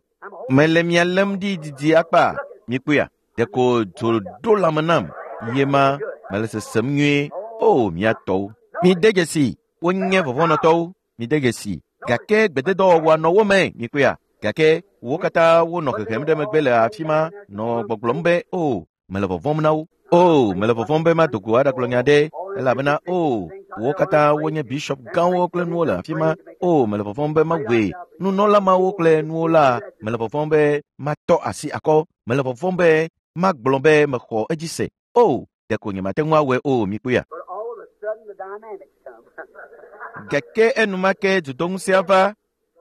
Mele mia lém ɖi didi akpa. Mikpɔea? Ɖeko dzo ɖo lãme nam. Ye ma mele sesem nyuie. O, mia tɔwo. Mide dzesi wonye vɔvɔ̃nɔtɔwo. Mide dzesi gake gbededɔwɔwɔa nɔ wo me. Mikpɔea? Gake wo katã wonɔ hehem ɖe megbe le afi ma nɔ gbɔgblɔm be o mele vɔvɔ̃m na wo. O, mele vɔvɔ̃m be mado go aɖagblɔ nya ɖe elabena o, wo katã wonye bishop gãwo kple nuwo le afi ma. O, mele vɔvɔ̃m be mawɔe. Nunɔla mawo kple nuwo la, mele vɔvɔ̃m be matɔ asi akɔ. Mele vɔvɔ̃m be magblɔ be mexɔ edzi se. O, ɖeko nyemate ŋu awɔe o, mikpɔea. But all of a sudden the dynamics come. Gake enumake dzodoŋusẽa va.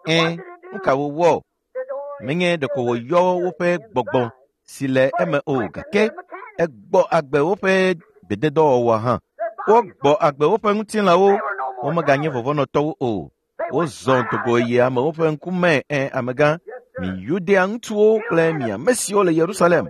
Ẽ, nu ka wòwɔ? Menye ɖeko wòyɔ woƒe gbɔgbɔ si le eme o gake egbɔ agbe woƒe gbededɔwɔwɔ hã. Wogbɔ agbe woƒe ŋutilãwo, womeganye vɔvɔ̃nɔtɔwo o. Wozɔ dogo yi amewo ƒe ŋkume ẽ amegã, mi Yudea ŋutsuwo kple mi ame siwo le Yerusalem.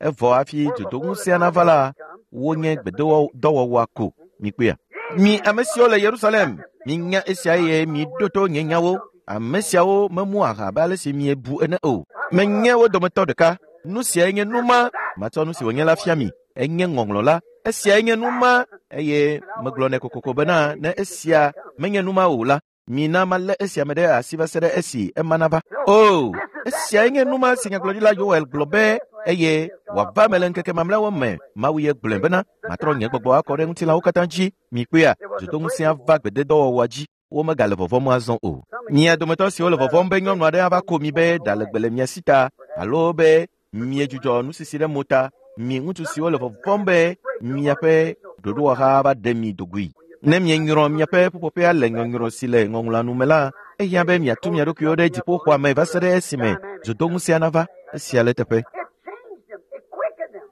Evɔ hafi dzodoŋusẽa nava la, wonye gbededɔwɔwɔa ko. Mikpɔea? Mi ame siwo le Yerusalem, minya esia eye miɖo to nye nyawo. Ame siawo memu aha abe ale si miebu ene o. Menye wo dometɔ ɖeka. Nu siae nye nu ma matsɔ nu si wònye la fia mi. Enye ŋɔŋlɔ la. Esiae nye nu ma eye megblɔnɛ kokoko bena ne esia menye nu ma o la, mina malé esia me ɖe asi va se ɖe esi ema nava. O, esiae nye nu ma si nyagblɔɖila Yoel gblɔ be eye wòava me le ŋkeke mamlɛawo me. Mawu ye gblɔe bena matrɔ nye gbɔgbɔ akɔ ɖe ŋutilãwo katã dzi. Mikpɔea, dzodoŋusẽa va gbededɔwɔwɔa dzi. Womegale vɔvɔ̃m azɔ o. Mia dometɔ siwo le vɔvɔ̃m be nyɔnu aɖe ava ko mi be ɖa legbe le mia si ta alo be miedzudzɔ nusisi ɖe mo ta, mi ŋutsu siwo le vɔvɔ̃m be miaƒe ɖoɖowɔha va ɖe mi dogoe. Ne mienyrɔ miaƒe ƒuƒoƒea le nyɔnyrɔ si le ŋɔŋlɔa nu me la, ehiã be miatu mia ɖokuiwo ɖe dziƒoxɔa me va se ɖe esime dzodoŋusẽa nava. Esia le eteƒe. It changed them. It quickened them.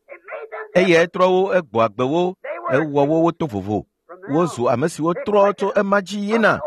It made them Eyae trɔ wo, egbɔ agbe wo, ewɔ wo woto vovo. Wozu ame siwo trɔ tso ema dzi yina.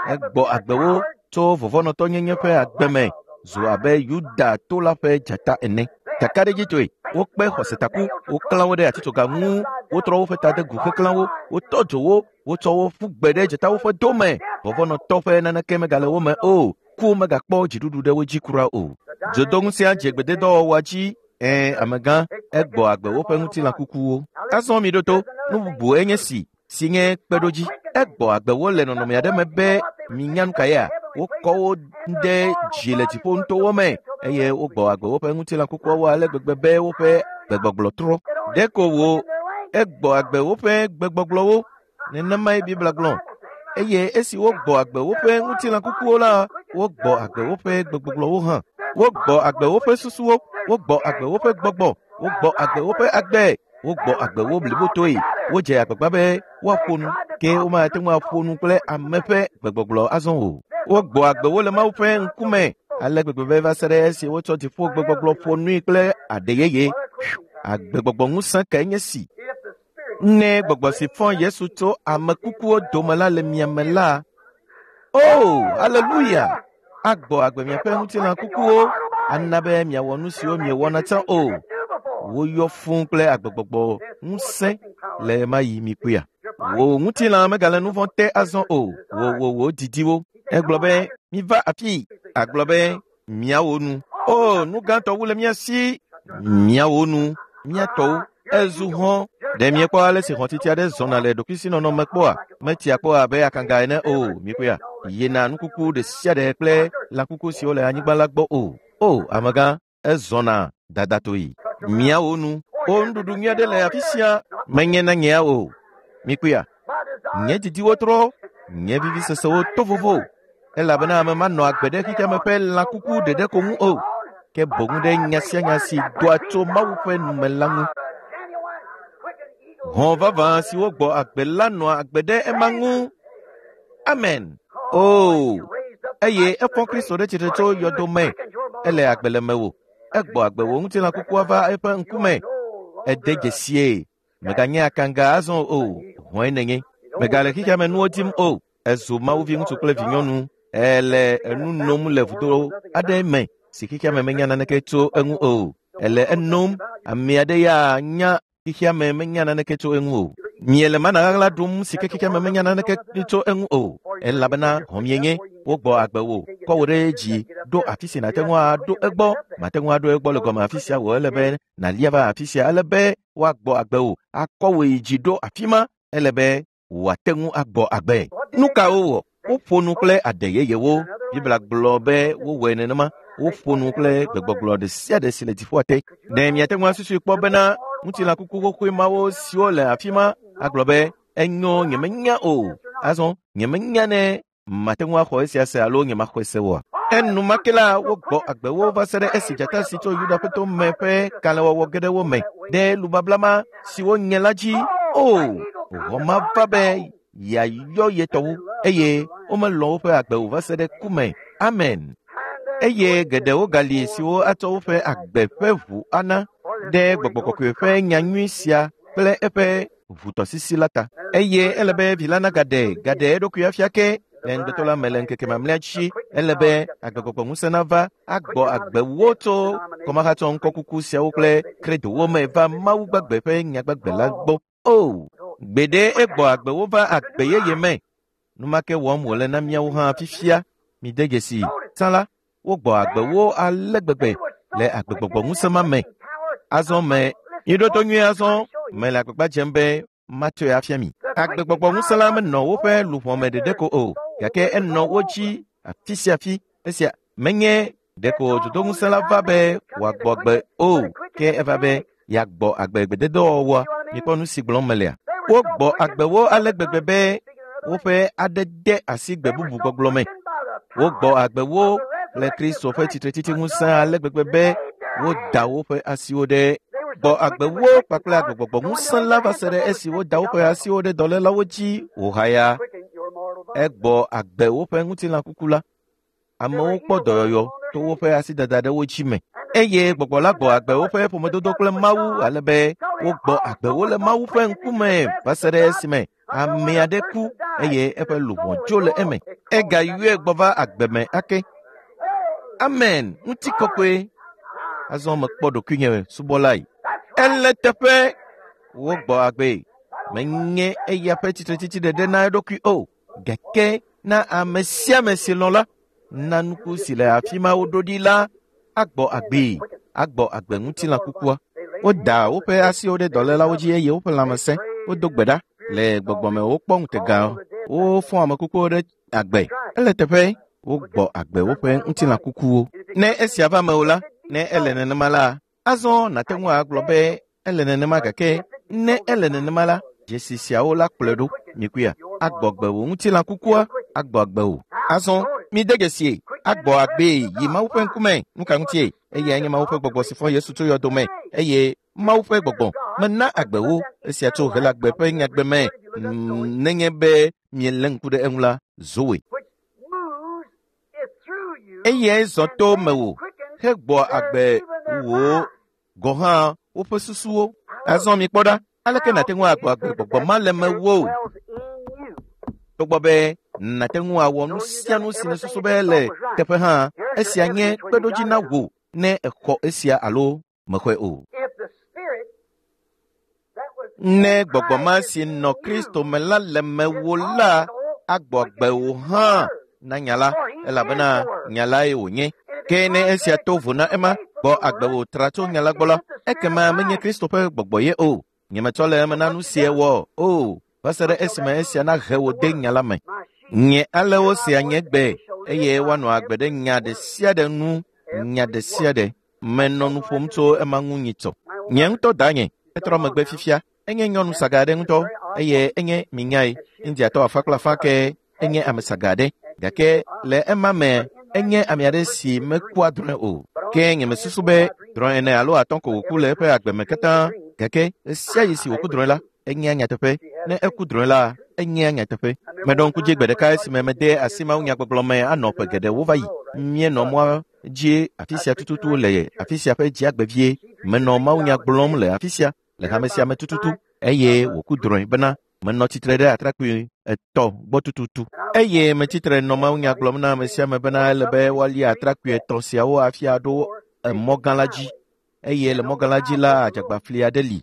Egbɔ agbe wo tso vɔvɔ̃nɔtɔnyenye ƒe agbe me zu abe Yuda to la ƒe dzata ene. Kakaɖedzitɔe, wokpe xɔsetaku, woklã wo ɖe atitsoga ŋu, wotrɔ woƒe ta de gu heklã wo, wotɔ dzo wo, wotsɔ wo ƒu gbe ɖe dzatawo ƒe do me. Vɔvɔ̃nɔtɔ ƒe naneke megale wo me o. Ku megakpɔ dziɖuɖu ɖe wo dzi kura o. Dzodoŋusẽa dze gbededɔwɔwɔa dzi. Ẽ, amegã, egbɔ agbe woƒe ŋutilã kukuwo. Azɔ miɖo to, nu bubu enye si si nye kpeɖodzi. Egbɔ agbe wo le nɔnɔme aɖe me be minya nu ka yea? Wokɔ wo ɖe dzi le dziƒo nutowo me eye wogbɔ agbe woƒe ŋutilã kukuawo ale gbegbe be woƒe gbegbɔgblɔ trɔ. Ɖeko wo egbɔ agbe woƒe gbegbɔgblɔwo. Nenemae Biblia gblɔ. Eye esi wogbɔ agbe woƒe ŋutilã kukuwo la, wogbɔ agbe woƒe gbegbɔgblɔwo hã. Wogbɔ agbe woƒe susuwo, wogbɔ agbe woƒe gbɔgbɔ, wogbɔ agbe woƒe agbe, wogbɔ agbe wo blibotoe. Wodze agbagba be woaƒo nu, ke womate ŋu aƒo nu kple ame ƒe gbegbɔgblɔ azɔ o. Wogbɔ agbe wo le Mawu ƒe ŋkume ale gbegbe be va se ɖe esi wotsɔ dziƒo gbegbɔgblɔ ƒo nui kple aɖe yeye. Agbegbɔgbɔ ŋusẽ kae nye si. Ne gbɔgbɔ si fɔ Yesu tso ame kukuwo dome la le mia me la, o, aleluya! Agbɔ agbe miaƒe ŋutilã kukuwo, ana be miawɔ nu siwo miewɔna tsã o. Woyɔ fũu kple agbegbɔgbɔ ŋusẽ le ɣe ma ɣi mikpɔea. Wò ŋutilã megale nu vɔ̃ te azɔ o. Wò wò wò didiwo. Egblɔ be, miva afii. Agblɔ be, miawo nu. O, nu gãtɔ wu le mía si. Miawo nu, mía tɔwo. Ezu hɔ̃. Ɖe miekpɔ ale si hɔ̃titi aɖe zɔna le ɖokuisinɔnɔ me kpɔa? Metia kpɔ abe akanga ene o. Mikpɔea? Yina nukuku ɖe sia ɖe kple lãkuku siwo le anyigba la gbɔ o. O, amegã, ezɔna dadatoe. Miawo nu. O, nuɖuɖu nyui aɖe le afi sia. Menye na nyea o. Mikpɔea? Nye didiwo trɔ, nye vivisesewo to vovo. Elabena ame manɔ agbe ɖe xexeame ƒe lãkuku ɖeɖe ko ŋu o, ke boŋ ɖe nya sia nya si doa tso Mawu ƒe nume la ŋu. Hɔ̃ vavã siwo gbɔ agbe la nɔa agbe ɖe ema ŋu. Amen. O, eye efɔ Kristo ɖe tsitre tso yɔdo me. Ele agbe le mewò. Egbɔ agbe wò ŋutilã kukua va eƒe ŋkume. Ede dzesie. Meganye akanga azɔ o. Hɔ̃e nènye. Megale xexeame nuwo dim o. Ezu Mawu viŋutsu kple vinyɔnu. Ele enu nom le vudo aɖe me si xexeame menya naneke tso eŋu o. Ele enom. Ame aɖe ya nya xexeame menya naneke tso eŋu o. Miele mana ɣaɣla ɖum si ke xexeame menya naneke tso eŋu o. Elabena hɔ̃ mienye. Wogbɔ agbe wò, kɔ wò ɖe dzi, ɖo afi si nàte ŋu aɖo egbɔ. Màte ŋu aɖo egbɔ le gɔme afi sia o. Ele be nàlia va afi sia. Ele be woagbɔ agbe wò, akɔ wò yi dzi ɖo afi ma. Ele be wòate ŋu agbɔ agbe. Nu ka wowɔ? Woƒo nu kple aɖe yeyewo. Biblia gblɔ be wowɔe nenema. Woƒo nu kple gbegbɔgblɔ ɖe sia ɖe si le dziƒoa te. Ɖe miate ŋu asusui kpɔ bena ŋutilã kuku xoxoe mawo siwo le afi ma agblɔ be enyo nyemenya o. Azɔ nyemenya ne mate ŋu axɔ esia se alo nyemaxɔe se oa? Enumake la wogbɔ agbewo va se ɖe esi dzata si tso Yuda ƒe to me ƒe kalẽwɔwɔ ge ɖe wo me ɖe lubabla ma si wonye la dzi. O, hɔ̃ ma va be yeayɔ ye tɔwo eye womelɔ̃ woƒe agbe o va se ɖe ku me. Amen. Eye geɖewo gali siwo atsɔ woƒe agbe ƒe ʋu ana ɖe gbɔgbɔ kɔkɔe ƒe nyanyui sia kple eƒe ʋutɔsisi la ta. Eye ele be vi la nagaɖe gaɖe eɖokui afia ke le ŋugbetɔ la me le ŋkeke mamlɛa dzi. Ele be agbegbɔgbɔ ŋusẽ nava agbɔ agbewo tso kɔmahatsɔ ŋkɔkuku siawo kple kredowo me va Mawu gbagbe ƒe nyagbagbe la gbɔ. O, gbeɖe egbɔ agbewo va agbe yeye me. Nu ma ke wɔm wòle na míawo hã fifia. Mide dzesi. Tsã la, wogbɔ agbewo ale gbegbe le agbegbɔgbɔ ŋusẽ ma me. Azɔ me, miɖo to nyuie azɔ, mele agbagba dzem be matsɔe afia mi. Agbegbɔgbɔ ŋusẽ la menɔ woƒe luʋɔ me ɖeɖe ko o, gake enɔ wo dzi afi sia afi. Esia menye ɖeko dzodoŋusẽ la va be wòagbɔ agbe o, ke eva be yeagbɔ agbe gbededɔwɔwɔa. Mikpɔ nu si gblɔm melea. Wogbɔ agbewo ale gbegbe be woƒe aɖe de asi gbe bubu gbɔgblɔ me. Wogbɔ agbewo le Kristo ƒe tsitretsitsi ŋusẽ ale gbegbe be woda woƒe asiwo ɖe gbɔ agbewo kpakple agbegbɔgbɔ ŋusẽ la va se ɖe esi woda woƒe asiwo ɖe dɔlélawo dzi wòhaya. Egbɔ agbe woƒe ŋutilã kuku la. Amewo kpɔ dɔyɔyɔ to woƒe asidada ɖe wo dzi me. Eye gbɔgbɔ la gbɔ agbe woƒe ƒomedodo kple Mawu ale be wogbɔ agbewo le Mawu ƒe ŋkume va se ɖe esime ame aɖe ku eye eƒe luʋɔ dzo le eme. Egayɔe gbɔ va agbe me ake. Amen. Ŋutikɔkɔe. Azɔ mekpɔ ɖokuinye subɔlae. Ele teƒe wogbɔ agbe. Menye eya ƒe tsitretsitsi ɖeɖe na eɖokui o, gake na ame sia ame si lɔ̃ la, na nuku si le afi ma woɖo ɖi la agbɔ agbee, agbɔ agbe ŋutilã kukua. Woda woƒe asiwo ɖe dɔlélawo dzi eye woƒe lãme sẽ. Wodo gbe ɖa le gbɔgbɔme wokpɔ ŋutega. Wofɔ ame kukuwo ɖe agbe. Ele teƒe wogbɔ agbe woƒe ŋutilã kukuwo. Ne esia va me o la, ne ele nenema la, azɔ nàte ŋu agblɔ be ele nenema gake ne ele nenema la, dzesi siawo la kplɔe ɖo. Mikuia, agbɔ agbe wò ŋutilã kukua, agbɔ agbe wò. Azɔ mide dzesie, agbɔ agbee yi Mawu ƒe ŋkume. Nu ka ŋutie? Eyae nye Mawu ƒe gbɔgbɔ si fɔ Yesu tso yɔdo me eye Mawu ƒe gbɔgbɔ mena agbe wo. Esia tso Helagbe ƒe nyagbe me. Nenye be mielé ŋku ɖe eŋu la, Zoe. Eyae zɔ to mewò hegbɔ agbe wò gɔ̃ hã woƒe susuwo. Azɔ mikpɔ ɖa, aleke nàte ŋu agbɔ agbe gbɔgbɔ ma le mewò? Togbɔ be nàte ŋu awɔ nu sia nu si nèsusu be le teƒe hã, esia nye kpeɖodzi na wò ne èxɔ esia alo mexɔe o. Ne gbɔgbɔ ma si nɔ Kristo me la le mewò la, agbɔ agbe wò hã na nya la, elabena nya lae wònye. Ke ne esia to vo na ema, gbɔ agbe wò tra tso nya la gbɔ la, ekema menye Kristo ƒe gbɔgbɔ ye o. Nyemetsɔ le eme na nu sie wɔ o, va se ɖe esime esia nahe wò de nya la me. Nye alẽwo sea nye gbe eye woanɔ agbe ɖe nya ɖe sia ɖe nu, nya ɖe sia ɖe. Menɔ nu ƒom tso ema ŋu nyitsɔ. Nye ŋutɔ danye, etrɔ megbe fifia. Enye nyɔnu saga aɖe ŋutɔ eye enye minyae. Indiatɔ afã kple afã ke enye ame saga aɖe. Gake le ema me, enye ame aɖe si mekua drɔ̃e o. Ke nyemesusu be drɔ̃e ene alo atɔ̃ ko wòku le eƒe agbe me katã. Gake ɣe sia ɣi si wòku drɔ̃e la, enyea nyateƒe. Ne eku drɔ̃e la, enyea nyateƒe. Meɖo ŋku dzi gbe ɖeka esime mede asi mawunyagbɔgblɔ me anɔ ƒe geɖewo va yi. Míenɔ mɔa dzi afi sia tututu le afi sia ƒe dziagbe vie. Menɔ mawunya gblɔm le afi sia le hame sia me tututu eye wòku drɔ̃e bena menɔ tsitre ɖe atrakpui etɔ̃ gbɔ tututu. Eye metsitre nɔ mawunya gblɔm na ame sia ame bena ele be woalia atrakpui etɔ̃ siawo hafi aɖo emɔ gã la dzi. Eye le mɔ gã la dzi la, adzagbafli aɖe li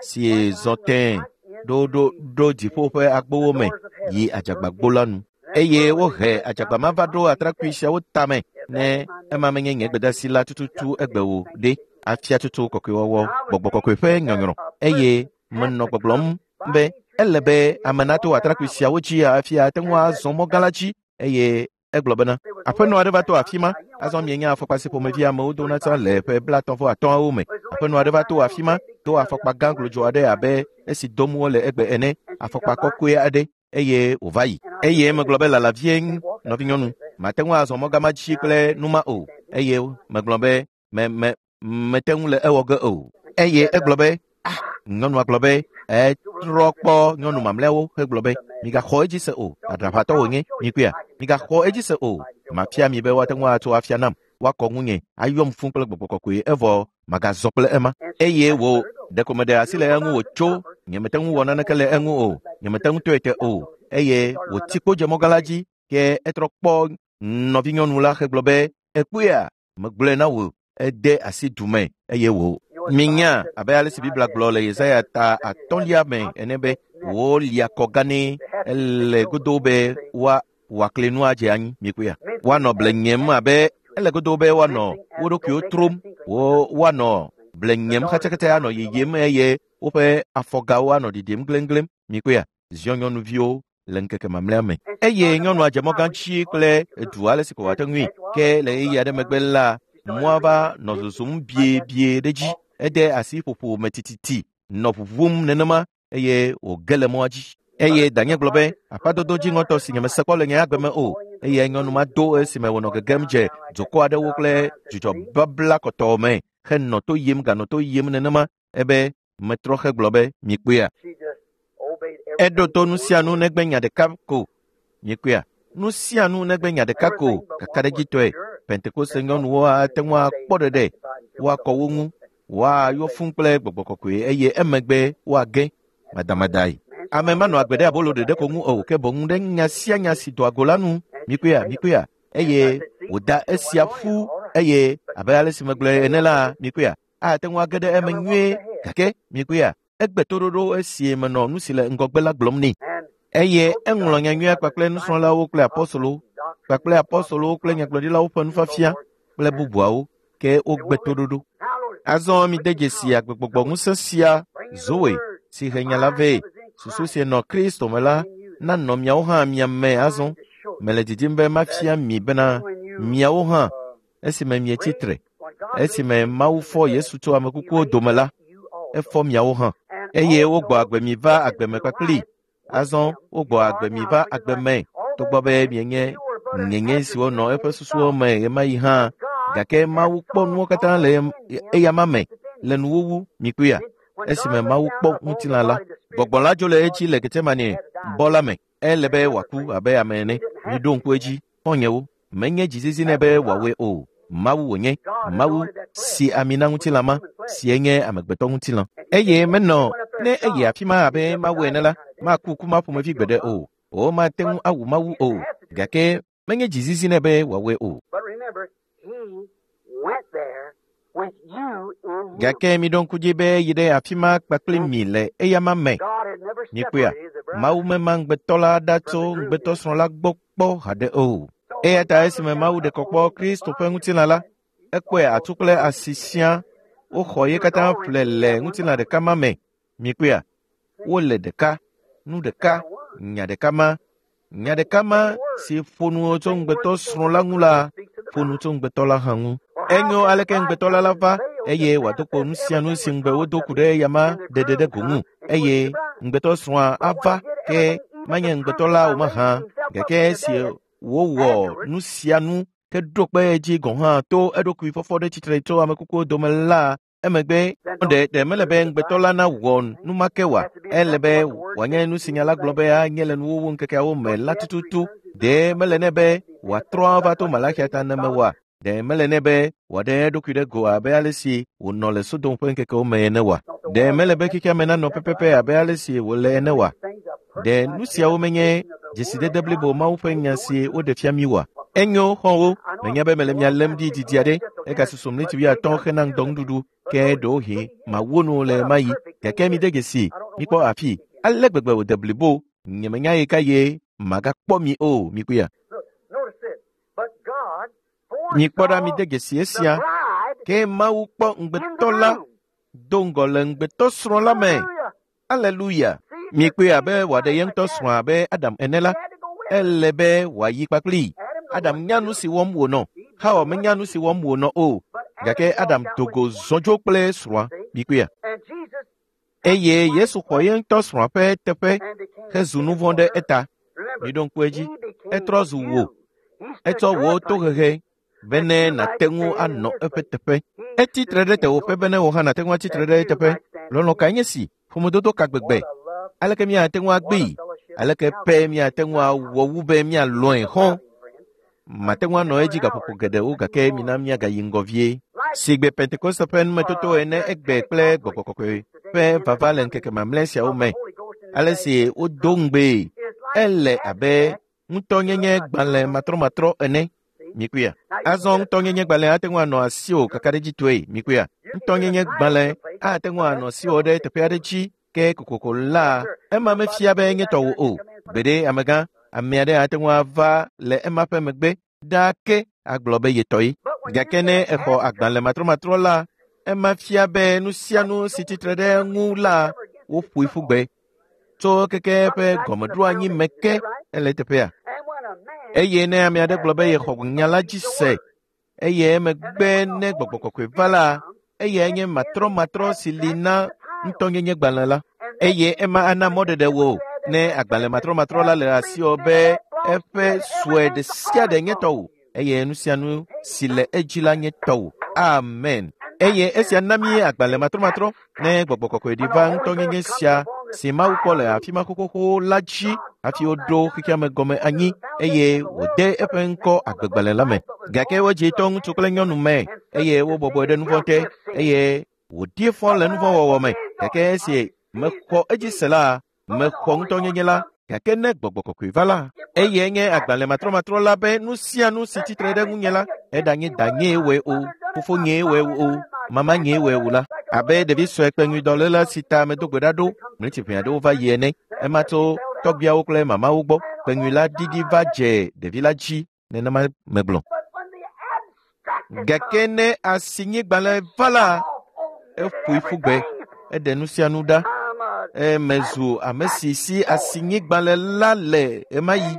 si zɔ tẽe ɖo ɖo ɖo dziƒo ƒe agbowo me yi adzagbagbo la nu. Eye wohe adzagba ma va ɖo atrakpui siawo tame ne ema menye nye gbedeasi la tututu egbe o ɖe afia tutu kɔkɔewɔwɔ gbɔgbɔ kɔkɔe ƒe nyɔnyrɔ. Eye menɔ gbɔgblɔm be ele be ame nato atrakpui siawo dzi hafi ate ŋu azɔ mɔ gã la dzi. Eye egblɔ bena aƒenɔ aɖe va to afi ma. Azɔ mienya afɔkpa si ƒomevi amewo dona tsã le ƒe 35 me. Aƒenɔ aɖe va to afi ma do afɔkpa gã glodzo aɖe abe esi dom wole egbe ene, afɔkpa kɔkɔe aɖe eye wòva yi. Eye megblɔ be lala vie nɔvinyɔnu, mate ŋu azɔ mɔ gã ma dzi kple nu ma o. Eye megblɔ be me me mete ŋu le ewɔ ge o. Eye egblɔ be ah, nyɔnua gblɔ be etrɔ kpɔ nyɔnu mamlɛawo hegblɔ be migaxɔ edzi se o, aɖaʋatɔ wònye, mikuia, migaxɔ edzi se o. Mafia mi be woate ŋu atso afia nam, woakɔ ŋunye, ayɔm fũ kple gbɔgbɔ kɔkɔe evɔ magazɔ kple ema. Eye wò ɖeko meɖe asi le eŋu wòtso, nyemete ŋu wɔ naneke le eŋu o, nyemete ŋu tɔe te o. Eye wòti kpo dze mɔ gã la dzi, ke etrɔ kpɔ nɔvinyɔnu la hegblɔ be ekpɔea, megblɔe na wò, ede asi du me eye wò. Minya abe ale si Biblia gblɔ le Yesaya ta atɔ̃lia me ene be wolia kɔ gã nɛ ele godo be woa wòakli nu adze anyi mikpɔea. Woanɔ ble nyem abe ele godo be woanɔ wo ɖokuiwo trom, wo woanɔ ble nyem xatsɛxatsɛ anɔ yiyim eye woƒe afɔgawo anɔ ɖiɖim gleŋgleŋ mikpɔea. Ziɔ nyɔnuviwo le ŋkeke mamlɛa me. Eye nyɔnua dze mɔ gã dzi kple edu ale si ko wòate ŋui. Ke le ɣeyiɣi aɖe megbe la, mɔa va nɔ zozom biebie ɖe dzi. Ede asi ƒoƒo me tititi nɔ ʋuʋum nenema eye wòge le mɔa dzi. Eye danye gblɔ be aƒadodo dziŋɔtɔ si nyemese kpɔ le nye agbe me o. Eye nyɔnu ma do esime wònɔ gegem dze dukɔ aɖewo kple dzudzɔ babla kɔtɔɔ me henɔ to yim ganɔ to yim nenema ebe metrɔ hegblɔ be mikpɔea. Eɖo to nu sia nu negbe nya ɖeka ko. Mikpɔea, nu sia nu negbe nya ɖeka ko kakaɖedzitɔe. Pentekoste nyɔnuwo ate ŋu akpɔ ɖeɖe, woakɔ wo ŋu, woayɔ fũ kple gbɔgbɔ kɔkɔe eye emegbe woage madamadae. Ame manɔ agbe ɖe abolo ɖeɖe ko ŋu o, ke boŋ ɖe nya sia nya si doa go la nu. Mikpɔea, mikpɔea. Eye wòda esia ƒu eye abe ale si megblɔe ene la, mikpɔea, ate ŋu age ɖe eme nyuie. Gake mikpɔea, egbe toɖoɖo esie menɔ nu si le ŋgɔgbe la gblɔm nɛ. Eye eŋlɔ nyanyuia kpakple nusrɔ̃lawo kple apɔstolowo kpakple apɔstolowo kple nyagblɔɖilawo ƒe nufiafia kple bubuawo, ke wogbe toɖoɖo. Azɔ mide dzesi agbegbɔgbɔ ŋusẽ sia Zoe si he nya la vɛ. Susu si nɔ Kristo me la nanɔ miawo hã mia me azɔ. Mele didim be mafia mi bena miawo hã esime mietsi tre, esime Mawu fɔ Yesu tso ame kukuwo dome la, efɔ miawo hã. Eye wogbɔ agbe mi va agbe me kpakpli. Azɔ wogbɔ agbe mi va agbe me togbɔ be mienye ŋeŋe siwo nɔ eƒe susuwo me ɣemaɣi hã. Gake Mawu kpɔ nuwo katã le eyama me le nuwuwu mikpɔea. Esime Mawu kpɔ ŋutilã la, gbɔgbɔ la dzo le edzi le Getsemane bɔ la me. Ele be wòaku abe ame ene. Miɖo ŋku edzi, xɔ̃nyewo. Menye dzizizi nɛ be wòawɔe o. Mawu wònye, Mawu si ami na ŋutilã ma, sie nye amegbetɔ ŋutilã. Eye menɔ ne eyi afi ma abe Mawu ene la, maku ku ma ƒomevi gbeɖe o. Womate ŋu awu Mawu o. Gake menye dzizizi nɛ be wòawɔe o. But remember, he went there when Gake miɖo ŋku dzi be yi ɖe afi ma kpakple mi le eyama me. Mikpɔea, Mawu mema ŋugbetɔ la ɖa tso ŋugbetɔsrɔ̃ la gbɔ kpɔ haɖe o. Eya ta esime Mawu ɖe kɔ kpɔ Kristo ƒe ŋutilã la, ekpɔe atu kple asi siaa woxɔ ye katã ƒle le ŋutilã ɖeka ma me. Mikpɔea, wole ɖeka, nu ɖeka, nya ɖeka ma. Nya ɖeka ma si ƒo nu tso ŋugbetɔsrɔ̃ la ŋu la, ƒo nu tso ŋugbetɔ la hã ŋu. Enyo aleke ŋugbetɔ la va eye wòado kpo nu sia nu si ŋugbe wodo ku ɖe eyama ɖeɖe ɖe go ŋu eye ŋugbetɔsrɔ̃a ava ke manye ŋugbetɔ la o mahã gake esi wòwɔ nu sia nu ke ɖo kpe edzi gɔ̃ hã to eɖokui fɔfɔ ɖe tsitre tso ame kukuwo dome la emegbe ɖe mele be ŋugbetɔ la nawɔ nu ma ke oa? Ele be wòanye nu si nya la gblɔ be anye le nuwuwu ŋkekeawo me la tututu. Ɖe mele nɛ be wòatrɔ ava to Malaxia ta ne mewɔa? Ɖe mele nɛ be wòaɖe eɖokui ɖe go abe ale si wònɔ le Sodom ƒe ŋkekewo me ene oa? Ɖe mele be xexea me nanɔ pɛpɛpɛ abe ale si wòle ene oa? Ɖe nu siawo menye dzesidede blibo Mawu ƒe nya si woɖe fia mí oa? Enyo, xɔ̃wo, menya be mele mia lém ɖi didi aɖe, egasusu ɣleti wuiatɔ̃ hena ŋdɔnuɖuɖu, ke ɖewohĩ mawu nu le ɣemaɣi. Gake mide dzesi, mikpɔ afii, ale gbegbe wòde blibo, nyemenya ɣekaɣie magakpɔ mi o, mikpɔea? Mikpɔ ɖa, mide dzesi esia, ke Mawu kpɔ ŋugbetɔ la do ŋgɔ le ŋugbetɔsrɔ̃ la me. Aleluya! Mikpɔe abe wòaɖe ye ŋutɔ srɔ̃ abe Adam ene la, ele be wòayi kpakplii. Adam nya nu si wɔm wònɔ. Xawa menya nu si wɔm wònɔ o. Gake Adam do go zɔ dzo kple srɔ̃a. Mikpɔea? Eye Yesu xɔ ye ŋutɔ srɔ̃a ƒe teƒe hezu nu vɔ̃ ɖe eta. Miɖo ŋku edzi. Etrɔ zu wò. Etsɔ wò tohehe bene nàte ŋu anɔ eƒe teƒe. Etsi tre ɖe tewòƒe bene wò hã nàte ŋu atsi tre ɖe eteƒe. Lɔlɔ̃ kae nye si? Ƒomedodo ka gbegbe? Aleke míate ŋu agbee? Aleke pɛ míate ŋu awɔ wu be míalɔ̃e xɔ̃? Mate ŋu anɔ edzi gaƒoƒo geɖewo gake mina míagayi ŋgɔ vie. Sigbe Pentekoste ƒe numetoto ene egbe kple Gbɔgbɔ Kɔkɔe ƒe vava le ŋkeke mamlɛ siawo me, ale si wodo ŋugbee, ele abe ŋutɔnyenye gbalẽ matrɔmatrɔ ene. Mikpɔea? Azɔ ŋutɔnyenye gbalẽ ate ŋu anɔ asiwò kakaɖedzitɔe. Mikpɔea? Ŋutɔnyenye gbalẽ ate ŋu anɔ asiwò ɖe teƒe aɖe dzi ke kokoko la, ema mefia be nye tɔwò o. Gbeɖe amegã, ame aɖe ate ŋu ava le ema ƒe megbe ɖaa ke agblɔ be ye tɔe. Gake ne exɔ agbalẽ matrɔmatrɔ la, ema fia be nu sia nu si tsitre ɖe eŋu la, woƒoe ƒu gbe tso keke eƒe gɔmeɖoanyi me ke ele eteƒea. Eye ne ame aɖe gblɔ be yexɔ nya la dzi se eye emegbe ne Gbɔgbɔ Kɔkɔe va la, eyae nye matrɔmatrɔ si li na ŋutɔnyenye gbalẽ la. Eye ema ana mɔɖeɖe wò ne agbalẽ matrɔmatrɔ la le asiwò be eƒe sue ɖe sia ɖe nye tɔwò eye nu sia nu si le edzi la nye tɔwò. Amen. Eye esia na mí agbalẽ matrɔmatrɔ ne Gbɔgbɔ Kɔkɔe ɖi va ŋutɔnyenye sia si Mawu kpɔ le afi ma xoxoxo la dzi hafi woɖo xexeame gɔme anyi eye wòde eƒe ŋkɔ agbegbalẽ la me. Gake wodzi to ŋutsu kple nyɔnu me eye wobɔbɔe ɖe nu vɔ̃ te eye wòɖi fɔ le nu vɔ̃ wɔwɔ me. Gake esi mexɔ edzi se la, mexɔ ŋutɔnyenye la. Gake ne Gbɔgbɔ Kɔkɔe va la, eyae nye agbalẽ matrɔmatrɔ la be nu sia nu si tsitre ɖe ŋunye la, eɖanye danyee wɔe o, fofonyee wɔe o, mamanyee wɔe o la, abe ɖevi sue kpeŋuidɔléla si ta medo gbe ɖa ɖo ɣleti ʋɛ aɖewo va yi ene. Ema tso tɔgbuiawo kple mamawo gbɔ. Kpeŋui la ɖiɖi va dze ɖevi la dzi nenema megblɔ. Gake ne asinyigbalẽ va la, eƒoe ƒu gbe, eɖe nu sia nu ɖa. Emezu ame si si asinyigbalẽ la le ɣemaɣi.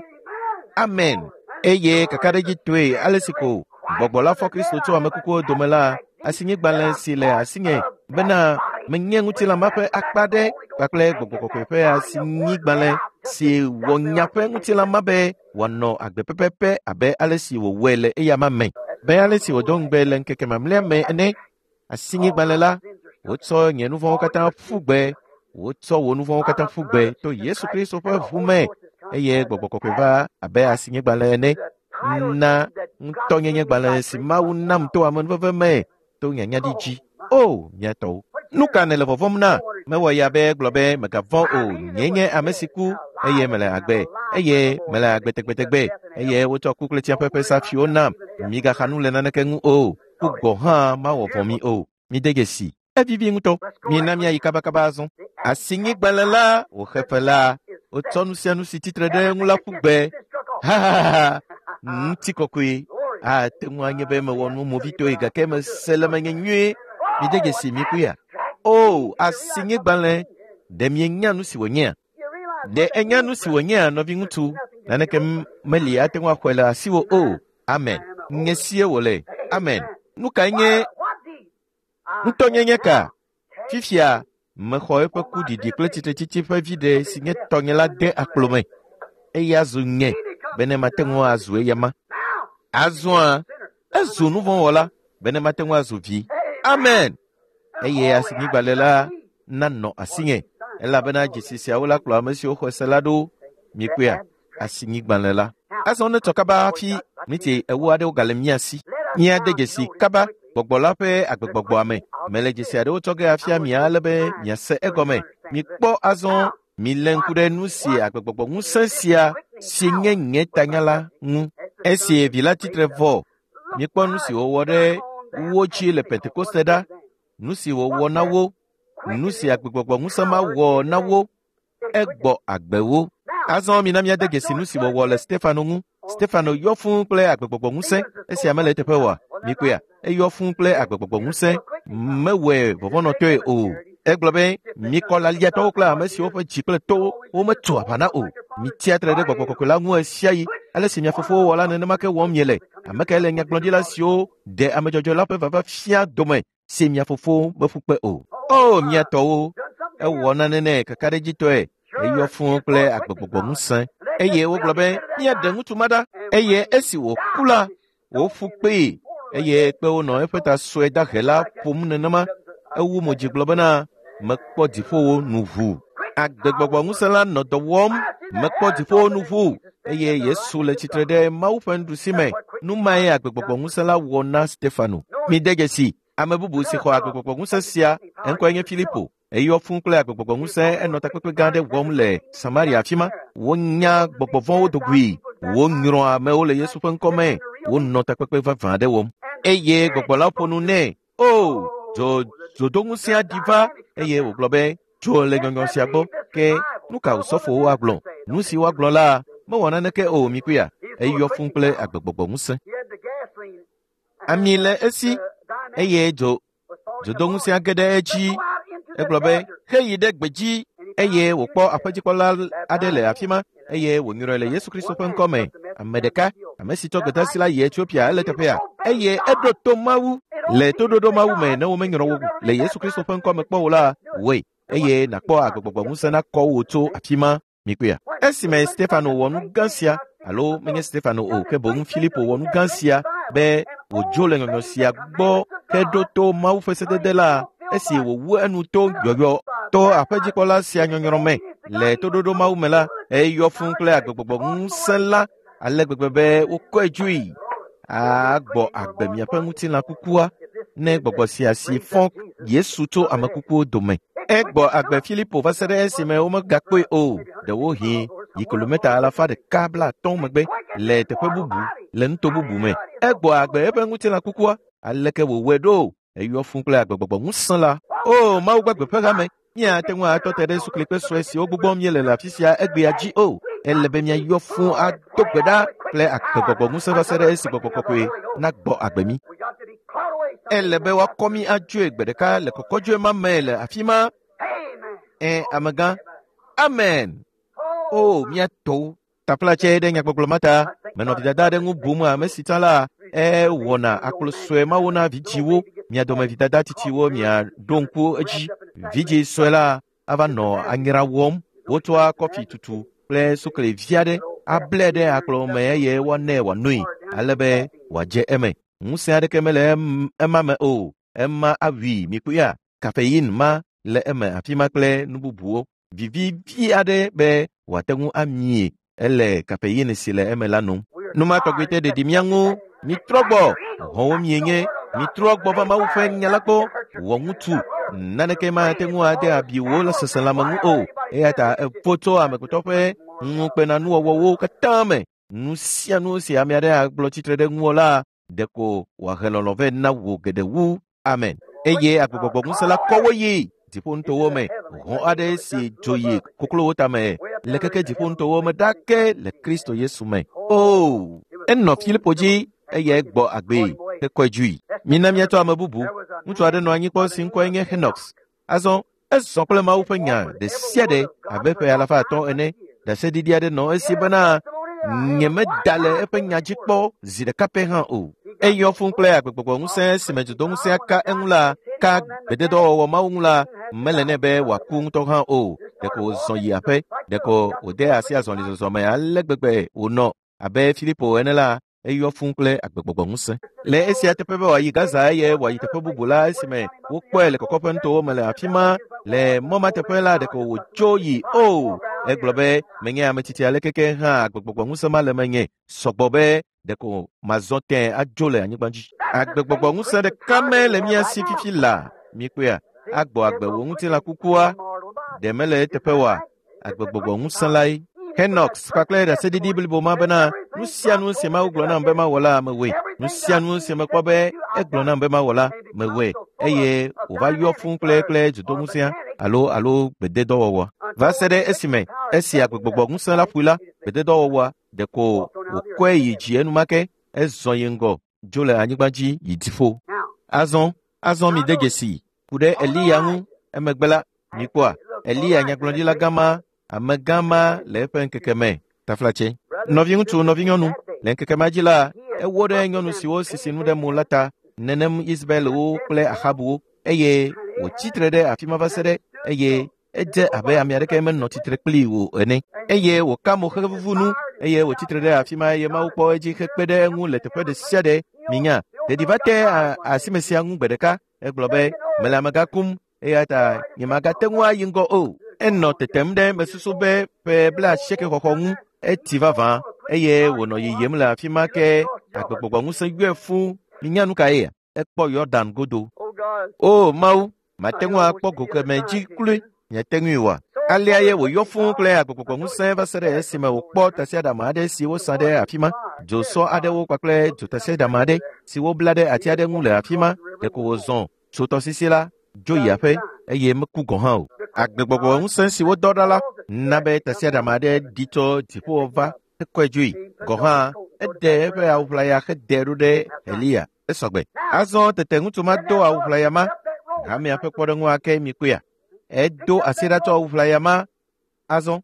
Amen. Eye kakaɖedzitɔe ale si ko Gbɔgbɔ la fɔ Kristo tso ame kukuwo dome la, asinyigbalẽ si le asinye bena menye ŋutilã ma ƒe akpa aɖe kpakple Gbɔgbɔ Kɔkɔe ƒe asinyigbalẽ si wɔ nya ƒe ŋutilã ma be wòanɔ agbe pɛpɛpɛ abe ale si wòwɔe le eyama me, be ale si wòdo ŋugbe le ŋkeke mamlɛa me ene. Asinyigbalẽ la, wotsɔ nye nu vɔ̃wo katã ƒu gbe, wotsɔ wò nu vɔ̃wo katã ƒu gbe to Yesu Kristo ƒe ʋu me, eye Gbɔgbɔ Kɔkɔe va abe asinyigbalẽ ene na ŋutɔnyenyegbalẽ si Mawu nam to amenuveve me to nyanyaɖi dzi. O, mía tɔwo! Nu ka nèle vɔvɔ̃m na? Mewɔ ya be gblɔ be mègavɔ̃ o. Nyee nye ame si ku eye mele agbe, eye mele agbe tegbetegbe, eye wotsɔ ku kple tsiaƒe ƒe safuiwo nam. Migaxa nu le naneke ŋu o. Ku gɔ̃ hã mawɔ vɔ̃ mi o. Mide dzesi. Evivi ŋutɔ. Mina míayi kabakaba azɔ. Asinyigbalẽ la wòxe fe la, wotsɔ nu sia nu si tsitre ɖe eŋu la ƒu gbe. Hahaha! Ŋutikɔkɔe. Ate ŋu anye be mewɔ nu movitɔe gake mese le menye nyuie. Mide dzesi mikpɔea? O, asinyigbalẽ, ɖe mienya nu si wònyea? Ɖe enya nu si wònyea, nɔviŋutsu? Naneke meli ate ŋu axɔe le asiwò o. Amen. Nye sie wòle. Amen. Nu kae nye ŋutɔnyenye ka? Fifia, mexɔ eƒe ku ɖiɖi kple tsitretsitsi ƒe viɖe si nye tɔnye la de akplo me. Eya zu nye, bene mate ŋu azu eyama. Azɔa, ezu nuvɔ̃wɔla, bene mate ŋu azu vi. Amen. Eye asinyigbalẽ la nanɔ asinye, elabena dzesi siawo la kplɔ ame siwo xɔe se la ɖo. Mikpɔea? Asinyigbalẽ la. Azɔ netsɔ kaba hafi miniti 40 aɖewo gale mía si. Míade dzesi kaba gbɔgbɔ la ƒe agbegbɔgbɔa me. Mele dzesi aɖewo tsɔ ge afia mi ale be miase egɔme. Mikpɔ azɔ, milé ŋku ɖe nu si agbegbɔgbɔ ŋusẽ sia si nye nye tanya la ŋu. Esi vi la tsitre vɔ, mikpɔ nu si wòwɔ ɖe wo dzi le Pentekoste ɖa, nu si wòwɔ na wo, nu si agbegbɔgbɔ ŋusẽ ma wɔ na wo, egbɔ agbe wo. Azɔ mina míade dzesi nu si wòwɔ le Stefano ŋu. Stefano yɔ fũu kple agbegbɔgbɔ ŋusẽ. Esia mele eteƒe oa? Mikpɔea? Eyɔ fũu kple agbegbɔgbɔ ŋusẽ. Mewɔe vɔvɔ̃nɔtɔe o. Egblɔ be, mikɔ laliatɔwo kple ame siwo ƒe dzi kple towo wometso aʋa na o. Mitsia tre ɖe gbɔgbɔ kɔkɔe la ŋu ɣesiaɣi. Ale si mia fofowo wɔ la, nenema ke wɔm miele. Ame kae le nyagblɔɖila siwo ɖe ame dzɔdzɔe la ƒe vava fia dome si mia fofo meƒu kpe o? O, mia tɔwo! Ewɔ nane nɛ kakaɖedzitɔe. Eyɔ fũu kple agbegbɔgbɔ ŋusẽ. Eye wogblɔ be, míaɖe ŋutsu ma ɖa. Eye esi wòku la, woƒu kpee. Eye kpewo nɔ eƒe ta sue dahe la ƒom nenema. Ewu mo dzi gblɔ bena, mekpɔ dziƒowo nu ʋu. Agbegbɔgbɔ ŋusẽ la nɔ dɔ wɔm. Mekpɔ dziƒowo nu ʋu. Eye Yesu le tsitre ɖe Mawu ƒe nuɖusi me. Nu mae agbegbɔgbɔ ŋusẽ la wɔ na Stefano. Mide dzesi, ame bubu si xɔ agbegbɔgbɔ ŋusẽ sia, eŋkɔe nye Filipo. Eyɔ fũu kple agbegbɔgbɔ ŋusẽ enɔ takpekpe gã aɖe wɔm le Samaria afi ma. Wonya gbɔgbɔ vɔ̃wo dogoe. Wonyrɔ amewo le Yesu ƒe ŋkɔ me. Wonɔ takpekpe vavã aɖe wɔm. Eye gbɔgbɔ la ƒo nu nɛ. O, dzodoŋusẽa ɖi va eye wògblɔ be, dzo le nyɔnyɔ sia gbɔ. Ke nu ka osɔfowo agblɔ? Nu si woagblɔ la mewɔ naneke o, mikpɔea? Eyɔ fũu kple agbegbɔgbɔ ŋusẽ. Ami le esi eye dzodoŋusẽa ge ɖe edzi. Egblɔ be, heyi ɖe gbedzi. Eye wòkpɔ aƒedzikpɔla aɖe le afi ma eye wònyrɔe le Yesu Kristo ƒe ŋkɔ me. Ame ɖeka, ame si tsɔ gbedeasi la yi Etiopia, ele teƒea. Eye eɖo to Mawu. Le toɖoɖo Mawu me ne womenyrɔ wò le Yesu Kristo ƒe ŋkɔ me kpɔ o la, wɔe. Eye nàkpɔ agbegbɔgbɔ ŋusẽ nakɔ wò tso afi ma. Mikpɔea? Esime Stefano wɔ nu gã sia, alo menye Stefano o, ke boŋ Filipo wɔ nu gã sia be wòdzo le nyɔnyɔ sia gbɔ heɖo to Mawu ƒe sedede la, esi wòwu enu to yɔyɔ to aƒedzikpɔla sia nyɔnyrɔ me le toɖoɖo Mawu me la, eyɔ fũu kple agbegbɔgbɔ ŋusẽ la ale gbegbe be wokɔe dzoe. Agbɔ agbe miaƒe ŋutilã kukua ne gbɔgbɔ sia si fɔ Yesu tso ame kukuwo dome. Egbɔ agbe Filipo va se ɖe esime womegakpɔe o, ɖewohĩ yi kilometa 150 megbe le teƒe bubu, le nuto bubu me. Egbɔ agbe eƒe ŋutilã kukua. Aleke wòwɔe ɖo? Eyɔ fũu kple agbegbɔgbɔ ŋusẽ la. O, Mawu gbagbe ƒe hame, míate ŋu atɔ te ɖe suklikpe sue siwo gbugbɔm míele le afi sia egbea dzi o. Ele be míayɔ fũu ado gbe ɖa kple agbegbɔgbɔ ŋusẽ va se ɖe esi gbɔgbɔ kɔkɔe nagbɔ agbe mí. Ele be woakɔ mí adzoe gbe ɖeka le kɔkɔdzoe ma me le afi ma. Amegã. Amen. O, mía tɔwo. Taflatse ɖe nyagbɔgblɔ ma ta. Menɔ vidada aɖe ŋu bum ame si tsã la, ewɔna akplo sue mawo na vidziwo. Mia dome vidada tsitsiwo miaɖo ŋku edzi. Vidzi sue la ava nɔ anyra wɔm. Wotsɔa kɔfi tutu kple sukli vi aɖe ablɛ ɖe akplo me eye woanɛ wòanoe ale be wòadze eme. Ŋusẽ aɖeke mele ema me o. Ema awui mikpɔea? Kafein ma le eme afi ma kple nu bubuwo. Vivi aɖe be wòate ŋu amie ele kafein si le eme la nom. Nu ma tɔgbi te ɖeɖi mía ŋu. Mitrɔ gbɔ, hɔ̃wo mienye. Mitrɔ gbɔ va Mawu ƒe nya la gbɔ. Wɔ ŋutsu. Naneke mate ŋu ade abi wò le seselãme ŋu o. Eya ta evo tso amegbetɔ ƒe ŋukpenanuwɔwɔwo katã me. Nu sia nu si ame aɖe agblɔ tsitre ɖe ŋuwò la, Ɖeko wòahe lɔlɔ̃ vɛ na wò geɖe wu. Amen. Eye agbegbɔgbɔ ŋusẽ la kɔ wo yi dziƒonutowo me. Hɔ̃ aɖe si dzo yi koklowo tame le keke dziƒonutowo me ɖake le Kristo Yesu me. O, enɔ Filipo dzi eyae gbɔ agbee hekɔe dzoe. Mina míatsɔ ame bubu. Ŋutsu aɖe nɔ anyi kpɔ si ŋkɔe nye Henox. Azɔ ezɔ kple Mawu ƒe nya ɖe sia ɖe abe ƒe alafa atɔ̃ ene. Ɖaseɖiɖi aɖe nɔ esi bena nyemeda le eƒe nya dzi kpɔ zi ɖeka pɛ hã o. Eyɔ fũu kple agbegbɔgbɔ ŋusẽ si me dzodoŋusẽa ka eŋu la, ka gbededɔwɔwɔ Mawu ŋu la, mele nɛ be wòaku ŋutɔ hã o. Ɖeko wòzɔ yi aƒe, ɖeko wòde asi azɔlizɔzɔ me ale gbegbe wònɔ abe Filipo ene la, eyɔ fũu kple agbegbɔgbɔ ŋusẽ. Le esia teƒe be wòayi Gaza eye wòayi teƒe bubu la esime wokpɔe le kɔkɔƒe nutowo me le afi ma le mɔ ma teƒe la ɖeko wòtso yi o. Egblɔ be menye ame tsitsi aleke ke hã agbegbɔgbɔ ŋusẽ ma le menye sɔgbɔ be ɖeko mazɔ tẽ adzo le anyigba dzi. Agbegbɔgbɔ ŋusẽ ɖeka me le mía si fifi la. Mikpɔea, agbɔ agbe wò ŋutilã kukua ɖe mele eteƒe oa? Agbegbɔgbɔ ŋusẽ lae. Henox kpakple ɖaseɖiɖi blibo ma bena nu sia nu si Mawu gblɔ nam be mawɔ la mewɔe. Nu sia nu si mekpɔ be egblɔ nam be mawɔ la mewɔe eye wòva yɔ fũu kple kple dzodoŋusẽa alo alo gbededɔwɔwɔa. Va se ɖe esime esi agbegbɔgbɔ ŋusẽ la ƒoe la, gbededɔwɔwɔa ɖeko wòkɔe yi dzi enumake ezɔ yi ŋgɔ dzo le anyigba dzi yi dziƒo. Azɔ, azɔ mide dzesi ku ɖe Eliya ŋu emegbe la, mikpɔa Eliya nyagblɔɖila gã ma, amegã ma le eƒe ŋkeke me. Taflatse. Nɔviŋutsu, nɔvinyɔnu, le ŋkeke ma dzi la, ewó ɖe nyɔnu siwo sisi nu ɖe mo la ta, nenem Isabelwo kple Ahabuwo, eye wòtsi tre ɖe afi ma va se ɖe eye edze abe ame aɖeke menɔ tsitre kplii o ene. Eye wòka mo xevuvu nu eye wòtsi tre ɖe afi ma eye Mawu kpɔ edzi hekpe ɖe eŋu le teƒe ɖe sia ɖe. Minya, ɖeɖi va te asime sia ŋu gbe ɖeka. Egblɔ be, mele amegã kum eya ta nyemagate ŋu ayi ŋgɔ o. Enɔ tetem ɖe mesusu be ƒe 80 xɔxɔ ŋu eti vavã eye wònɔ yiyim le afi ma ke agbegbɔgbɔ ŋusẽ yɔe fũu. Minya nu kae? Ekpɔ Yɔdan godo. O Mawu, mate ŋu akpɔ go keme dzi kloe. Miate ŋui oa? Alea ye wòyɔ fũu kple agbegbɔgbɔ ŋusẽ va se ɖe esime wòkpɔ tasiaɖam aɖe si wosa ɖe afi ma, dzosɔ aɖewo kpakple dzotasiaɖam aɖe si wobla ɖe ati aɖe ŋu le afi ma. Ɖeko wòzɔ tso tɔsisi la dzo yi aƒe eye meku gɔ̃ hã o. Agbegbɔgbɔ ŋusẽ si wodɔ ɖa la na be tasiaɖam aɖe ɖi tso dziƒo va hekɔe dzoe. Gɔ̃ hã eɖe eƒe awu ʋlaya hede ɖo ɖe Eliya. Esɔgbe. Azɔ tete ŋutsu ma do awu ʋlaya ma. Hamea ƒe kpɔɖeŋu ake mikpɔea. Edo asi ɖa tsɔ awu ʋlaya ma. Azɔ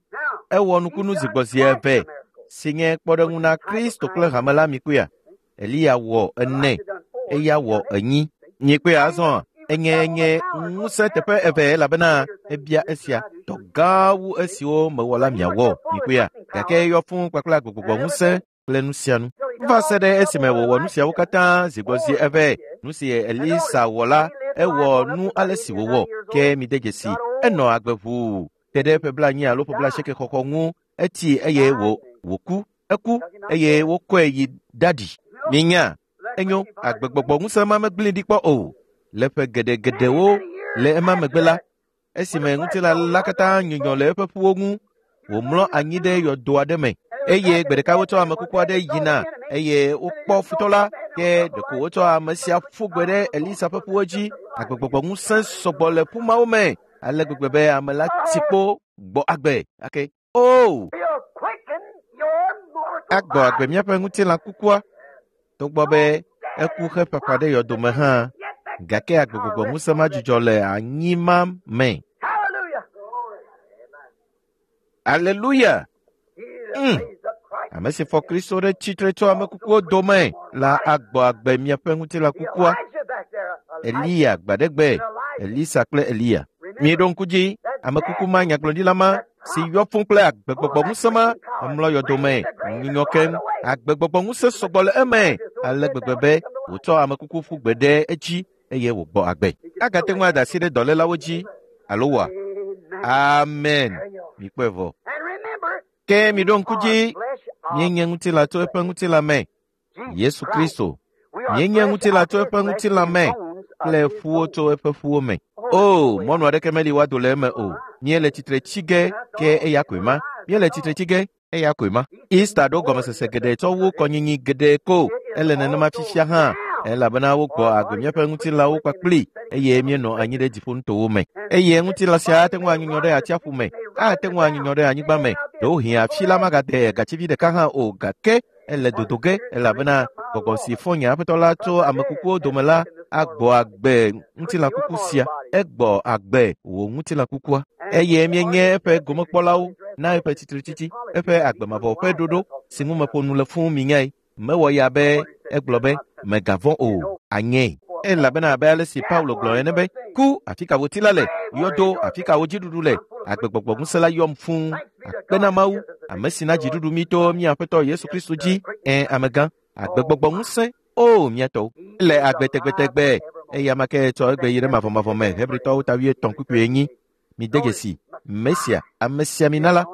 ewɔ nukunu zi gbɔ zi eve si nye kpɔɖeŋu na Kristo kple hame la mikpɔea. Eliya wɔ ene, eya wɔ enyi. Mikpɔea azɔ enye nye ŋusẽ teƒe eve elabena ebia esia dɔ gã wu esiwo mewɔ la miawɔ. Mikpɔea gake eyɔ fũu kpakple agbegbɔgbɔ ŋusẽ kple nu sia nu. Va se ɖe esime wòwɔ nu siawo katã zi gbɔ zi eve. Nu si Elisa wɔ la, ewɔ nu ale si wòwɔ. Ke mide dzesi, enɔ agbe ʋuu te ɖe ƒe 80 alo ƒe 80 xɔxɔ ŋu. Eti eye wòku. Eku eye wokɔe yi ɖaɖi. Minya, enyo, agbegbɔgbɔ ŋusẽ ma megblẽe ɖi kpɔ o. Le ƒe geɖegeɖewo le ema megbe la, esime ŋutilã la katã nyunyɔ le eƒe ƒuwo ŋu, wòmlɔ anyi ɖe yɔdo aɖe me. Eye gbe ɖeka wotsɔ ame kuku aɖe yina eye wokpɔ futɔ la, ke ɖeko wotsɔ ame sia ƒu gbe ɖe Elisa ƒe ƒuwo dzi. Agbegbɔgbɔ ŋusẽ sɔgbɔ le ƒu mawo me ale gbegbe be ame la ti kpo gbɔ agbe ake. O! Agbɔ agbe míaƒe ŋutilã kukua togbɔ be eku heƒaƒã ɖe yɔdome hã, gake agbegbɔgbɔ ŋusẽ ma dzudzɔ le anyi ma me. Aleluya! Ame si fɔ Kristo ɖe tsitre tso ame kukuwo dome la agbɔ agbe miaƒe ŋutilã kukua. Eliya gbaɖegbe, Elisa kple Eliya. Mieɖo ŋku dzi ame kuku ma nyagblɔɖila ma si yɔ fũu kple agbegbɔgbɔ ŋusẽ ma emlɔ yɔdome nyunyɔ keŋ. Agbegbɔgbɔ ŋusẽ sɔgbɔ le eme ale gbegbe be wòtsɔ ame kuku ƒu gbe ɖe edzi eye wògbɔ agbe. Agate ŋu ada asi ɖe dɔlélawo dzi alo wɔa? Amen. Mikpɔe vɔ. Ke miɖo ŋku dzi, míenye ŋutilã tso eƒe ŋutilã me. Yesu Kristo. Míenye ŋutilã tso eƒe ŋutilã me kple ƒuwo tso eƒe ƒuwo me. O, mɔnu aɖeke meli woado le eme o. Míele tsitre tsi ge, ke eya koe ma. Míele tsitre tsi ge, eya koe ma. Easter ɖo gɔmesese geɖe tsɔ wu kɔnyinyi geɖe ko. Ele nenema fifia hã, elabena wogbɔ agbe míaƒe ŋutilãwo kpakpli eye míenɔ anyi ɖe dziƒonutowo me. Eye ŋutilã sia ate ŋu anyunyɔ ɖe atsiaƒu me, ate ŋu anyunyɔ ɖe anyigba me. Ɖewohĩ afi la magade gatsivi ɖeka hã o, gake ele dodo ge, elabena gbɔgbɔ si fɔ nye Aƒetɔ la tso ame kukuwo dome la agbɔ agbe ŋutilã kuku sia. Egbɔ agbe wò ŋutilã kukua. Eye míenye eƒe gomekpɔlawo na eƒe tsitretsitsi, eƒe agbe mavɔ ƒe ɖoɖo si ŋu meƒo nu le fũu minyae. Mewɔ ya be egblɔ be mègavɔ̃ o, anyee. Elabena abe ale si Paulo gblɔ ene be, ku afi ka wò ti la le, yɔdo afi ka wò dziɖuɖu le, agbegbɔgbɔ ŋusẽ la yɔm fũu. Akpe na Mawu, ame si na dziɖuɖu mí to mía Aƒetɔ Yesu Kristo dzi. Ẽ, amegã, agbegbɔgbɔ ŋusẽ, o mía tɔwo, le agbe tegbetegbe, eye ame ke tsɔ egbe yi ɖe mavɔmavɔ me. Hebritɔwo ta 7:4. Mide dzesi Mesia, amesiamina la.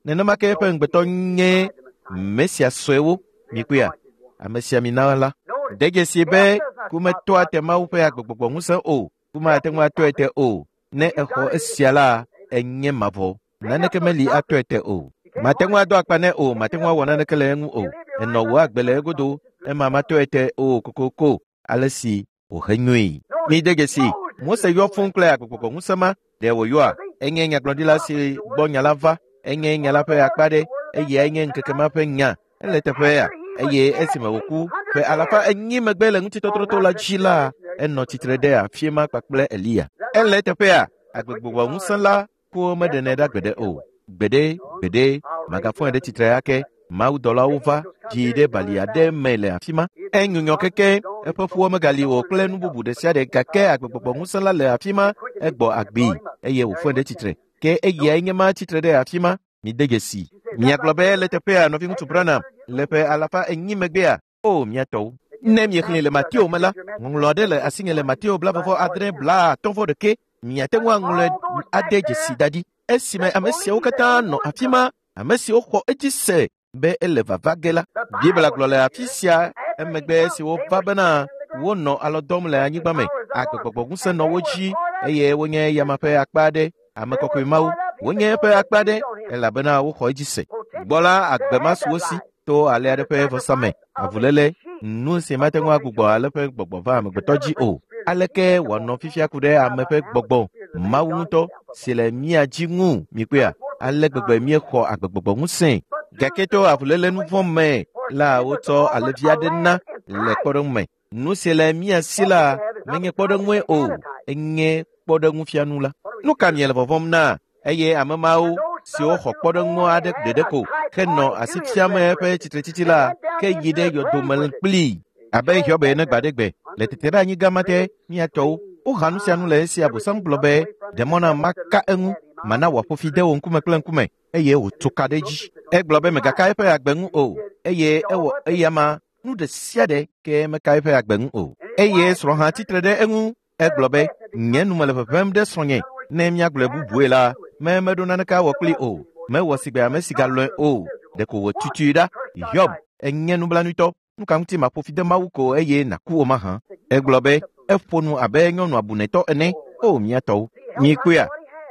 Nenema ke eƒe ŋugbetɔ nye Mesia suewo. Mikpɔea, amesiamina la. De dzesi be ku metɔa te Mawu ƒe agbegbɔgbɔ ŋusẽ o. Ku mate ŋu atɔe te o. Ne exɔ esia la, enye mavɔ. Naneke meli atɔe te o. Mate ŋu ado akpa nɛ o, mate ŋu awɔ naneke le eŋu o. Enɔ wò agbe le egodo, ema matɔe te o kokoko, ale si wòhe nyuie. Mide dzesi, Mose yɔ fũu kple agbegbɔgbɔ ŋusẽ ma. Ɖe wòyɔa? Enye nyagblɔɖila si gbɔ nya la va. Enye nya la ƒe akpa ɖe, eyae nye ŋkeke ma ƒe nya. Ele teƒea, eye esime wòku ƒe 400 megbe le ŋutitɔtrɔto la dzi la, enɔ tsitre ɖe afi ma kpakple Eliya. Ele teƒea, agbegbɔgbɔ ŋusẽ la kuwo meɖenɛ ɖa gbeɖe o. Gbeɖe, gbeɖe, magafɔe ɖe tsitre ake. Mawudɔlawo va dzi ɖe bali aɖe me le afi ma. Enyunyɔ keke, eƒe ƒuwo megali o kple nu bubu ɖe sia ɖe, gake agbegbɔgbɔ ŋusẽ la le afi ma, egbɔ agbee eye wòfɔe ɖe tsitre. Ke eyae nye ma tsitre ɖe afi ma. Mide dzesi. Miagblɔ be le teƒea, nɔviŋutsu Branham, le ƒe 400 megbea, o mía tɔwo. Ne miexlẽe le Mateo me la, ŋɔŋlɔ aɖe le asinye le Mateo 26:51. Miate ŋu aŋlɔe ade dzesi da ɖi. Esime ame siawo katã nɔ afi ma, ame siwo xɔ edzi se be ele vava ge la. Biblia gblɔ le afi sia emegbe esi wova bena wonɔ alɔ dɔm le anyigba me, agbegbɔgbɔ ŋusẽ nɔ wo dzi eye wonye yama ƒe akpa aɖe, ame kɔkɔe Mawu, wonye eƒe akpa aɖe elabena woxɔ edzi se. Gbɔ la, agbe ma su wo si to ale aɖe ƒe vɔsa me, avuléle, nu si mate ŋu agbugbɔ ale ƒe gbɔgbɔ va amegbetɔ dzi o. Aleke wòanɔ fifia ku ɖe ame ƒe gbɔgbɔ, Mawu ŋutɔ si le mía dzi ŋu, mikpɔea? Ale gbegbe míexɔ agbegbɔgbɔ ŋusẽ. Gake to avuléle nu vɔ̃ me la, wotsɔ alẽvi aɖe na le kpɔɖeŋu me. Nu si le mía si la menye kpɔɖeŋue o, enye kpɔɖeŋufianu la. Nu ka miele vɔvɔ̃m na? Eye ame mawo siwo xɔ kpɔɖeŋu aɖe ɖeɖe ko henɔ asi fiam eƒe tsitretsitsi la, ke yi ɖe yɔdome kplii abe Hiob ene gbaɖegbe le tete ɖe anyigã ma te. Mía tɔwo woha nu sia nu le esi Abosam gblɔ be, ɖe mɔ na maka eŋu, mana wòaƒo fi de wò ŋkume kple ŋkume, eye wòtso ka ɖe edzi. Egblɔ be mègaka eƒe agbe ŋu o, eye ewɔ eyama nu ɖe sia ɖe ke meka eƒe agbe ŋu o. Eye srɔ̃ hã tsitre ɖe eŋu. Egblɔ be, nye nu mele ʋeʋẽm ɖe srɔ̃nye. Ne míagblɔe bubue la, meɖo naneke awɔ kpli o. Mewɔ sigbe ame si galɔ̃e o. Ɖeko wòtutui ɖa. Hiob, enye nublanuitɔ. Nu ka ŋuti maƒo fi de Mawu ko eye nàku o mahã? Egblɔ be, eƒo nu abe nyɔnu abunɛtɔ ene. O mía tɔwo, mikpɔea?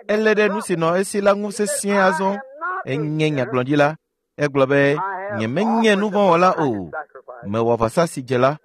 Elé ɖe nu si nɔ esi la ŋu sesĩe azɔ. Enye nyagblɔɖila. Egblɔ be, nyemenye nuvɔ̃wɔla o. Mewɔ vɔsa si dze la.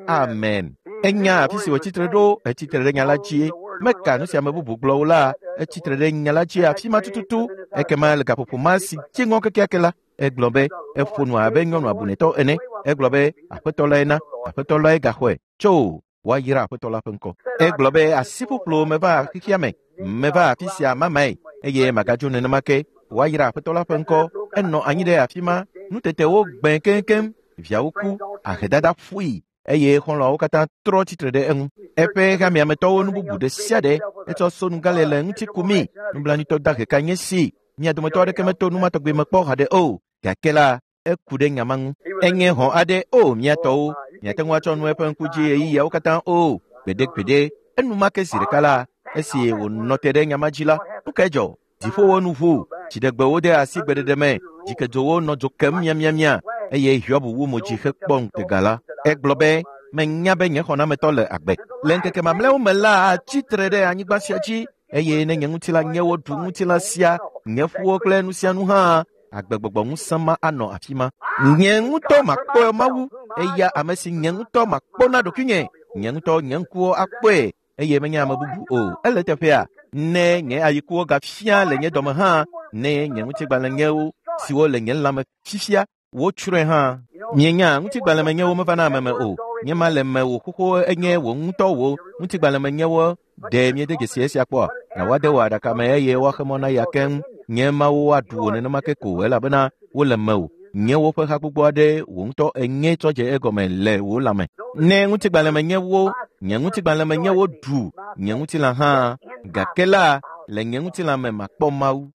Amen. Enya afi si wòtsitre ɖo, etsitre ɖe nya la dzie. Meka nu si ame bubu gblɔ o la, etsitre ɖe nya la dzi afi ma tututu. Ekema le gaƒoƒo ma si dzi ŋɔ kekeake la, egblɔ be, eƒo nu abe nyɔnu abunɛtɔ ene. Egblɔ be, Aƒetɔ lae na, Aƒetɔ lae gaxɔe. Tso, woayra Aƒetɔ la ƒe ŋkɔ. Egblɔ be, asiƒuƒlo meva xexea me, meva afi sia mamae, eye magadzo nenema ke. Woayra Aƒetɔ la ƒe ŋkɔ. Enɔ anyi ɖe afi ma, nutetewo gbẽ keŋkeŋ, viawo ku, ahedada ƒui, eye xɔlɔ̃awo katã trɔ tsitre ɖe eŋu. Eƒe hameametɔwo nu bubu ɖe sia ɖe etsɔ sonugale le ŋuti kumi. Nublanuitɔ dahe ka nye si. Mia dometɔ aɖeke meto nu ma tɔgbi me kpɔ haɖe o. Gake la, eku ɖe nya ma ŋu. Enye hɔ̃ aɖe o mía tɔwo. Miate ŋu atsɔ nu eƒe ŋku dzi ɣeyiɣiawo katã o. Gbeɖegbeɖe, enumake zi ɖeka la, esi wònɔ te ɖe nya ma dzi la, nu kae dzɔ? Dziƒowo nu ʋu, dziɖegbewo de asi gbeɖeɖe me, dzikedzowo nɔ dzo kem miamiamia, eye Hiob wu mo dzi hekpɔ ŋutega la. Egblɔ be, menya be nye xɔnametɔ le agbe. Le ŋkeke mamlɛawo me la, atsi tre ɖe anyigba sia dzi, eye ne nye ŋutilã nye woɖu ŋutilã sia, nye ƒuwo kple nu sia nu hã, Agbegbɔgbɔ ŋusẽ ma anɔ afi ma. Nye ŋutɔ makpɔ Mawu, eya ame si nye ŋutɔ makpɔ na ɖokuinye. Nye ŋutɔ nye ŋkuwo akpɔe eye menye ame bubu o. Ele teƒea, ne nye ayikuwo gafia le nye dɔme hã, ne nye ŋutigbalẽnyewo siwo le nye lãme fifia wotsrɔ̃e hã. Mienya ŋutigbalẽmenyewo mevana ame me o. Nye ma le mewò xoxo enye wò ŋutɔ wò ŋutigbalẽmenyewo. Ɖe miede dzesi esia kpɔa? Na woade wò aɖaka me eye woaxe mɔ na ya keŋ. Nye mawo aɖu wò nenema ke ko elabena wole mewò. Nye woƒe ha gbogbo aɖe wò ŋutɔ enye tsɔ dze egɔme le wò lãme. Ne ŋutigbalẽmenyewo, nye ŋutigbalẽmenyewo ɖu nye ŋutilã hã, gake la le nye ŋutilã me makpɔ Mawu.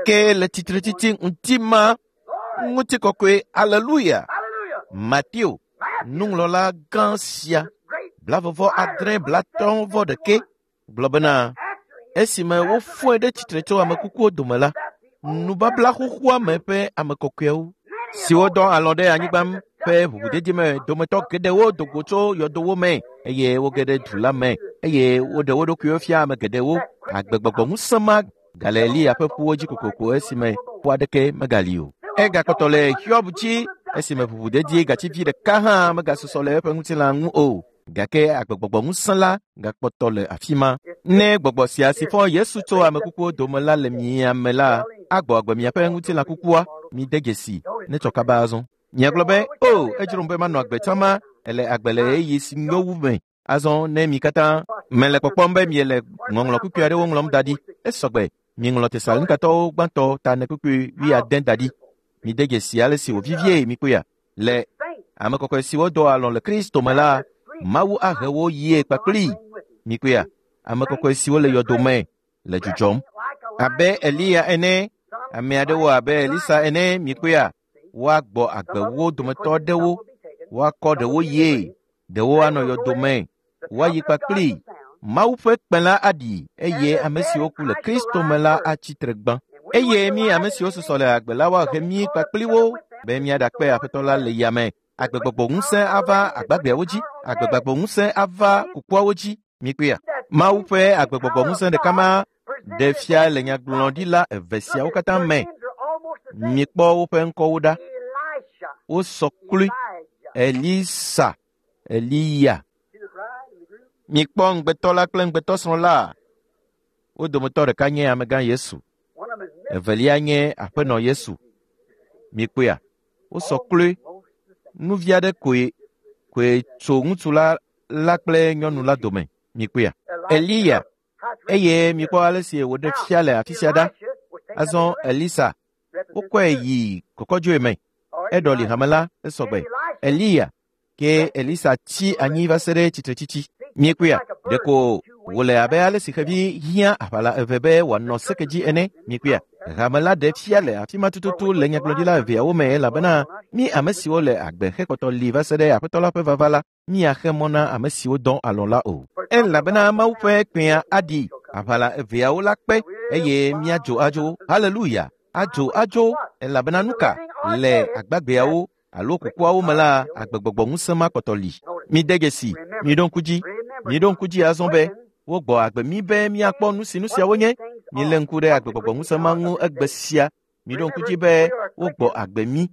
Ke le tsitretsitsi ŋuti ma ŋutikɔkɔe, aleluya. Mateo, nuŋlɔla gã sia, 26 gblɔ bena esime wofɔe ɖe tsitre tso ame kukuwo dome la, nubabla xoxoa me ƒe ame kɔkɔewo siwo dɔ alɔ̃ ɖe anyigba ƒe ʋuʋudedi me dometɔ geɖewo do go tso yɔdowo me eye woge ɖe du la me eye woɖe wo ɖokuiwo fia ame geɖewo. Agbegbɔgbɔ ŋusẽ ma gale Eliya ƒe ƒuwo dzi kokoko esime ƒu aɖeke megali o. Egakpɔtɔ le Hiob dzi esime ʋuʋudedi gativi ɖeka hã megasusɔ le eƒe ŋutilã ŋu o. Gake agbegbɔgbɔ ŋusẽ la gakpɔtɔ le afi ma. Ne gbɔgbɔ sia si fɔ Yesu tso ame kukuwo dome la le mia me la, agbɔ agbe miaƒe ŋutilã kukua. Mide dzesi ne tsɔ kaba azɔ. Miagblɔ be, o, edzrom be manɔ agbe tsã ma, ele agbe le ɣeyiɣi si nyo wu me. Azɔ ne mi katã mele kpɔkpɔm be miele ŋɔŋlɔ kpukpui aɖewo ŋlɔm da ɖi, esɔgbe. Miŋlɔ Tesalonikatɔwo gbãtɔ ta 4 da ɖi. Mide dzesi ale si wòvivie mikpɔea. Le ame kɔkɔe siwo dɔ alɔ̃ le Kristo me la, Mawu ahe wo yie kpakpli. Mikpɔea, ame kɔkɔe siwo le yɔdo me le dzudzɔm. Abe Eliya ene, ame aɖewo abe Elisa ene, mikpɔea, woagbɔ agbe wo dometɔ aɖewo, woakɔ ɖewo yie, ɖewo anɔ yɔdo me, woayi kpakpli. Mawu ƒe kpẽ la aɖi eye ame siwo ku le Kristo me la atsi tre gbã. Eye mi ame siwo susɔ le agbe la woahe mí kpakpli wo be míaɖakpe Aƒetɔ la le yame. Agbegbɔgbɔ ŋusẽ ava agbagbeawo dzi, agbegbɔgbɔ ŋusẽ ava kukuawo dzi. Mikpɔea, Mawu ƒe agbegbɔgbɔ ŋusẽ ɖeka ma ɖe fia le nyagblɔɖila eve siawo katã me. Mikpɔ woƒe ŋkɔwo ɖa. Wosɔ kloe. Elisa, Eliya. Mikpɔ ŋugbetɔ la kple ŋugbetɔsrɔ̃ la. Wo dometɔ ɖeka nye amegã Yesu, evelia nye aƒenɔ Yesu. Mikpɔea, wosɔ kloe. Nuvi aɖe koe tso ŋutsu la kple nyɔnu la dome. Mikpɔea, Eliya, eye mikpɔ ale si wòɖe fia le afi sia ɖa. Azɔ Elisa, wokɔe yi kɔkɔdzoe me. Eɖɔli hame la esɔgbe. Eliya, ke Elisa tsi anyi va se ɖe tsitretsitsi. Miekpɔea, ɖeko wòle abe ale si xevi hiã aʋala eve be wòanɔ seke dzi ene. Miekpɔea, hame la ɖe fia le afi ma tututu le nyagblɔɖila eveawo me elabena mi ame siwo le agbe hekpɔtɔ li va se ɖe Aƒetɔ la ƒe vava la, miaxe mɔ na ame siwo dɔ alɔ̃ la o. Elabena Mawu ƒe kpẽa aɖi, aʋala eveawo la kpe eye míadzo adzo. Haleluya! Adzo adzo elabena nuka le agbagbeawo alo kukuawo me la, agbegbɔgbɔ ŋusẽ ma kpɔtɔ li. Mide dzesi, miɖo ŋku dzi, miɖo ŋku dzi azɔ be wogbɔ agbe mi be míakpɔ nu si nu siawo nye. Milé ŋku ɖe agbegbɔgbɔ ŋusẽ ma ŋu egbe sia. Miɖo ŋku dzi be wogbɔ agbe mi.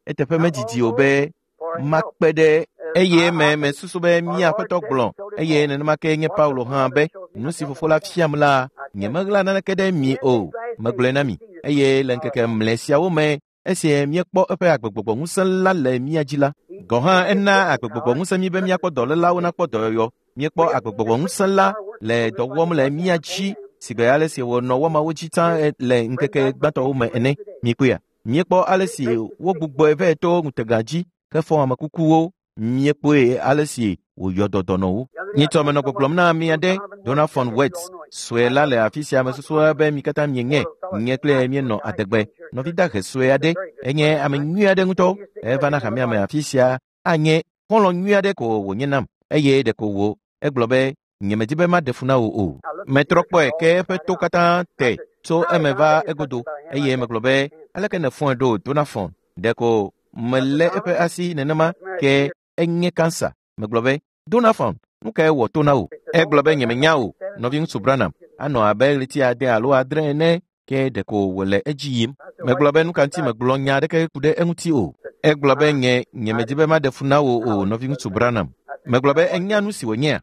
Eteƒe medidi o be makpe ɖe eye me mesusu be mía Aƒetɔ gblɔ eye nenema ke nye Paulo hã be nu si fofo la fiam la, nyemeɣla naneke ɖe mi o. Megblɔe na mi eye le ŋkeke mlɛ siawo me esi míekpɔ eƒe agbegbɔgbɔ ŋusẽ la le mía dzi la, gɔ̃ hã ena agbegbɔgbɔ ŋusẽ mí be míakpɔ dɔlélawo nakpɔ dɔyɔyɔ. Míekpɔ agbegbɔgbɔ ŋusẽ la le dɔ wɔm le mía dzi sigbe ale si wònɔ wɔmawo dzi tsã le ŋkeke gbãtɔwo me ene. Mikpɔea, míekpɔ ale si wogbugbɔe vɛ to ŋutega dzi hefɔ ame kukuwo. Míekpɔe ale si wòyɔ dɔ dɔnɔwo. Nyitsɔ menɔ gbɔgblɔm na ame aɖe, Donald von Wetz, sue la le afi sia mesusua be mi katã mienye. Nye kple míenɔ adegbe. Nɔvi dahe sue aɖe, enye ame nyui aɖe ŋutɔ. Eva na hamea me afi sia anye xɔlɔ̃ nyui aɖe ko wònye nam eye ɖeko wò. Egblɔ be, nyemedi be maɖe fu na wò o. Metrɔ kpɔe ke eƒe to katã te tso eme va egodo eye megblɔ be, aleke nèfɔe ɖo Donald von? Ɖeko melé eƒe asi nenema ke enye kansa. Megblɔ be, Donald von, nu kae wɔ to na wò? Egblɔ be nyemenya o, nɔviŋutsu Branham. Anɔ abe ɣleti 8 alo 9 ene. Ke ɖeko wòle edzi yim. Megblɔ be nu ka ŋuti megblɔ nya aɖeke ku ɖe eŋuti o. Egblɔ be nye nyemedi be maɖe fu na wò o, nɔviŋutsu Branham. Megblɔ be enya nu si wònyea?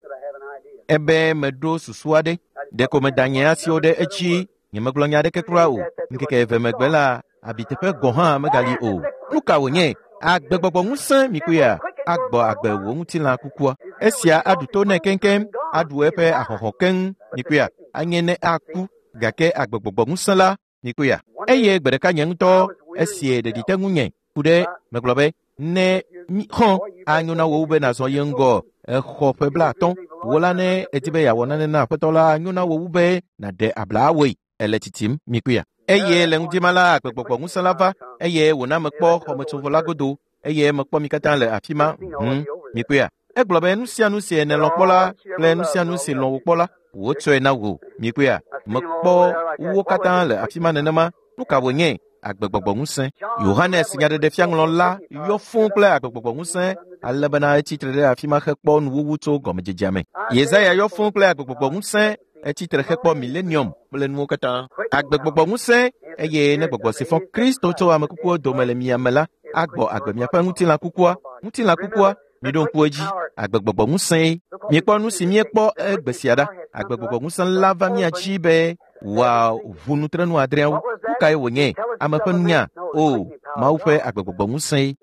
Ebe meɖo susu aɖe. Ɖeko meda nye asiwo ɖe edzi. Nyemegblɔ nya aɖeke kura o. Ŋkeke eve megbe la, abiteƒe gɔ̃ hã megali o. Nu ka wònye? Agbegbɔgbɔ ŋusẽ mikuya agbɔ agbe wò ŋutilã kukua. Esia aɖu to nɛ keŋkeŋ, aɖu eƒe ahɔhɔ̃ keŋ mikuya, anye ne aku gake agbegbɔgbɔ ŋusẽ la mikuya. Eye gbe ɖeka nye ŋutɔ esie ɖeɖi te ŋunye ku ɖe megblɔ be ne xɔ anyo na wò wu be nàzɔ ye ŋgɔ exɔ ƒe 50 wò la ne edi be yeawɔ nane na aƒetɔ la anyo na wò wu be nàɖe abla awɔe ele tsitsim mikuya. Eye le ŋdi ma la agbegbɔgbɔ ŋusẽ la va eye wòna mekpɔ xɔmetsovɔ la godo eye mekpɔ mi katã le afi ma mikuya. Egblɔ be nu sia nu si nèlɔ̃ kpɔ la kple nu sia nu si lɔ̃ wò kpɔ la wotsɔe na wò mikuya. Mekpɔ wo katã le afi ma nenema. Nu ka wònye? Agbegbɔgbɔ ŋusẽ. Yohanes nyaɖeɖefiaŋlɔla yɔ fũu kple agbegbɔgbɔ ŋusẽ ale bena etsi tre ɖe afi ma hekpɔ nuwuwu tso gɔmedzedzea me. Yesaya yɔ fũu kple agbegbɔgbɔ ŋusẽ etsi tre hekpɔ milenium kple nuwo katã. Agbegbɔgbɔ ŋusẽ eye ne gbɔgbɔ si fɔ Kristo tso ame kukuwo dome le mia me la agbɔ agbe miaƒe ŋutilã kukua. Ŋutilã kukua, miɖo ŋku edzi, agbegbɔgbɔ ŋusẽe. Miekpɔ nu si miekpɔ egbe sia ɖa. Agbegbɔgbɔ ŋusẽ la va mia dzi be wòaʋu nutrenu adreawo. Nu kae wònye? Ame ƒe nunya? O, Mawu ƒe agbegbɔgbɔ ŋusẽe.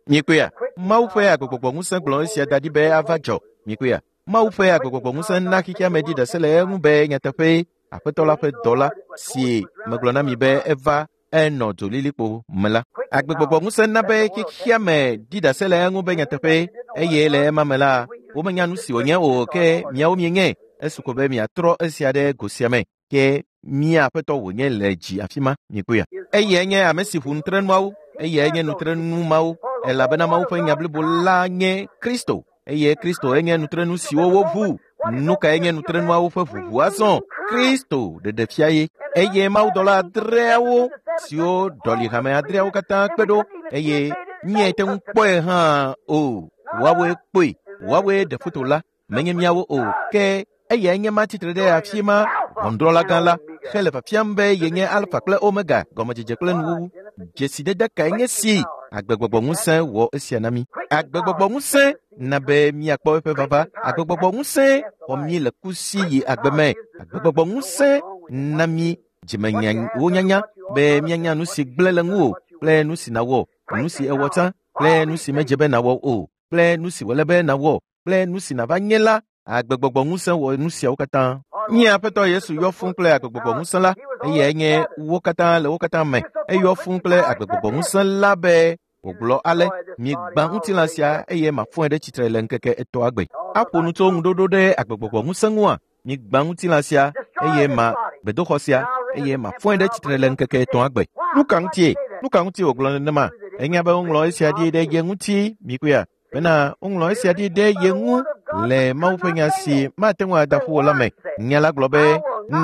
Miekpɔea? Mawu ƒe agbegbɔgbɔ ŋusẽ gblɔ esia da ɖi be ava dzɔ. Miekpɔea? Mawu ƒe agbegbɔgbɔ ŋusẽ na xexea me dzi ɖase le eŋu be nyateƒee Aƒetɔ la ƒe dɔla si megblɔ na mi be eva enɔ dzolilikpo me la. Agbegbɔgbɔ ŋusẽ na be xexea me ɖi ɖase le eŋu be nyateƒee eye le ema me la womenya nu si wònye o ke miawo mienye. Esu ko be miatrɔ esia ɖe go sia me ke mía aƒetɔ wònye le dzi afi ma miekpɔea. Eyae nye ame si ʋu nutrenuawo, eyae nye nutrenu mawo elabena Mawu ƒe nya blibo la nye Kristo eye Kristo enye nutrenu siwo woʋu. Nu kae nye nutrenuawo ƒe ʋuʋu azɔ? Kristo ɖeɖe fia ye. Eye mawudɔla adreawo siwo ɖɔli hame adreawo katã kpe ɖo eye míete ŋu kpɔe hã o. Woawoe kpɔe, woawoe ɖe foto la, menye míawo o. Ke eyae nye ma tsitre ɖe afi ma, ʋɔnudrɔ̃la gã la, hele fiafiam be yenye Alfa kple Omega, gɔmedzedze kple nuwuwu. Dzesidede kae nye si? Agbegbɔgbɔ ŋusẽ wɔ esia na mí. Agbegbɔgbɔ ŋusẽ na be míakpɔ eƒe vava. Agbegbɔgbɔ ŋusẽ xɔ mí le ku si yi agbe me. Agbegbɔgbɔ ŋusẽ na mí dzimenyawo nyanya be míanya nu si gblẽ le ŋuwò kple nu si nàwɔ, nu si ewɔ tsã kple nu si medze be nàwɔ o kple nu si wòle be nàwɔ kple nu si nàva nye la. Agbegbɔgbɔ ŋusẽ wɔ nu siawo katã. Nye Aƒetɔ Yesu yɔ fũu kple agbegbɔgbɔ ŋusẽ la, eyae nye wo katã le wo katã me. Eyɔ fũu kple agbegbɔgbɔ ŋusẽ la be wògblɔ ale, migbã ŋutilã sia eye mafɔe ɖe tsitre le ŋkeke etɔ̃a gbe. Aƒo nu tso ŋuɖoɖo ɖe agbegbɔgbɔ ŋusẽ ŋua? Migbã ŋutilã sia eye ma gbedoxɔ sia eye mafɔe ɖe tsitre le ŋkeke etɔ̃a gbe. Nu ka ŋutie? Nu ka ŋutie wògblɔ nenema? Enya be woŋlɔ esia ɖi ɖe ye ŋuti, mikpɔea? Bena woŋlɔ esia ɖi ɖe ye ŋu le Mawu ƒe nya si mate ŋu ada ƒu o la me. Nya la gblɔ be,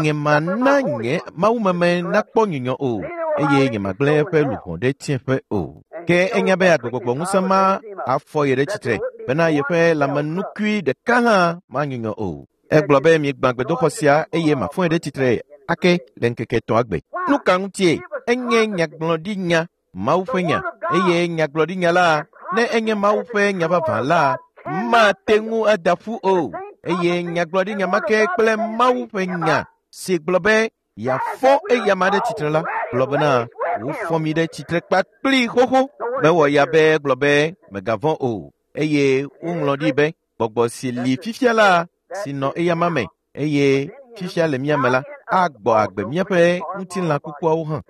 nye mana nye mawumeme nakpɔ nyunyɔ o eye nyemagblẽ eƒe luʋɔ ɖe tsiẽƒe o. Ke enya be agbegbɔgbɔ ŋusẽ ma afɔ ye ɖe tsitre bena yeƒe lãmenukui ɖeka hã manyunyɔ o. Egblɔ be migbã gbedoxɔ sia eye mafɔe ɖe tsitre ake le ŋkeke etɔ̃a gbe. Nu ka ŋutie? Enye nyagblɔɖinya, Mawu ƒe nya, eye nyagblɔɖinya la, ne enye Mawu ƒe nya vavã la, mate ŋu ada ƒu o. Eye nyagblɔɖinya ma ke kple Mawu ƒe nya si gblɔ be yeafɔ eyama ɖe tsitre la, gblɔ bena wofɔ mi ɖe tsitre kpakpli xoxo. Mewɔ ya be gblɔ be mègavɔ̃ o. Eye woŋlɔ ɖi be gbɔgbɔ si li fifia la, si nɔ eyama me eye fifia le mía me la, agbɔ agbe míaƒe ŋutilã kukuawo hã.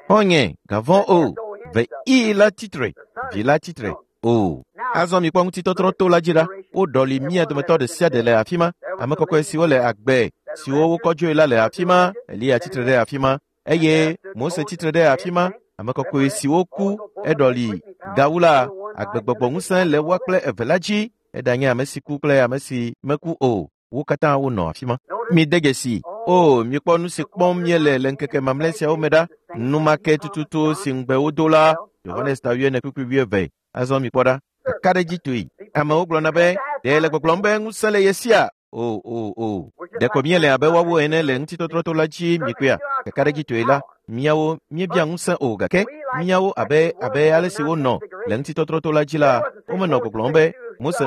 Xɔ̃nye, gavɔ̃ o, ve i la tsitre, vi la tsitre o. Azɔ mikpɔ ŋutitɔtrɔ to la dzi ɖa. Woɖɔli mía dometɔ ɖe sia ɖe le afi ma. Ame kɔkɔe siwo le agbe, siwo wokɔ dzoe la le afi ma. Eliya tsitre ɖe afi ma eye Mose tsitre ɖe afi ma. Ame kɔkɔe siwo ku eɖɔli gawu la, agbegbɔgbɔ ŋusẽ le woa kple eve la dzi. Eɖanye ame si ku kple ame si meku o, wo katã wonɔ afi ma. Mide dzesi, o mikpɔ nu si kpɔm míele le ŋkeke mamlɛ siawo me ɖa. Nu ma ke tututu si ŋugbe wodo la, Yohanes ta 22. Azɔ mikpɔ ɖa, kakaɖedzitɔe. Amewo gblɔna be, ɖe le gbɔgblɔm be ŋusẽ le ye sia? O, o, o. Ɖeko míele abe woawo ene le ŋutitɔtrɔto la dzi mikpɔea. Kakaɖedzitɔe la, míawo míebia ŋusẽ o gake míawo abe abe ale si wonɔ le ŋutitɔtrɔto la dzi la, womenɔ gbɔgblɔm be Mose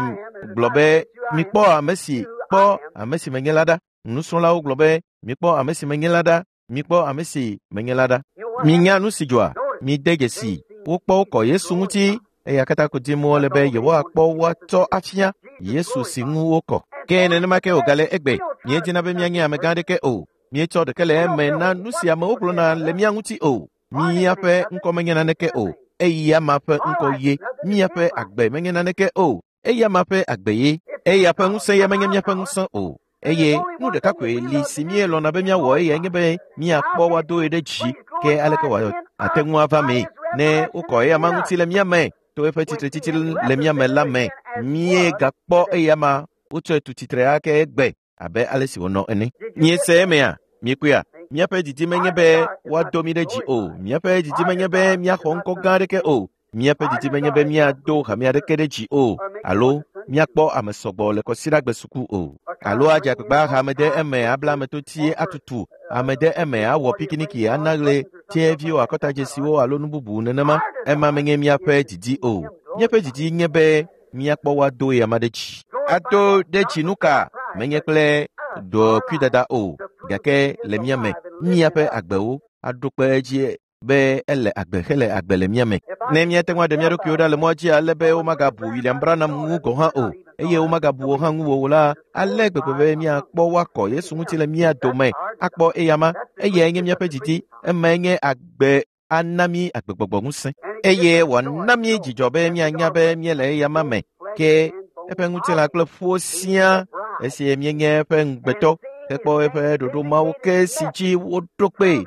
gblɔ be mikpɔ ame si kpɔ ame si menye la ɖa. Nusrɔ̃lawo gblɔ be mikpɔ ame si menye la ɖa, mikpɔ ame si menye la ɖa. Minya nu si dzɔa, mide dzesi. Wokpɔ wokɔ Yesu ŋuti eya katã ko dim wole be yewoakpɔ woatsɔ afia Yesu si ŋu wokɔ. Ke nenema ke wògale egbe. Míedina be míanye amegã aɖeke o. Míetsɔ ɖeke le eme na nu si amewo gblɔna le mía ŋuti o. Míaƒe ŋkɔ menye naneke o. Eya ma ƒe ŋkɔ ye. Míaƒe agbe menye naneke o. Eya ma ƒe agbe ye. Eya ƒe ŋusẽ ya menye míaƒe ŋusẽ o. Eye nu ɖeka koe li si míelɔ̃na be míawɔ eyae nye be míakpɔ woadoe ɖe dzi. Ke aleke wòate ŋu ava mee ne wokɔ eya ma ŋuti le mía me to eƒe tsitretsitsi le mía me la me? Míegakpɔ eya ma wotsɔe tu tsitre ake egbe abe ale si wònɔ ene. Míese emea? Míekpɔea? Míaƒe didi menye be woado mí ɖe dzi o. Míaƒe didi menye be míaxɔ ŋkɔ gã aɖeke o. Míaƒe didi menye be míado hame aɖeke ɖe dzi o alo míakpɔ ame sɔgbɔ le kɔsiɖagbe suku o alo adze agbagba aha ame ɖe eme abla ame totie atutu ame ɖe eme awɔ pikiniki ana ɣle tiɛviwo akɔtadzesiwo alo nu bubu nenema. Ema menye míaƒe didi o. Míaƒe didi nye be míakpɔ woado ame ɖe dzi. Ado ɖe dzi nu ka? Menye kple ɖokuidada o, gake le mía me, míaƒe agbewo aɖo kpe edzi be ele agbe hele agbe le mía me. Ne míate ŋu aɖe mía ɖokuiwo ɖa le mɔa dzi ale be womagabu William Branham ŋu gɔ̃ hã o, eye womagabu wò hã ŋuwò o la, ale gbegbe be míakpɔ woakɔ Yesu ŋuti le mía dome, akpɔ eyama. Eyae nye míaƒe didi, emae nye agbe ana mí agbegbɔgbɔ ŋusẽ eye wòana mí dzidzɔ be míanya be míele eyama me. Ke eƒe ŋutilã kple ƒuwo siaa esi míenye eƒe ŋugbetɔ hekpɔ eƒe ɖoɖo mawo ke si dzi woɖo kpee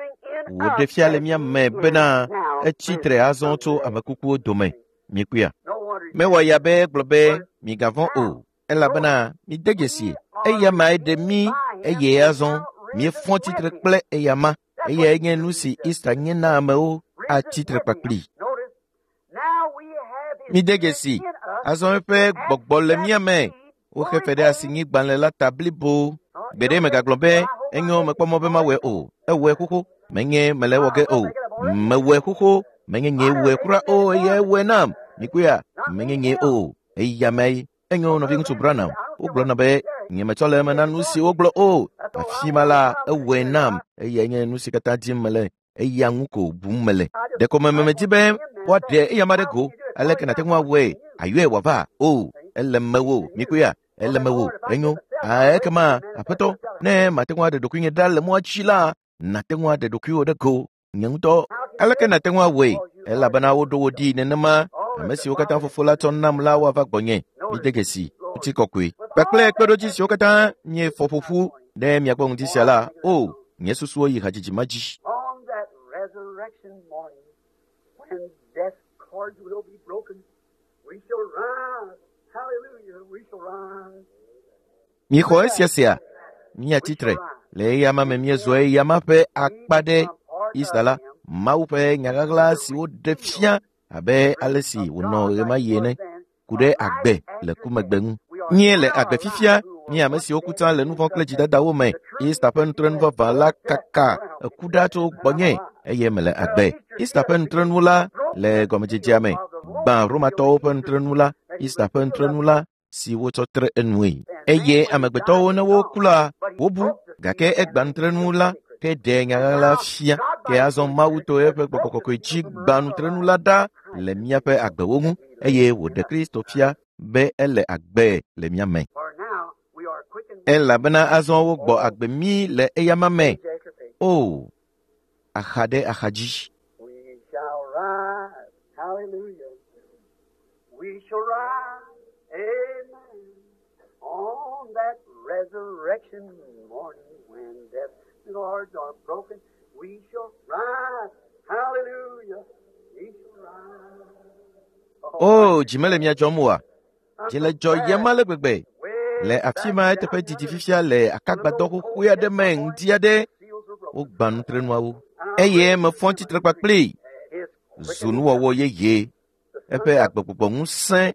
wòɖe fia le mía me bena etsi tre azɔ tso ame kukuwo dome. Mikpɔea? Mewɔ ya be gblɔ be migavɔ̃ o, elabena mide dzesi eya mae ɖe mí eye azɔ míefɔ tsitre kple eya ma. Eyae nye nu si Easter nye na amewo atsi tre kpakpli. Mide dzesi azɔ eƒe gbɔgbɔ le mía me. Woxe fe ɖe asinyigbalẽ la ta blibo. Gbeɖe megagblɔ be enyo mekpɔ mɔ be mawɔe o. Ewɔe xoxo. Menye mele ewɔ ge o. Mewɔe xoxo. Menye nyee wɔe kura o eye ewɔe nam. Mikpɔea? Menye nyee o. Eya mee. Enyo nɔviŋutsu Branham. Wogblɔna be nyemetsɔ le eme na nu si wogblɔ o. Afi ma la, ewɔe nam. Eyae nye nu si katã dim mele. Eya ŋu ko bum mele. Ɖeko memedi be woaɖe eya ma ɖe go. Aleke nàte ŋu awɔe? Ayɔe wòava? O, ele mewò. Mikpɔea? Ele mewò. Enyo. Ekema, aƒetɔ, ne mate ŋu aɖe ɖokuinye ɖa le mɔa dzi la, nàte ŋu aɖe ɖokuiwò ɖe go. Nye ŋutɔ, aleke nàte ŋu awɔe? Elabena woɖo wò ɖi nenema. Ame siwo katã fofo la tsɔ nam la woava gbɔnye. Mide dzesi, ŋutikɔkɔe kpakple kpeɖodzi siwo katã miefɔ ƒo ƒu ɖe miagbɔ ŋdi sia la, o, nye susuwo yi hadzidzi ma dzi. On that resurrection morning, when death's cords will be broken, we shall rise. Hallelujah, we shall rise. Mixɔ esia sia, míatsi tre le eya ma me míezɔ eya ma ƒe akpa ɖe Easter la, Mawu ƒe nyaɣaɣla si woɖe fia abe ale si wònɔ ɣemaɣi ene ku ɖe agbe le ku megbe ŋu. Míele agbe fifia, mí ame siwo ku tsã le nu vɔ̃ kple dzidadawo me. Easter ƒe nutrenu vavã la kaka eku ɖa tso gbɔnye eye mele agbe. Easter ƒe nutrenu la le gɔmedzedzea me gbã Romatɔwo ƒe nutrenu la, Easter ƒe nutrenu la si wotsɔ tre enue. Eye amegbetɔwo ne woku la, wobu gake egbã nutrenu la ke ɖe nyaɣaɣla fia. Ke azɔ Mawu to eƒe gbɔgbɔ kɔkɔe dzi gbã nutrenu la ɖa le míaƒe agbewo ŋu eye wòɖe Kristo fia be ele agbe le mía me. For now we are quickened Elabena azɔ wogbɔ agbe mí le eyama me. page after page. O, axa ɖe axa dzi. We shall rise. Hallelujah. We shall rise. Amen. On that resurrection morning when death's cords are broken, we shall rise. Hallelujah. We shall rise. O, dzi mele mia dzɔm oa? Dzi le dzɔyem ale gbegbe. Le afi ma eteƒe didi fifia le akagbadɔ xoxoe aɖe me ŋdi aɖe, wogbã nutrenuawo. Eye mefɔ tsitre kpakpli zu nuwɔwɔ yeye. Eƒe agbegbɔgbɔ ŋusẽ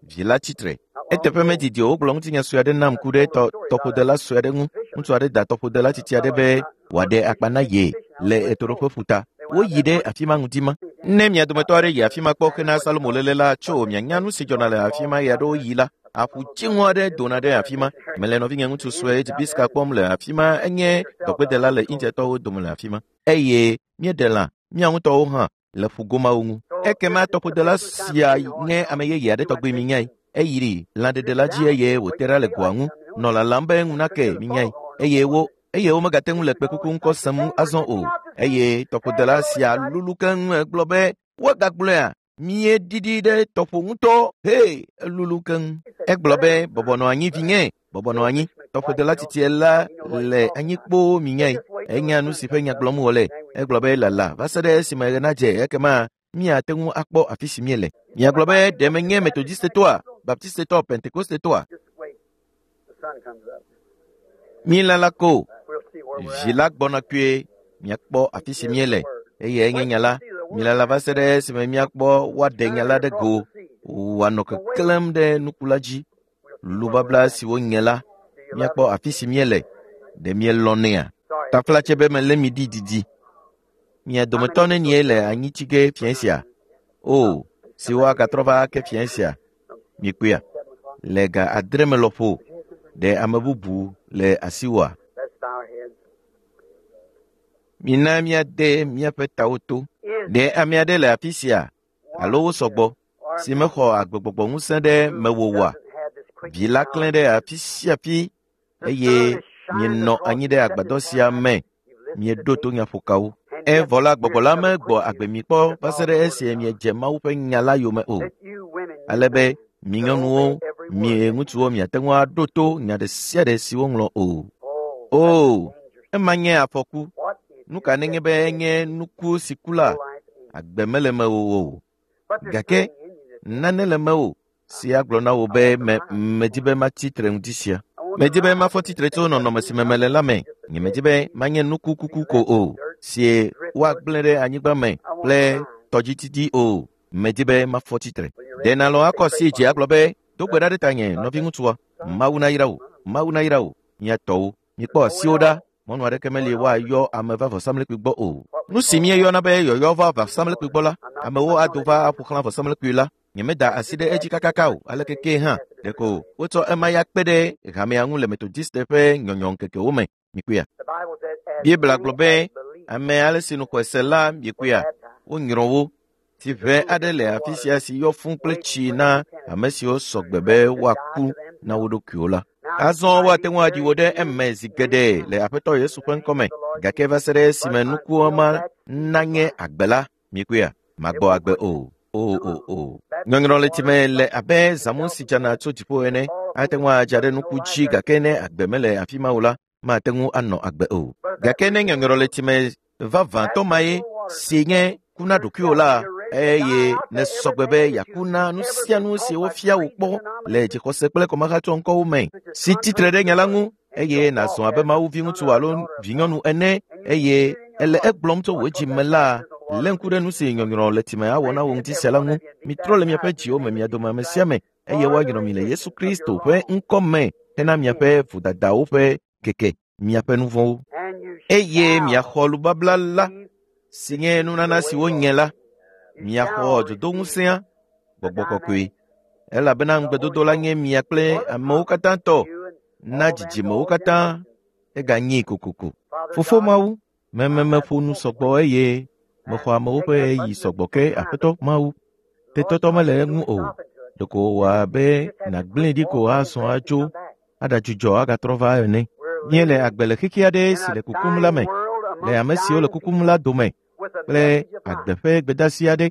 vi la tsitre. Eteƒe medidi o wogblɔ ŋutinya sue aɖe nam ku ɖe tɔƒodela sue aɖe ŋu. Ŋutsu aɖe da tɔƒodela tsitsi aɖe be wòaɖe akpa na ye le ɣetoɖoƒe ƒuta. Woyi ɖe afi ma ŋdi ma. Ne mia dometɔ aɖe yi afi ma kpɔ hena Salomo léle la tso mianya nu si dzɔna le afi ma ɣeaɖewo ɣi la, aƒu dziŋɔ aɖe dona ɖe afi ma. Mele nɔvinye ŋutsu sue Dzibiska kpɔm le afi ma, enye dɔgbedela le Indiatɔwo dome le afi ma. Eye míeɖe lã, mía ŋutɔwo hã, le ƒugomawo ŋu. Ekema tɔƒodela sia nye ame yeye aɖe tɔgbi minyae. Eyi lãɖeɖe la dzi eye wòte ɖa le goa ŋu, nɔ lalam be ŋu nake minyae. Eye womegate ŋu le kpekuku ŋkɔ sem azɔ o. Eye tɔƒodela sia lulu keŋ egblɔ be, woagagblɔea, míeɖiɖi ɖe tɔƒo ŋutɔ, he, elulu keŋ. Egblɔ be, bɔbɔ nɔ anyi vinye, bɔbɔ nɔ anyi. Tɔƒodela tsitsie la le anyi kpoo minyae. Enya nu si ƒe nya gblɔm wòle. Egblɔ be lala va se ɖe esime ɣe nadze ekema míate ŋu akpɔ afi si míele. Miagblɔ be ɖe menye Metodistetɔa, Baptistetɔ, Pentekostetɔa? Mílala ko. Vi la gbɔna kpuie miakpɔ afi si míele. Eye enye nya la. Mílala va se ɖe esime míakpɔ woaɖe nya la ɖe go wòanɔ keklẽm ɖe nuku la dzi. Lubabla si wonye la, míakpɔ afi si míele. Ɖe mielɔ̃nɛa? Taflatse be melé mi ɖi didi. Mia dometɔ nenie le anyi tsi ge fiẽ sia? O, si woagatrɔ va ake fiẽ sia. Mikpɔea? Le ga 9 me lɔƒo, ɖe ame bubu le asiwòa? Mina míade míaƒe tawo to. Ɖe ame aɖe le afi sia alo wo sɔgbɔ si mexɔ agbegbɔgbɔ ŋusẽ ɖe mewò oa? Vi la klẽ ɖe afi sia afi eye mienɔ anyi ɖe agbadɔ sia me mieɖo to nyaƒokawo. Evɔ la gbɔgbɔ la megbɔ agbe mi kpɔ va se ɖe esi miedze Mawu ƒe nya la yome o. Ale be mi nyɔnuwo, mi ŋutsuwo miate ŋu aɖo to nya ɖe sia ɖe si woŋlɔ o. O, ema nye afɔku. Nu ka nenye be enye nuku si ku la, agbe mele mewò o. Gake nane le mewò si agblɔ na wò be medi be matsi tre ŋdi sia. Medi be mafɔ tsitre tso nɔnɔme si me mele la me. Nyemedi be manye nuku kuku ko o, si woagblẽ ɖe anyigba me kple tɔdzididi o. Medi be mafɔ tsitre. Ɖe nalɔ̃ akɔ asi dzi agblɔ be, do gbe ɖa ɖe tanye, nɔviŋutsua. Mawu nayra wò, Mawu nayra wò, mia tɔwo. Mikpɔ asiwo ɖa. Mɔnu aɖeke meli woayɔ ame va vɔsamlekpui gbɔ o. Nu si míeyɔna be yɔyɔ va vɔsamlekpui gbɔ la, amewo ado va aƒo xlã vɔsamlekpui la. Nyemeda asi ɖe edzi kakaka o, aleke ke hã. Ɖeko wotsɔ ema ya kpe ɖe hamea ŋu le Metodiste ƒe nyɔnyɔŋkekewo me. Mikpɔea? Biblia gblɔ be ame ale si nu xɔe se la, mikpɔea, wonyrɔ wo. Tsiʋe aɖe le afi sia si yɔ fũ kple tsi na ame siwo sɔgbe be woaku na wo ɖokuiwo la. Azɔ woate ŋu aɖi wo ɖe eme zi geɖe le Aƒetɔ Yesu ƒe ŋkɔme, gake va se ɖe esime nukua ma nanye agbe la, mikpɔea, magbɔ agbe o. O. Nyɔnyrɔ le tsime le abe zãmu si dzana tso dziƒo ene. Ate ŋu adza ɖe nuku dzi gake ne agbe mele afi ma o la, mate ŋu anɔ agbe o. Gake ne nyɔnyrɔ le tsime vavãtɔ mae si nye ku na ɖokuiwò la, eye nesɔgbe be yeaku na nu sia nu si wofia wò kpɔ le dzixɔse kple kɔmahatsɔ ŋkɔwo me, si tsitre ɖe nya la ŋu, eye nàzɔ abe Mawu viŋutsu alo vinyɔnu ene, eye ele egblɔm tso wò dzi me la, lé ŋku ɖe nu si nyɔnyrɔ le tsime awɔ na wò ŋuti sia la ŋu. Mitrɔ le miaƒe dziwo me mia dome ame sia ame, eye woanyrɔ mi le Yesu Kristo ƒe ŋkɔ me hena miaƒe vodadawo ƒe keke, miaƒe nu vɔ̃wo. Eye miaxɔ lubabla la, si nye nunana si wonye la, miaxɔ dzodoŋusẽa, gbɔgbɔ kɔkɔe. Elabena ŋugbedodo la nye mia kple amewo katã tɔ, na dzidzimewo katã, eganyee kokoko. Fofo Mawu, mememeƒo nu sɔgbɔ eye mexɔ amewo ƒe ɣeyiɣi sɔgbɔ ke Aƒetɔ Mawu. Tetɔtɔ mele eŋu o. Ɖeko wòwɔ abe nàgblẽe ɖi ko azɔ atso aɖadzudzɔ agatrɔ va ene. Míele agbe le xexi aɖe si le kukum la me, le ame siwo le kukum la dome, kple agbe ƒe gbedeasi aɖe,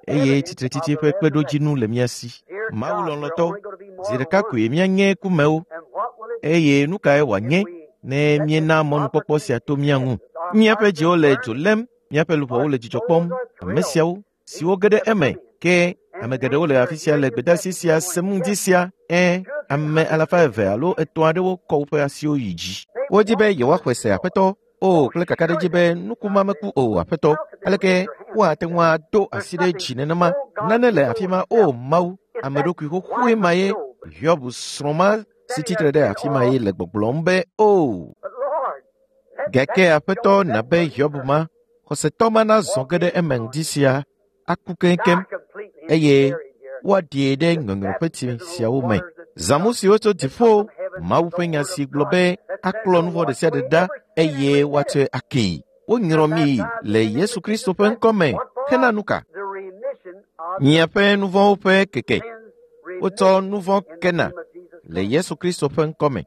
eye tsitretsitsi ƒe kpeɖodzinu le mía si. Mawu lɔlɔ̃tɔ, zi ɖeka koe míanye kumewo, eye nu kae wòanye ne míena mɔnukpɔkpɔ sia to mía ŋu? Míaƒe dziwo le dzo lém, míaƒe luʋɔwo le dzidzɔ kpɔm. Ame siawo siwo ge ɖe eme, ke ame geɖewo le afi sia le gbedeasi sia sem ŋdi sia. Ame 200 alo 3 aɖewo kɔ woƒe asiwo yi dzi. Wodi be yewoaxɔe se Aƒetɔ, o kple kakaɖedzi be nuku ma meku o Aƒetɔ. Aleke woate ŋu ado asi ɖe dzi nenema? Nane le afi ma, o Mawu, ame ɖokui xoxoe ma ye. Hiob srɔ̃ ma si tsitre ɖe afi ma ye le gbɔgblɔm be o. Gake Aƒetɔ na be Hiob ma, xɔsetɔ ma nazɔ ge ɖe eme ŋdi sia, aku keŋkeŋ eye woaɖie ɖe ŋɔŋlɔƒeti siawo me. Zãmu siwo tso dziƒo, Mawu ƒe nya si gblɔ be aklɔ nu vɔ̃ ɖe sia ɖe ɖa eye woatsɔe akee. Wonyrɔ mi le Yesu Kristo ƒe ŋkɔ me hena nu ka? Miaƒe nu vɔ̃wo ƒe keke. Wotsɔ nu vɔ̃ kena le Yesu Kristo ƒe ŋkɔ me.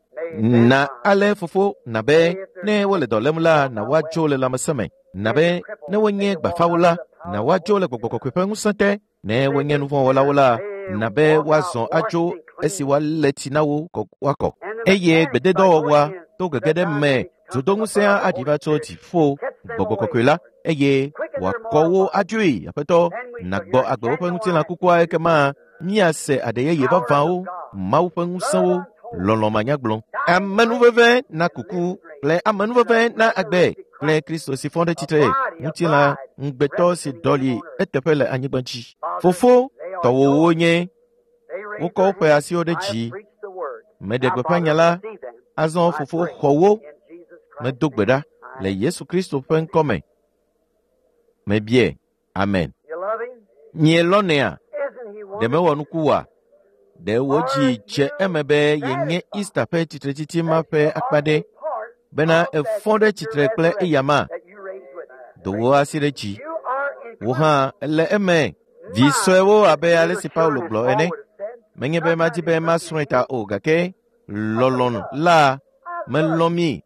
Na ale fofo na be ne wole dɔ lém la, na woadzo le lãmesẽ me. Na be ne wonye gbafawo la, na woadzo le gbɔgbɔ kɔkɔe ƒe ŋusẽ te. Ne wonye nu vɔ̃ wɔlawo la, na be woazɔ adzo esi woalé tsi na wo woakɔ. Eye gbededɔwɔwɔa to gege ɖe me dzodoŋusẽa aɖi va tso dziƒo gbɔgbɔ kɔkɔe la eye wòakɔ wo adzoe. Aƒetɔ, nàgbɔ agbe woƒe ŋutilã kukua ekema míase aɖe yeye vavãwo, Mawu ƒe ŋusẽwo, lɔlɔ̃ manyagblɔ. Amenuveve na kuku kple amenuveve na agbe kple Kristo si fɔ ɖe tsitre, ŋutilã ŋugbetɔ si ɖɔli eteƒe le anyigba dzi. Fofo, tɔwòwo nye, wokɔ woƒe asiwo ɖe dzi. Meɖe gbeƒã nya la, azɔ fofo xɔ wo. Medo gbe ɖa le Yesu Kristo ƒe ŋkɔ me. Mebie. Amen. Mielɔ̃nɛa? Ɖe mewɔ nuku oa? Ɖe wò dzi dze eme be yenye Easter ƒe tsitretsitsi ma ƒe akpa ɖe bena èfɔ ɖe tsitre kple eyama? Do wò asi ɖe dzi. Wò hã èle eme. Vi suewo abe ale si Paulo gblɔ ene. Menye be madi be masrɔ̃e ta o gake lɔlɔ̃ la melɔ̃ mi.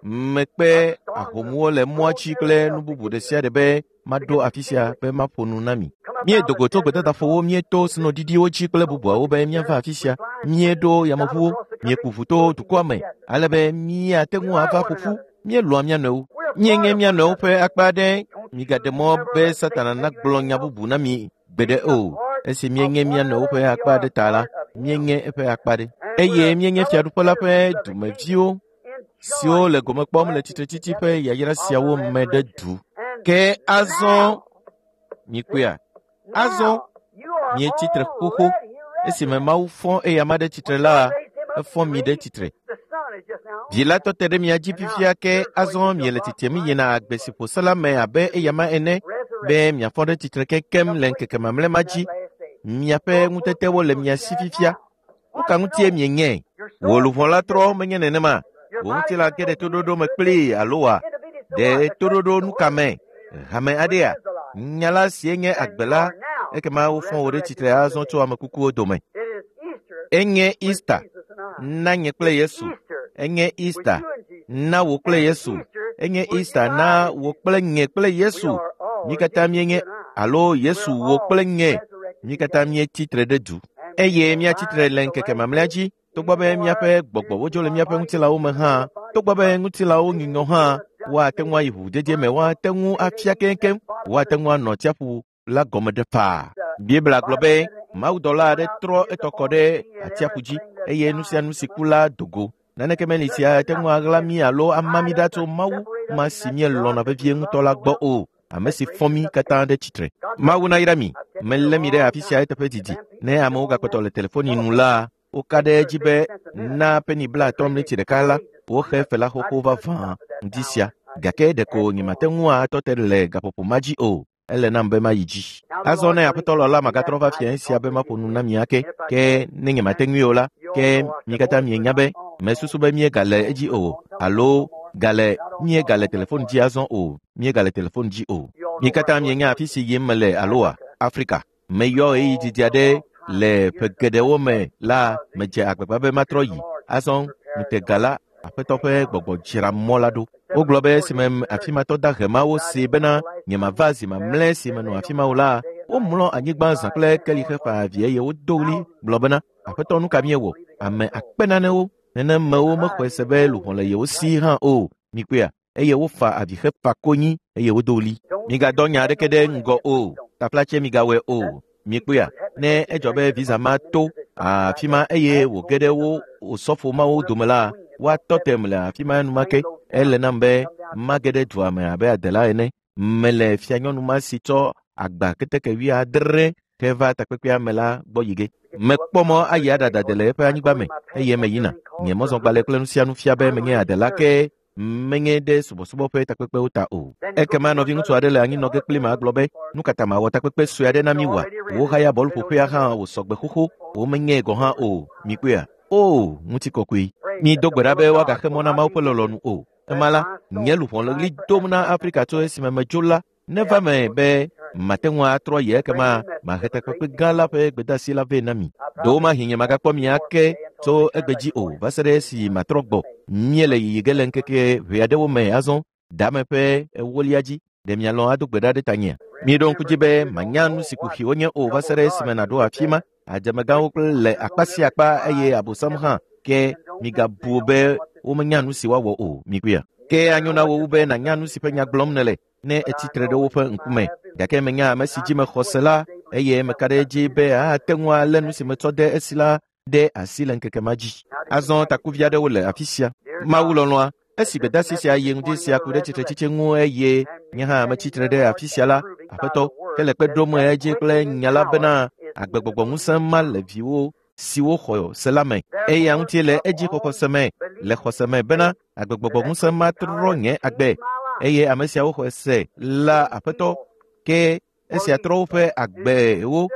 Mekpe ahomuwo le mɔa dzi kple nu bubu ɖe sia ɖe be maɖo afi sia be maƒo nu na mi. Míedo go tso gbedadaƒowo, míeto snoɖiɖiwo dzi kple bubuawo be míava afi sia. Míeɖo yameʋuwo, míeku ʋu to dukɔa me ale be míate ŋu ava ƒo ƒu. Míelɔ̃a mía nɔewo. Míenye mía nɔewo ƒe akpa aɖe. Migaɖe mɔ be Satana nagblɔ nya bubu na mi gbeɖe o. Esi míenye mía nɔewo ƒe akpa aɖe ta la, míenye eƒe akpa ɖe. Eye míenye fiaɖuƒe la ƒe dumeviwo siwo le gome kpɔm le tsitretsitsi ƒe yayra siawo me ɖe du. Ke azɔ mikpɔea? Azɔ mietsi tre xoxo. Esime Mawu fɔ eyama ɖe tsitre la, efɔ mi ɖe tsitre. Vi la tɔ te ɖe mia dzi fifia ke azɔ miele tsitrem yina agbe si ƒo se la me abe eyama ene be miafɔ ɖe tsitre kekem le ŋkeke mamlɛ ma dzi. Miaƒe ŋutetewo le mia si fifia. Nu ka ŋutie mienye? Wò luʋɔ la trɔ menye nenema. Wò ŋutilã ge ɖe toɖoɖo me kplii alo wa? Ɖe toɖoɖo nu ka me? Hame aɖea? Nya la sie nye agbe la, ekema wofɔ wò ɖe tsitre azɔ tso ame kukuwo dome. Enye Easter na nye kple Yesu. Enye Easter na wò kple Yesu. Enye Easter na wò kple nye kple Yesu. Mí katã míenye alo Yesu wò kple nye. Mí katã míetsi tre ɖe du. Eye míatsi tre le ŋkeke mamlɛa dzi togbɔ be míaƒe gbɔgbɔwo dzo le míaƒe ŋutilãwo me hã, togbɔ be ŋutilãwo nyunyɔ hã, woate ŋu ayi ʋuʋudede me, woate ŋu afia keŋkeŋ, woate ŋu anɔ tsiaƒu la gɔme ɖe faa. Biblia gblɔ be mawudɔla aɖe trɔ etɔ kɔ ɖe atsiaƒu dzi eye nu sia nu si ku la do go. Naneke meli si ate ŋu aɣla mí alo ama mí ɖa tso Mawu ma si míelɔ̃na vevie ŋutɔ la gbɔ o, ame si fɔ mí katã ɖe tsitre. Mawu nayra mi. Melé mi ɖe afi sia eteƒe didi. Ne amewo gakpɔtɔ le telefoni nu la, woka ɖe edzi be na peni 50 mleti ɖeka la, woxe fe la xoxo vavã ŋdi sia. Gake ɖeko nyemate ŋu atɔ te le gaƒoƒo ma dzi o. Ele nam be mayi dzi. Azɔ ne Aƒetɔ lɔ̃ la, magatrɔ va fiẽ sia be maƒo nu na mi ake. Ke ne nyemate ŋui o la, ke mi katã mienya be mesusu be míegale edzi o alo gale míegale telefon dzi azɔ o. Míegale telefon dzi o. Mi katã mienya afi si yim mele aloa? Afrika. Meyɔ ɣeyiɣi didi aɖe le ƒe geɖewo me la medze agbagba be matrɔ yi. Azɔ ŋutega la, Aƒetɔ ƒe gbɔgbɔ dzra mɔ la ɖo. Wogblɔ be esime afimatɔ dahe mawo see bena nyemava zi mamlɛ si menɔ afi ma o la, womlɔ anyigba zã kple keli hefa avi eye wodo ɣli gblɔ bena, Aƒetɔ nu ka míewɔ? Ame akpe nanewo nenemewo mexɔe se be luʋɔ le yewo si hã o. Mikpɔea? Eye wofa avi hefa konyi eye wodo ɣli. Migadɔ nya aɖeke ɖe ŋgɔ o. Taflatse migawɔe o. Mikpɔea? Ne edzɔ be visa ma to afi ma eye wòge ɖe wo osɔfo mawo dome la, woatɔ tem le afi ma enumake. Ele nam be mage ɖe dua me abe adela ene. Mele fianyɔnu ma si tsɔ agba keteke 70 heva takpekpea me la gbɔ yi ge. Mekpɔ mɔ ayi aɖadade le eƒe anyigba me eye meyina. Nye mɔzɔgbalẽ kple nu sia nu fia be menye adela ke menye ɖe subɔsubɔ ƒe takpekpewo ta o. Ekema nɔviŋutsu aɖe le anyinɔ ge kpli me agblɔ be, nu ka ta mawɔ takpekpe sue aɖe na mi wa? Wohaya bɔluƒoƒea hã wòsɔ gbe xoxo, womenyee gɔ̃ hã o. Mikpɔea? O, ŋutikɔkɔe. Mido gbe ɖa be woagaxe mɔ na Mawu ƒe lɔlɔ̃nu o. Ema la, nye luʋɔ le ɣli dom na Afrika tso esime medzo la, neva me be mate ŋu atrɔ yi ekema mahe takpekpe gã la ƒe gbedeasi la vɛ na mi. Ɖewomahi nye magakpɔ mi ake tso egbe dzi o va se ɖe esi matrɔ gbɔ. Míele yiyi ge le ŋkeke ʋɛ aɖewo me azɔ, dame ƒe ewolia dzi. Ɖe mialɔ̃ ado gbe ɖa ɖe tanyea? Miɖo ŋku dzi be manya nu si kuxiwo nye o va se ɖe esime nàɖo afi ma. Adzamegãwo kple le akpa sia akpa eye Abosam hã ke migabu be womenya nu si woawɔ o. Mikpɔea? Ke anyo na wò wu be nànya nu si ƒe nya gblɔm nèle ne etsi tre ɖe woƒe ŋkume. Gake menya ame si dzi mexɔ se la eye meka ɖe edzi be ate ŋu alé nu si metsɔ de esi la ɖe asi le ŋkeke ma dzi. Azɔ takuvi aɖewo le afi sia. Mawu lɔlɔ̃a, esi gbedeasi sia yi ŋdi sia ku ɖe tsitretsitsi ŋu eye nye hã metsi tre ɖe afi sia la, Aƒetɔ, ke le kpe ɖom edzi kple nya la bena agbegbɔgbɔ ŋusẽ ma le viwo siwo xɔ se la me. Eya ŋuti le edzi xɔxɔse me, le xɔse me bena agbegbɔgbɔ ŋusẽ ma trɔ nye agbe eye ame siawo xɔe se la Aƒetɔ, ke esia trɔ woƒe agbewo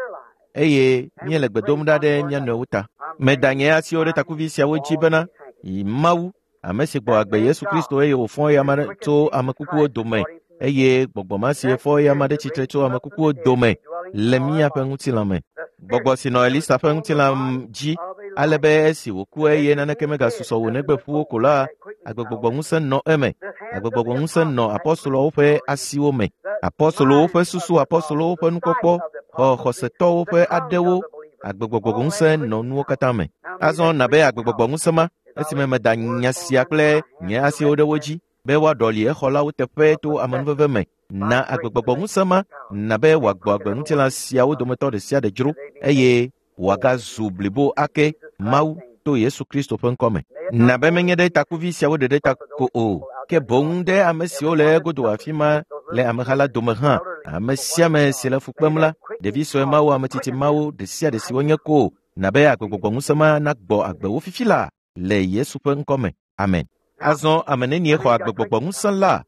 eye míele gbe dom ɖa ɖe mía nɔewo ta. Meda nye asiwo ɖe takuvi siawo dzi bena Mawu, ame si gbɔ agbe Yesu Kristo eye wòfɔ eya tso ame kukuwo dome eye gbɔgbɔ ma si fɔ eya ɖe tsitre tso ame kukuwo dome le míaƒe ŋutilã me. Gbɔgbɔ si nɔ Elisa ƒe ŋutilã dzi ale be esi wòku eye naneke megasusɔ wò negbe ƒuwo ko la, agbegbɔgbɔ ŋusẽ nɔ eme. Agbegbɔgbɔ ŋusẽ nɔ apɔstoloawo ƒe asiwo me. Apɔstolowo ƒe susu, apɔstolowo ƒe nukpɔkpɔ, xɔ xɔsetɔwo ƒe aɖewo, agbegbɔgbɔ ŋusẽ nɔ nuwo katã me. Azɔ nabe agbegbɔgbɔ ŋusẽ ma esime meda nya sia kple nye asiwo ɖe wo dzi be woaɖɔli exɔlawo teƒe to amenuveve me. Na agbegbɔgbɔ ŋusẽ ma nabe wòagbɔ agbe ŋutilã siawo dometɔ ɖe sia ɖe dzro eye wòagazu blibo ake Mawu to Yesu Kristo ƒe ŋkɔ me. Nabe menye ɖe takuvi siawo ɖeɖe ta ko o, ke boŋ ɖe ame siwo le egodo afi ma le ameha la dome hã. Ame sia ame si le fu kpem la, ɖevi sue mawo, ame tsitsi mawo, ɖe sia ɖe si wonye ko, nabe agbegbɔgbɔ ŋusẽ ma nagbɔ agbe wo fifi la le Yesu ƒe ŋkɔ me. Amen. Azɔ ame nenie xɔ agbegbɔgbɔ ŋusẽ la?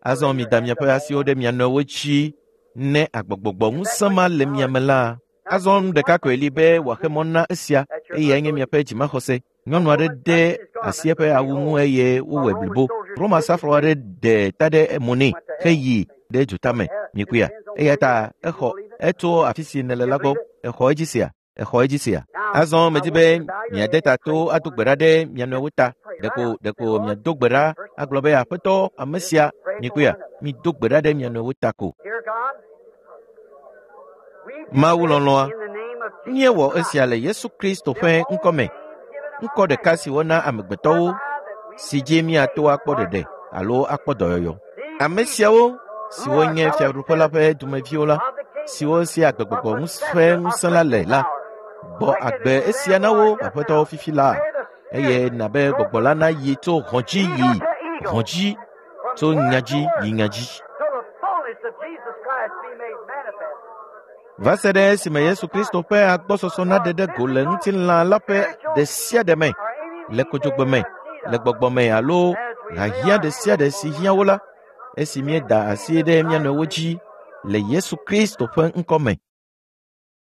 Azɔ mida miaƒe asiwo ɖe mia nɔewo dzi ne agbegbɔgbɔ ŋusẽ ma le mia me la. Azɔ nu ɖeka koe li be wòaxe mɔ na esia eyae nye miaƒe dzimaxɔse. Nyɔnu aɖe de asi eƒe awu ŋu eye wowɔe blibo. Roma srafo aɖe ɖe ta ɖe mo nɛ heyi ɖe dzotame. Mikpɔea? Eya ta exɔ etso afi si nèle la gbɔ. Exɔ edzi sia? Exɔ edzi sia? Azɔ medi be miade ta to ado gbe ɖa ɖe mia nɔewo ta. Ɖeko miado gbe ɖa agblɔ be Aƒetɔ, ame sia, mikpɔea? Mido gbe ɖa ɖe mia nɔewo ta ko. Mawu lɔlɔ̃a, míewɔ esia le Yesu Kristo ƒe ŋkɔ me. Ŋkɔ ɖeka si wona amegbetɔwo si dzi míato akpɔ ɖeɖe alo akpɔ dɔyɔyɔ. Ame siawo siwo nye fiaɖuƒe la ƒe dumeviwo la, siwo si agbegbɔgbɔ ƒe ŋusẽ la le la, gbɔ agbe esia na wo aƒetɔwo fifi la eye nabe gbɔgbɔ la nayi tso hɔ̃ dzi yi hɔ̃ dzi, tso nya dzi yi nya dzi. Va se ɖe esime Yesu Kristo ƒe agbɔsɔsɔ naɖe ɖe go le ŋutilã la ƒe ɖe sia ɖe me, le kodzogbe me, le gbɔgbɔ me alo hiahiã ɖe sia ɖe si hiã wo la, esi míeda asi ɖe mía nɔewo dzi le Yesu Kristo ƒe ŋkɔ me.